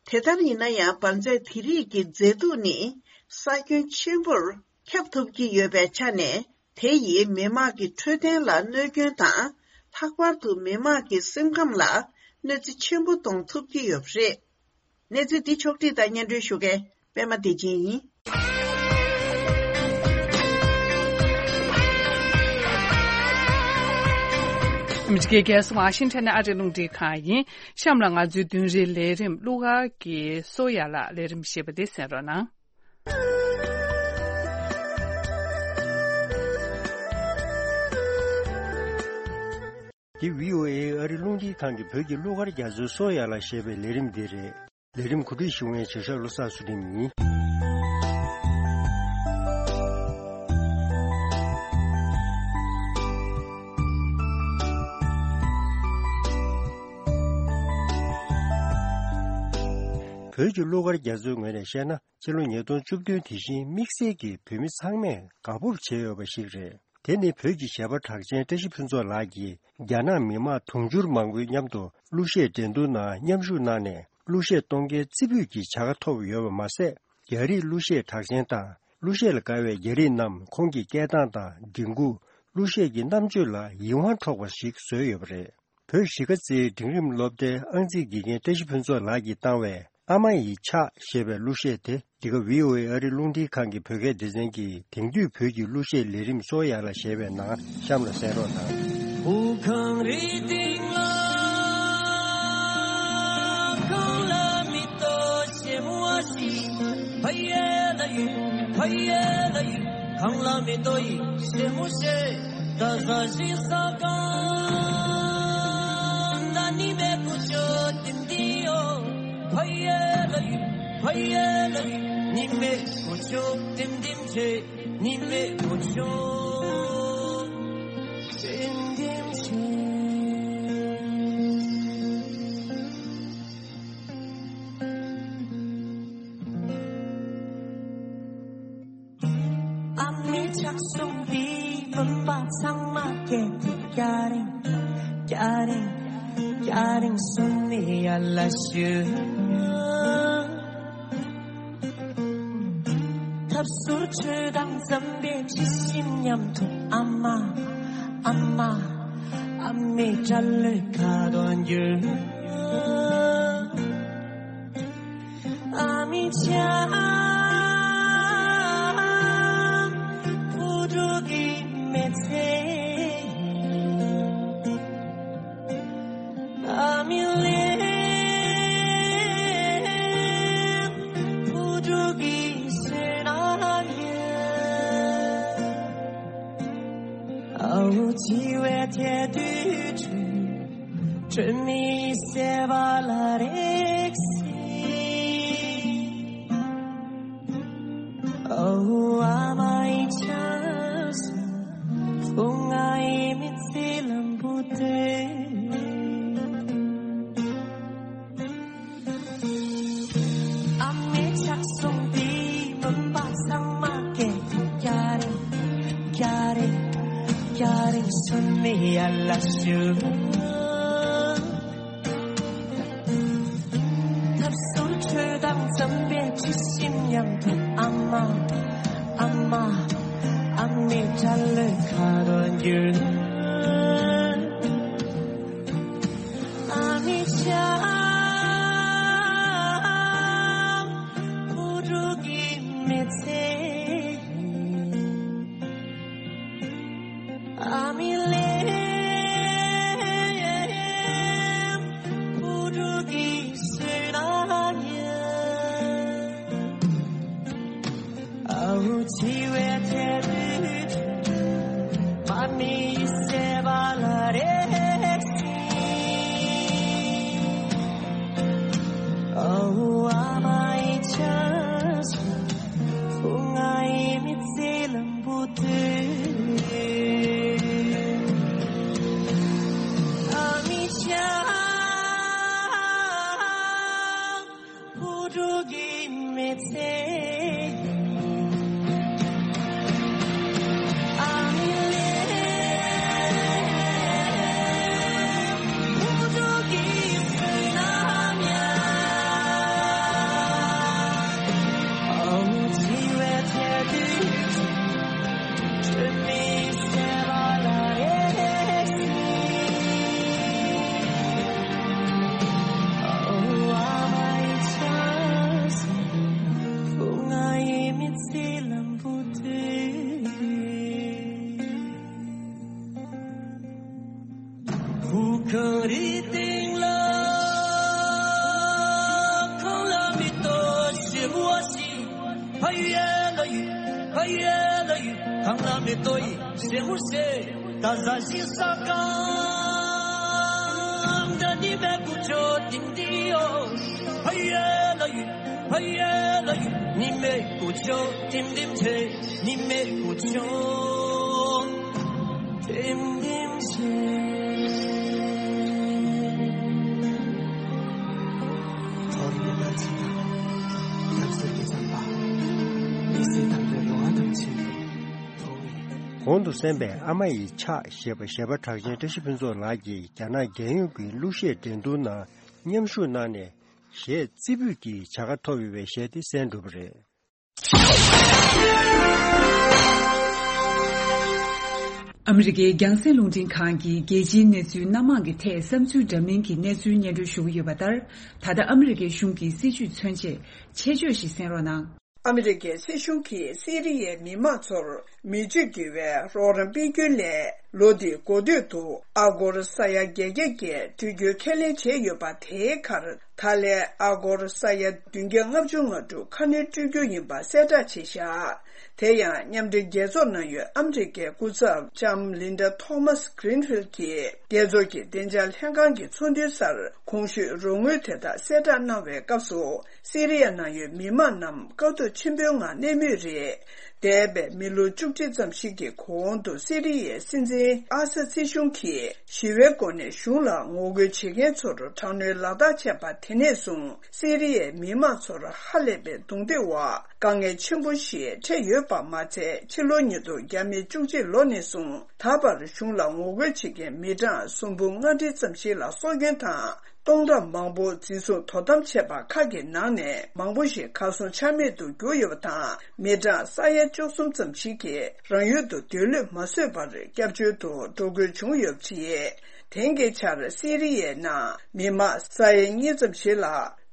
དེ་ལྟར་ཡིན་ན་ཡང་འབར་རྫས་དེ་རིགས་ཀྱི་མཛེས་སྡུག་ནི་ས་ཁྱོན་ཆེན་པོར་ཁྱབ་ཐུབ་ཀྱི་ཡོད་པའི་ཆ་ནས། དེ་ཡིས་མི་དམངས་ཀྱི་འཕྲོད་བསྟེན་ལ་གནོད་སྐྱོན་དང་། ལྷག་པར་དུ་མི་དམངས་ཀྱི་སེམས་ཁམས་ལ་གནོད་འཚེ་ཆེན་པོ་གཏོང་ཐུབ་ཀྱི་ཡོད་པ་རེད། གནས་ཚུལ་འདི་ཕྱོགས་བསྒྲིགས་དང་སྙན་སྒྲོན་ཞུ་མཁན་པད་མ་བདེ་ཆེན་ཡིན། ཨ་མི་རི་ཀའི་རྒྱལ་ས་ཝ་ཤིང་ཊོན་ནས་ཨ་རིའི་རླུང་འཕྲིན་ཁང་ཡིན། གཤམ་ལ་ང་ཚོའི་བདུན་རེའི་ལས་རིམ་གླུ་གར་གྱི་སོ་ཡ་ལ་ལས་རིམ་ཞེས་པ་འདི་གསན་རོགས་གནང་། འདི་བྷི་ཨོ་ཨེ་ཨ་རི་རླུང་འཕྲིན་ཁང་གི་བོད་ཀྱི་གླུ་གར་རྒྱ་མཚོའི་སོ་ཡ་ལ་ཞེས་པའི་ལས་རིམ་འདི་རེད། ལས་རིམ་གོ་སྒྲིག་ཞུ་མཁན་གཞིས་ཆགས་བློ་བཟང་ཚུལ་ཁྲིམས་ཡིན། བོད་ཀྱི་གླུ་གར་རྒྱ་མཚོའི་ངོས་ནས་བཤད་ན། ཕྱི་ལོ་ཉིས་སྟོང་བཅུ་བདུན་དེ་བཞིན་དམིགས་བསལ་གྱིས་བོད་མི་ཚང་མས་དགའ་སྤོབས་བྱེད་འོས་པ་ཞིག་རེད། དེ་ནི་བོད་ཀྱི་གཞས་པ་གྲགས་ཅན་བཀྲ་ཤིས་ཕུན་ཚོགས་ལགས་ཀྱིས་རྒྱ་ནག་མི་དམངས་དུང་ཕྱུར་མང་པོའི་མཉམ་དུ་གླུ་གཞས་འགྲན་བསྡུར་ནང་མཉམ་ཞུགས་གནང་ནས་གླུ་གཞས་གཏོང་མཁན་རྩེ་ཕུད་ཀྱི་བྱ་དགའ་ཐོབ་ཡོད་པ་མ་ཟད། རྒྱ་རིགས་གླུ་གཞས་གྲགས་ཅན་དང་གླུ་གཞས་ལ་དགའ་བའི་རྒྱ་རིགས་རྣམས་ཁོང་གི་སྐད་གདངས་དང་མགྲིན་ཁུག་གླུ་གཞས་ཀྱི་རྣམ་དཔྱོད་ལ་ཡིད་དབང་འཕྲོག་པ་ཞིག་བཟོས་ཡོད་པ་རེད། བོད་གཞིས་ཀ་རྩེའི་འབྲིང་རིམ་སློབ་གྲྭའི་ཨང་རྩིས་དགེ་རྒན་བཀྲ་ཤིས་ཕུན་ཚོགས་ལགས་ཀྱིས་བཏང་བའི། ཨ་མ་ཡི་ཕྱག་ཞེས་པའི་གླུ་གཞས་དེ། འདི་ག་བྷི་ཨོ་ཨེ་ཨ་རི་རླུང་འཕྲིན་ཁང་གི་བོད་སྐད་སྡེ་ཚན་གྱི་དེང་དུས་བོད་ཀྱི་གླུ་གཞས་ལས་རིམ་སོ་ཡ་ལ་ཞེས་པའི་ནང་གཤམ་ལ་གསན་རོགས་གནང་། ཧུ་ཁང་རི་སྟེང་ལ་གང་ལ་མི་ལྟོ་ཞེ་མོ་བ་ཞིག་ཕ་ཡེ་ལ་ཡུ་ཕ་ཡེ་ལ་ཡུ། གང་ལ་མི་ལྟོ་ཡི་ཞེ་མོ་ཞེ། ད་ཟ་ཞིག་ཟ་གང་ད་ནི་མེ་ཀུ་ཅོ་ཏིམ་ཏི་ཡོ། ཕ་ཡེ་ལ་ཡུ་ཕ་ཡེ་ལ་ཡུ། ནི་མེ་ཀུ་ཅོ་ཏིམ་ཏིམ་ཆེ། ནི་མེ་ཀུ་ཅོ་ཏིམ་ཏིམ་ཆེ། ཨ་མའི་ཕྱག་ཟུང་འདི་བུམ་པ་ཚང་མ་སྐད་དེ་སྐྱ་རེངས། སྐྱ་རེངས། སྐྱ་རེངས་གསུམ་ནི་ཡར་ལ་ཞུ། ཐབས་ཟུར་ཆོས་དང་འཛམ་པའི་འཁྲི་ཤིང་མཉམ་དུ། ཨ་མ། ཨ་མ། ཨ་མའི་སྐྲ་ལོས་ཁ་དོག་འགྱུར། ཨ་མའི་ལྕམ་བུ་ཕྲུག་གི་མི་ཚེ། ཨ་མའི་ལན་བུ་ཕྲུག་གི་སེམས་ནང་ཡོད། ཨ་འུ་འཆི་བའི་ཐལ་དུས་དྲོད་མེད་སེམས་པ་ལ་རེག་སྲིད། ཨོ་ཨ་མ་ཡི་ཆབ་སྲིད། ཨོ་ངའི་མི་ཚེ་ལམ་བུ་དེ། ཨ་མའི་ཕྱག་ཟུང་དེ་མུན་པ་ཚང་མ་སྐེམ། སྐྱ་རེངས། སྐྱ་རེངས། སྐྱ་རེངས་སུ་མི་ཡར་ལ་ཞུ། ཐབས་ཟུར་ཆོས་དང་འཛམ་པའི་འཁྲི་ཤིང་མཉམ་དུ། ཨ་མ། ཨ་མ། ཨ་མའི་སྐྲ་ལོས་ཁ་དོག་འགྱུར། ཨ་མའི་ལྕམ་བུ་ཕྲུག་གི་མི་ཚེ། ཨ་མའི་ལན་བུ་ཕྲུག་གི་སེམས་ནང་ཡོད། ཨ་འུ་འཆི་བའི་ཐལ་དུས་དྲོད་མེད་སེམས་པ་ལ་རེག་སྲིད། ཨོ་ཨ་མ་ཡི་ཆབ་སྲིད། ཨོ་ངའི་མི་ཚེ་ལམ་བུ་དེ། ཨ་མའི་ལྕམ་བུ་ཕྲུག་གི་མི་ཚེ། ཨ་མའི་ལན་བུ་ཕྲུག་གི་སེམས་ནང་ཡོད། ཨ་འུ་འཆི་བའི་ཐལ་དུས་དྲོད་མེད་སེམས་པ་ལ་རེག་སྲིད། ཨོ་ཨ་མ་ཡི་ཆབ་སྲིད། ཨོ་ངའི་མི་ཚེ་ལམ་བུ་དེ། བུ་གངས་རིའི་སྟེང་ལ་གངས་ལ་མེ་ཏོག་ཞིམ་པོ་ཞིག་ཕ་ཡུལ་ལ་ཡོད། ཕ་ཡུལ་ལ་ཡོད། གངས་ལ་མེ་ཏོག་ཡིན་ཞེ་མོ་ཞེས། ད་ཟ་ཞིང་ཟ་གང་འདྲ་ནི་མེད་ཀུ་ཅོ་ཏིང་ཏིང་ཡོ། ཕ་ཡུལ་ལ་ཡོད། ཕ་ཡུལ་ལ་ཡོད། ནི་མེད་ཀུ་ཅོ་ཏིང་ཏིང་ཆེ། ནི་མེད་ཀུ་ཅོ་ཏིང་ཏིང་ཆེ། ཐོར་བུ་ལ་ཅི་དང་། ཡབ་སྲས་ཀྱི་བསམ་པ། མི་ཚེ་དང་པོའི་རོ་ཨ་དང་ཆེན་པོ། གོང་དུ་གསན་པའི་ཨ་མ་ཡི་ཕྱག་ཞེས་པ་གཞས་པ་གྲགས་ཅན་བཀྲ་ཤིས་ཕུན་ཚོགས་ལགས་ཀྱིས་རྒྱ་ནག་རྒྱལ་ཡོངས་ཀྱི་གླུ་གཞས་འགྲན་བསྡུར་ནང་མཉམ་ཞུགས་གནང་ནས་གཞས་རྩེ་ཕུད་ཀྱི་བྱ་དགའ་ཐོབ་ཡོད་པའི་གཞས་དེ་གསན་གྲུབ་པ་རེད། ཨ་མི་རི་ཀའི་རྒྱང་སྲིང་རླུང་འཕྲིན་ཁང་གིས་རྒྱལ་སྤྱིའི་གནས་ཚུལ་སྣ་མང་གི་ཐད་བསམ་ཚུལ་འདྲ་མིན་གྱི་གནས་ཚུལ་སྙན་སྒྲོན་ཞུ་གི་ཡོད་པ་ལྟར། ད་ལྟ་ཨ་མི་རི་ཀའི་གཞུང་གི་སྲིད་བྱུས་མཚོན་ཆེད་ཆེད་བརྗོད་ཞིག་གསན་རོགས་གནང་། ཨ་མི་རི་ཀའི་སྲིད་གཞུང་གིས་སི་རི་ཡའི་མི་མང་ཚོར་མི་སྤྱོད་བགྱི་བའི་རོགས་རམ་སྤེལ་རྒྱུའི་སླད། ལོ་འདིའི་འགོ་སྟོད་དུ་ཨ་སྒོར་ས་ཡ་བརྒྱད་བརྒྱ་བརྒྱད་སྤྲོད་རྒྱུའི་ཁས་ལེན་བྱས་ཡོད་པ། དེའི་ཁར་ད་ལན་ཨ་སྒོར་ས་ཡ་བདུན་བརྒྱ་ལྔ་བཅུ་ང་དྲུག་ཁ་སྣོན་སྤྲོད་རྒྱུ་ཡིན་པ་གསལ་བསྒྲགས་བྱས་བཞག་དེ་ཡང་མཉམ་འབྲེལ་རྒྱལ་ཚོགས་ནང་ཡོད་ཨ་མི་རི་ཀའི་སྐུ་ཚབ་ལྕམ་ལིན་ཌ་ཐོ་མཱས་གྷི་རིན་ཕིལ་གྱིས་རྒྱལ་ཚོགས་ཀྱི་བདེ་འཇགས་ལྷན་ཁང་གི་ཚོགས་འདུའི་སར་གོང་ཞུས་རོགས་དངུལ་དེ་དག་གསལ་བསྒྲགས་གནང་བའི་སྐབས་སུ། སི་རི་ཡ་ནང་ཡོད་མི་མང་རྣམས་དཀའ་སྡུག་ཆེན་པོའི་ངང་གནས་མུས་རེད། འདས་པའི་མི་ལོ་བཅུ་གཅིག་ཙམ་ཞིག་གི་གོང་དུ་སི་རི་ཡའི་སྲིད་འཛིན་ཨ་ས་སི་གཞུང་གིས་ཞི་བའི་སྒོ་ནས་གཞུང་ལ་ངོ་རྒོལ་བྱེད་མཁན་ཚོར་དྲག་གནོན་ལག་བསྟར་བྱས་པ་དེ་ནས་བཟུང་སི་རི་ཡའི་མི་མང་ཚོར་ཧ་ལས་པའི་རྡུང་རྡེག་འོག་དཀའ་ངལ་ཆེན་པོ་ཞིག་འཕྲད་ཡོད་པ་མ་ཚད། ཕྱི་ལོ་ཉིས་སྟོང་བརྒྱ་མེད་བཅུ་གཅིག་ལོ་ནས་བཟུང་ད་བར་གཞུང་ལ་ངོ་རྒོལ་བྱེད་མཁན་མི་གྲངས་སུམ་འབུམ་ལྔ་ཁྲི་ཙམ་ཞིག་ལ་སྲོག་སྐྱོན་དང་། སྟོང་ཕྲག་མང་པོ་འཛིན་བཟུང་དོ་དམ་བྱས་པ་ཁག་གི་ནང་ནས་མང་པོ་ཞིག་གར་སོང་ཆ་མེད་དུ་གྱུར་ཡོད་པ་དང་། མི་གྲངས་ས་ཡ་བཅུ་གསུམ་ཙམ་ཞིག་གིས་རང་ཡུལ་དུ་སྡོད་ལུས་མ་བཟོད་པར་སྐྱབས་བཅོལ་དུ་འགྲོ་དགོས་བྱུང་ཡོད་པ་རེད། དེང་གི་ཆར་སི་རི་ཡའི་ནང་མི་མང་ས་ཡ་གཉིས་ཙམ་ཞིག་ལ།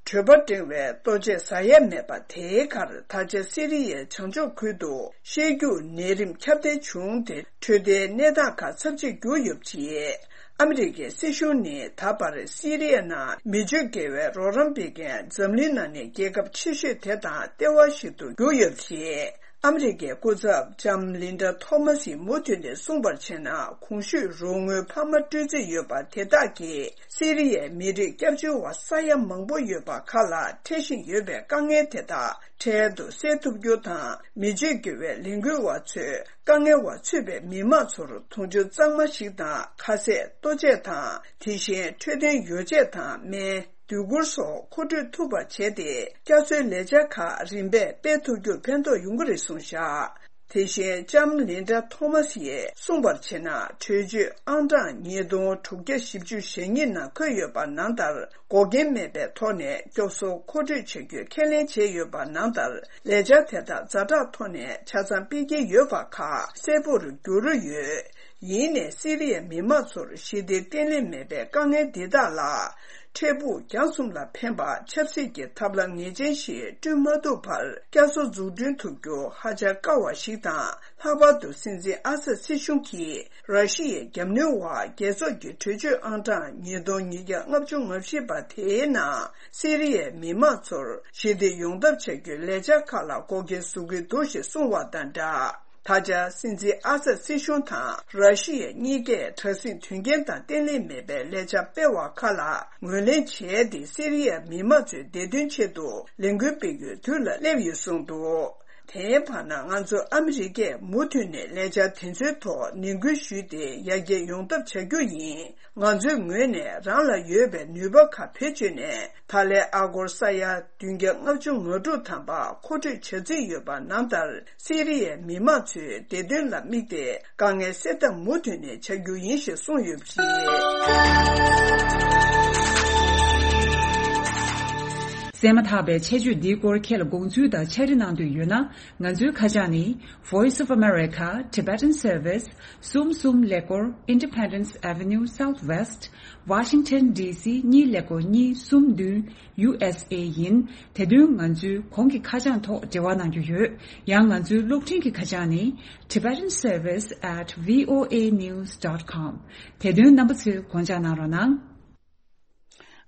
གྲོད་པ་འགྲེང་བའི་ལྟོ་ཆས་ཟ་ཡ་མེད་པ་དེའི་ཁར། ད་ཆ་སི་རི་ཡའི་བྱང་ཕྱོགས་ཁུལ་དུ་ཤེས་རྒྱུག་ནད་རིམས་ཁྱབ་གདལ་བྱུང་སྟེ། འཕྲོད་བསྟེན་གནས་སྟངས་ཁག་ཚབས་ཆེར་གྱུར་ཡོད་པ་རེད། ཨ་མི་རི་ཀའི་སྲིད་གཞུང་ནི་ད་བར་སི་རི་ཡའི་ནང་མི་སྤྱོད་དགེ་བའི་རོགས་རམ་སྤེལ་མཁན་འཛམ་གླིང་ནང་ནས་རྒྱལ་ཁབ་ཆེ་ཤོས་དེ་དང་ལྟེ་བ་ཞིག་ཏུ་གྱུར་ཡོད་པ་རེད། ཨ་མི་རི་ཀའི་སྐུ་ཚབ་ལྕམ་ལིན་ཌ་ཐོ་མ་སིས་མུ་མཐུད་ནས་གསུངས་པར་བྱས་ན། གོང་ཞུས་རོགས་དངུལ་འཕར་མ་སྤྲོད་རྩིས་ཡོད་པ་དེ་དག་གིས་སི་རི་ཡའི་མི་རིགས་སྐྱབས་བཅོལ་བ་ས་ཡ་མང་པོ་ཡོད་པ་ཁག་ལ་འཕྲད་བཞིན་ཡོད་པའི་དཀའ་ངལ་དེ་དག་འཕྲལ་དུ་སེལ་ཐུབ་རྒྱུ་དང་། མི་སྤྱོད་དགེ་བའི་ལས་འགུལ་བ་ཚོས་དཀའ་ངལ་བ་ཚུད་པའི་མི་མང་ཚོར་དུང་ཕྱུར་གཙང་མ་ཞིག་དང་། ཁ་ཟས། ལྟོ་ཆས་དང་། དེ་བཞིན་འཕྲོད་བསྟེན་ཡོ་བྱད་དང་སྨན། སྡོད་གུར་སོགས་མཁོ་སྤྲོད་ཐུབ་པ་བྱས་ཏེ། བསྐྱར་གསོའི་ལས་འཆར་ཁག་རིམ་པས་སྤེལ་ཐུབ་རྒྱུར་ཕན་ཐོགས་ཡོང་གི་རེད་གསུངས་བཞག་དེ་བཞིན་ལྕམ་ལིན་ཌ་ཐོ་མ་སིས་གསུངས་པར་བྱས་ན། གྲོས་ཆོད་ཨང་གྲངས་ཉིས་སྟོང་དྲུག་བརྒྱ་བཞི་བཅུ་ཞེ་གཉིས་ནང་འཁོད་ཡོད་པ་ནང་ལྟར། འགོག་རྐྱེན་མེད་པའི་ཐོག་ནས་སྐྱོབ་གསོ་མཁོ་སྤྲོད་བྱ་རྒྱུའི་ཁས་ལེན་བྱས་ཡོད་པ་ནང་ལྟར། ལས་འཆར་དེ་དག་ཛ་དྲག་ཐོག་ནས་ཆ་ཚང་སྤེལ་གྱི་ཡོད་པ་ཁག་གསལ་པོར་འགྱུར་ཡོད། ཡིན་ནའི་སི་རི་ཡའི་མི་མང་ཚོར་ཞི་བདེ་བརྟན་ལྷིང་མེད་པའི་དཀའ་ངལ་འདི་དག་ལ། འཕྲལ་ཕུགས་རྒྱང་གསུམ་ལ་ཕན་པ་ཆབ་སྲིད་ཀྱི་ཐབས་ལམ་ངེས་ཅན་ཞིག་བསྐྲུན་མ་ཐུབ་བར། བསྐྱར་གསོ་འཛུགས་སྐྲུན་ཐུབ་རྒྱུ་ཧ་ཅང་དཀའ་བ་ཞིག་དང་། ལྷག་པར་དུ་སྲིད་འཛིན་ཨ་སད་སྲིད་གཞུང་གིས་ར་ཤི་ཡའི་རྒྱབ་གནོན་འོག་རྒྱལ་ཚོགས་ཀྱི་གྲོས་ཆོད་ཨང་གྲངས་ཉིས་སྟོང་ཉིས་བརྒྱ་ལྔ་བཅུ་ང་བཞི་པ་དེའི་ནང་སི་རི་ཡའི་མི་མང་ཚོར་ཞི་བདེ་ཡོང་ཐབས་བྱ་རྒྱུའི་ལས་འཆར་ཁག་ལ་འགོག་རྐྱེན་བཟོ་གི་འདུག་ཞེས་གསུངས་བ་དང་སྦྲགས། ད་ཆ་སྲིད་འཛིན་ཨ་སད་སྲིད་གཞུང་དང་ར་ཤི་ཡ་གཉིས་ཀས་དྲག་ཟིང་དོན་རྐྱེན་དང་བརྟན་ལྷིང་མེད་པའི་ལས་འཆར་སྤེལ་བ་ཁག་ལ་ངོས་ལེན་བྱས་ཏེ། སི་རི་ཡའི་མི་མང་ཚོའི་བདེ་དོན་ཆེད་དུ་ལས་འགུལ་སྤེལ་རྒྱུའི་དུས་ལ་སླེབས་ཡོད་གསུངས་འདུག་དེའི་བར་ན། ང་ཚོ་ཨ་མི་རི་ཀས་མུ་མཐུད་ནས་ལས་འཆར་དེ་ཚོའི་ཐོག་ནན་སྐུལ་ཞུས་ཏེ། ཡར་རྒྱས་ཡོང་ཐབས་བྱ་རྒྱུ་ཡིན། ང་ཚོའི་ངོས་ནས་རང་ལ་ཡོད་པའི་ནུས་པ་ཁག་བེད་སྤྱོད་ནས། ད་ལན་ཨ་སྒོར་ས་ཡ་བདུན་བརྒྱ་ལྔ་བཅུ་ང་དྲུག་ཐམ་པ་མཁོ་སྤྲོད་བྱ་རྩིས་ཡོད་པ་ནང་ལྟར། སི་རི་ཡའི་མི་མང་ཚོའི་བདེ་དོན་ལ་དམིགས་ཏེ། དཀའ་ངལ་སེལ་ཐབས་མུ་མཐུད་ནས་བྱ་རྒྱུ་ཡིན་ཞེས་གསུངས་ཡོད་པ་རེད། གསན་མ་ཐག་པའི་ཆེད་བརྗོད་འདིའི་སྐོར་ཁྱེད་ལ་དགོངས་ཚུལ་དང་ཕྱག་བྲིས་གནང་འདོད་ཡོད་ན། ང་ཚོའི་ཁ་བྱང་ནི། Voice of America, Tibetan Service, གསུམ་གསུམ་ཀླད་ཀོར། Independence Avenue Southwest, Washington D C གཉིས་ཀླད་ཀོར་གཉིས་གསུམ་བདུན། U S A ཡིན། དེ་དོན་ང་ཚོའི་གོང་གི་ཁ་བྱང་ཐོག་འབྲེལ་བ་གནང་རྒྱུ་ཡོད། ཡང་ང་ཚོའི་གློག་འཕྲིན་གྱི་ཁ་བྱང་ནི། Tibetan Service at V O A news dot com། དེ་དོན་རྣམ་པ་ཚོས་དགོངས་འཇགས་གནང་རོགས་གནང་།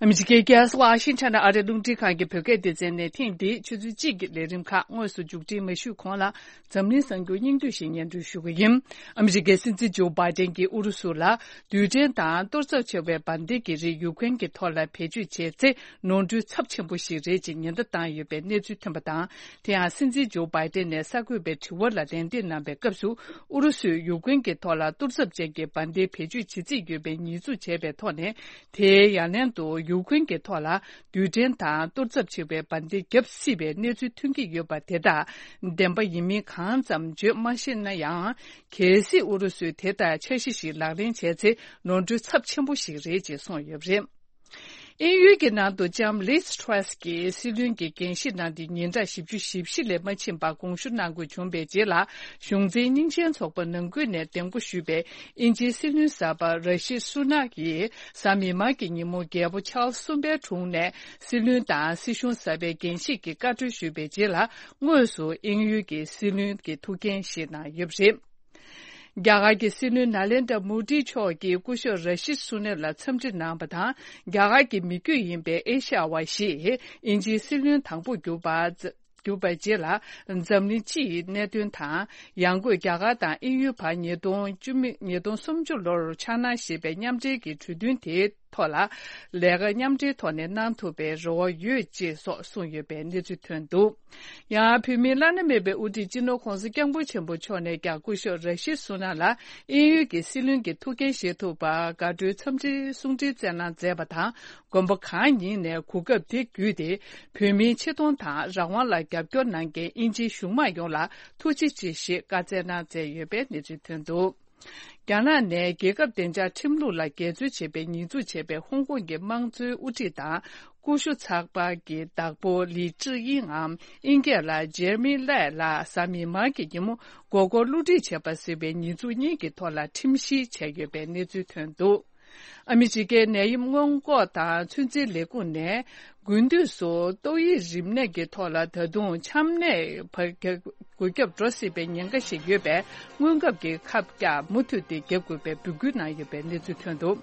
ཨ་མི་རི་ཀའི་རྒྱལ་ས་ཝ་ཤིང་ཊོན་ཨ་རིའི་རླུང་འཕྲིན་ཁང་གི་བོད་སྐད་སྡེ་ཚན་ནས་ཐེངས་འདིའི་ཆུ་ཚོད་གཅིག་གི་ལས་རིམ་ཁག་དངོས་སུ་མཇུག་སྒྲིལ་མ་ཞུས་གོང་ལ། འཛམ་གླིང་གསར་འགྱུར་སྙིང་བསྡུས་ཤིག་སྙན་སྒྲོན་ཞུ་གི་ཡིན། ཨ་མི་རི་ཀའི་སྲིད་འཛིན་ཇོ་བྷའི་ཏན་གྱིས་ཨུ་རུ་སུ་ལ་རྡུལ་ཕྲན་དང་གཏོར་ཚབས་ཆེ་བའི་འབར་མདེལ་གྱི་རིགས་ཡུཀ་རེན་གྱི་ཐོག་ལ་བེད་སྤྱོད་བྱས་ཚེ། ནོར་འཁྲུལ་ཚབས་ཆེན་པོ་ཞིག་རེད་ཅེས་ཉེན་བརྡ་བཏང་ཡོད་པའི་གནས་ཚུལ་ཐོན་པ་དང་། དེ་ཡང་སྲིད་འཛིན་ཇོ་བྷའི་ཏན་ནས་གསར་འགོད་པའི་དྲི་བ་ལ་ལན་འདེབས་གནང་བའི་སྐབས་སུ། ཨུ་རུ་སུས་ཡུཀ་རེན་གྱི་ཐོག་ལ་གཏོར་ཚབས་ཅན་གྱི་འབར་མདེལ་བེད་སྤྱོད་བྱེད་རྩིས་ཡོད་པའི་ཉེས་འཛུགས་བྱས་པའི་ཐོག་ནས། དེའི་ཡ་ལན་དུ་ཡུཀ་རེན་གྱི་ཐོག་ལ་རྡུལ་ཕྲན་དང་གཏོར་ཚབས་ཆེ་བའི་འབར་མདེལ་བརྒྱབ་སྲིད་པའི་གནས་ཚུལ་ཐོན་གྱི་ཡོད་པ་དེ་དག་བདེན་པ་ཡིན་མིན་གང་ཙམ་བརྗོད་མ་ཤེས་ན་ཡང་། གལ་སྲིད་ཨུ་རུ་སུས་དེ་ལྟར་འཆར་གཞི་ཞིག་ལག་ལེན་བྱས་ཚེ། ནོར་འཁྲུལ་ཚབས་ཆེན་པོ་ཞིག་རེད་ཅེས་གསུངས་ཡོད་པ་རེད། དབྱིན་ཡུལ་གྱི་ནང་དུ་ལྕམ་ལིས་ཁྲེས་ཀྱིས་སྲིད་བློན་གྱི་འགན་བཞེས་གནང་སྟེ་ཉིན་གྲངས་བཞི་བཅུ་ཞེ་བཞི་ལས་མ་ཕྱིན་པར་དགོངས་ཞུ་གནང་དགོས་བྱུང་བའི་རྗེས་ལ། གཞུང་འཛིན་སྙིང་རྗེའི་ཚོགས་པ་ནང་ཁུལ་ནས་གདན་འགོ་ཞུས་པའི་དབྱིན་ཇིའི་སྲིད་བློན་གསར་པ་ར་ཤི་སུ་ནག་གིས་གཟའ་མིག་དམར་གྱི་ཉིན་མོ། རྒྱལ་པོ་ཆཱལ་སི་གསུམ་པའི་དྲུང་ནས་སྲིད་བློན་དང་སྲིད་གཞུང་གསར་པའི་འགན་བཞེས་ཀྱི་བཀའ་འཁྲོལ་ཞུས་པའི་རྗེས་ལ། དངོས་སུ་དབྱིན་ཡུལ་གྱི་སྲིད་བློན་གྱི་ཐུགས་འགན་བཞེས་གནང་ཡོད་པ་རེད། རྒྱ་གར་གྱི་སྲིད་བློན་ནཱ་ལེནྡྲ་མོ་ཌི་མཆོག་གིས་སྐུ་ཞབས་ར་ཤིད་སུ་ནེ་ལ་འཚམས་འདྲི་གནང་བ་དང་། རྒྱ་གར་གྱི་མི་རྒྱུད་ཡིན་པའི་ཨེ་ཤ་ཡ་བ་ཞིག་དབྱིན་ཇིའི་སྲིད་བློན་དང་པོ་གྱུར་པ། གྱུར་པའི་རྗེས་ལ། འཛམ་གླིང་སྤྱི་ཡི་གནད་དོན་དང་། ཡང་སྒོས་རྒྱ་གར་དང་དབྱིན་ཡུལ་བར་ཉིས་སྟོང་བཅུ་མེད། ཉིས་སྟོང་སུམ་ཅུ་ལོར་འཆར་སྣང་བཞེས་པའི་མཉམ་འབྲེལ་གྱི་གྲོས་མཐུན་དེའི་ཐོག་ལ། ལས་ཀ་མཉམ་འབྲེལ་ཐོག་ནས་གནང་ཐུབ་པའི་རེ་བ་ཡོད་ཅེས་སོགས་གསུངས་ཡོད་པའི་གནས་ཚུལ་ཐོན་འདུག་ཡང་བོད་མིའི་བླ་ན་མེད་པའི་དབུ་ཁྲིད་སྤྱི་ནོར་༧གོང་ས་༧སྐྱབས་མགོན་ཆེན་པོ་མཆོག་ནས་ཀྱང་སྐུ་ཞབས་ར་ཤིད་སུ་ནག་ལ་དབྱིན་ཡུལ་གྱི་སྲིད་བློན་གྱི་ཐུགས་འགན་བཞེས་ཐུབ་པར་དགའ་སྤྲོའི་འཚམས་འདྲིའི་གསུང་འཕྲིན་བསྩལ་གནང་མཛད་པ་དང་། དགོན་པ་གང་ཡིན་ནས་གོ་སྐབས་དེ་བརྒྱུད་དེ་བོད་མིའི་ཆེ་མཐོང་དང་རང་དབང་ལ་རྒྱབ་སྐྱོར་གནང་མཁན་དབྱིན་ཇིའི་གཞུང་མང་ཡོངས་ལ་ཐུགས་རྗེ་ཆེ་ཞེས་བཀའ་སྩལ་གནང་མཛད་ཡོད་པའི་གནས་ཚུལ་ཐོན་འདུག་རྒྱ་ནག་ནས་རྒྱལ་ཁབ་བདེ་འཇགས་ཁྲིམས་ལུགས་ལ་འགལ་འཛོལ་བྱས་པའི་ཉེས་འཛུགས་བྱས་པའི་ཧོང་ཀོང་གི་དམངས་གཙོའི་དབུ་ཁྲིད་དང་། ཀུ་ཤུ་ཚགས་པར་གྱི་བདག་པོ་ལི་ཀྲི་དབྱིང་ངམ་ཨིན་སྐད་ལ་ཇེར་མི་ལེ་ལགས་གཟའ་མིག་དམར་གྱི་ཉིན་མོ་མགོ་སྐོར་བསླུ་བྲིད་བྱས་པ་ཟེར་བའི་ཉེས་འཛུགས་གཉིས་ཀྱི་ཐོག་ལ་ཁྲིམས་བཤེར་བྱས་ཡོད་པའི་གནས་ཚུལ་ཐོན་འདུག་ཨ་མི་རི་ཀའི་ནད་ཡམས་སྔོན་འགོག་དང་ཚོད་འཛིན་ལས་ཁུངས་ནས། དགུན་དུས་སུ་ཏོག་དབྱིབས་རིམས་ནད་ཀྱི་ཐོག་ལ་ད་དུང་ཆམ་ནད་འགོས་ཁྱབ་འགྲོ་སྲིད་པའི་ཉེན་ཁ་ཞིག་ཡོད་པས། སྔོན་ཁབ་ཀྱི་ཁབ་རྒྱག་མུ་མཐུད་དེ་བརྒྱབ་དགོས་པའི་འབོད་སྐུལ་གནང་ཡོད་པའི་གནས་ཚུལ་ཐོན་འདུག་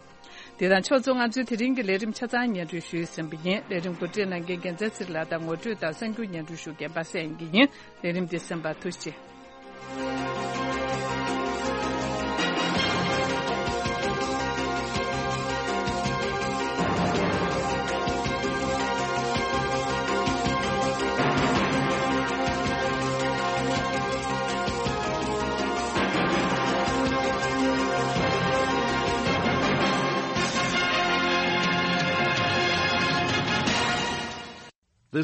དེ་དང་ཕྱོགས་མཚུངས། ང་ཚོའི་དེ་རིང་གི་ལས་རིམ་ཆ་ཚང་སྙན་སྒྲོན་ཞུས་ཟིན་པ་ཡིན། ལས་རིམ་གོ་སྒྲིག་གནང་མཁན་རྒྱལ་མཚན་ཚེ་རིང་ལགས་དང་ངོ་སྤྲོད་དང་གསར་འགྱུར་སྙན་སྒྲོན་ཞུ་མཁན་པ་སངས་དབྱངས་སྐྱིད་ཡིན། ལས་རིམ་འདི་གསན་པར་ཐུགས་རྗེ་ཆེ།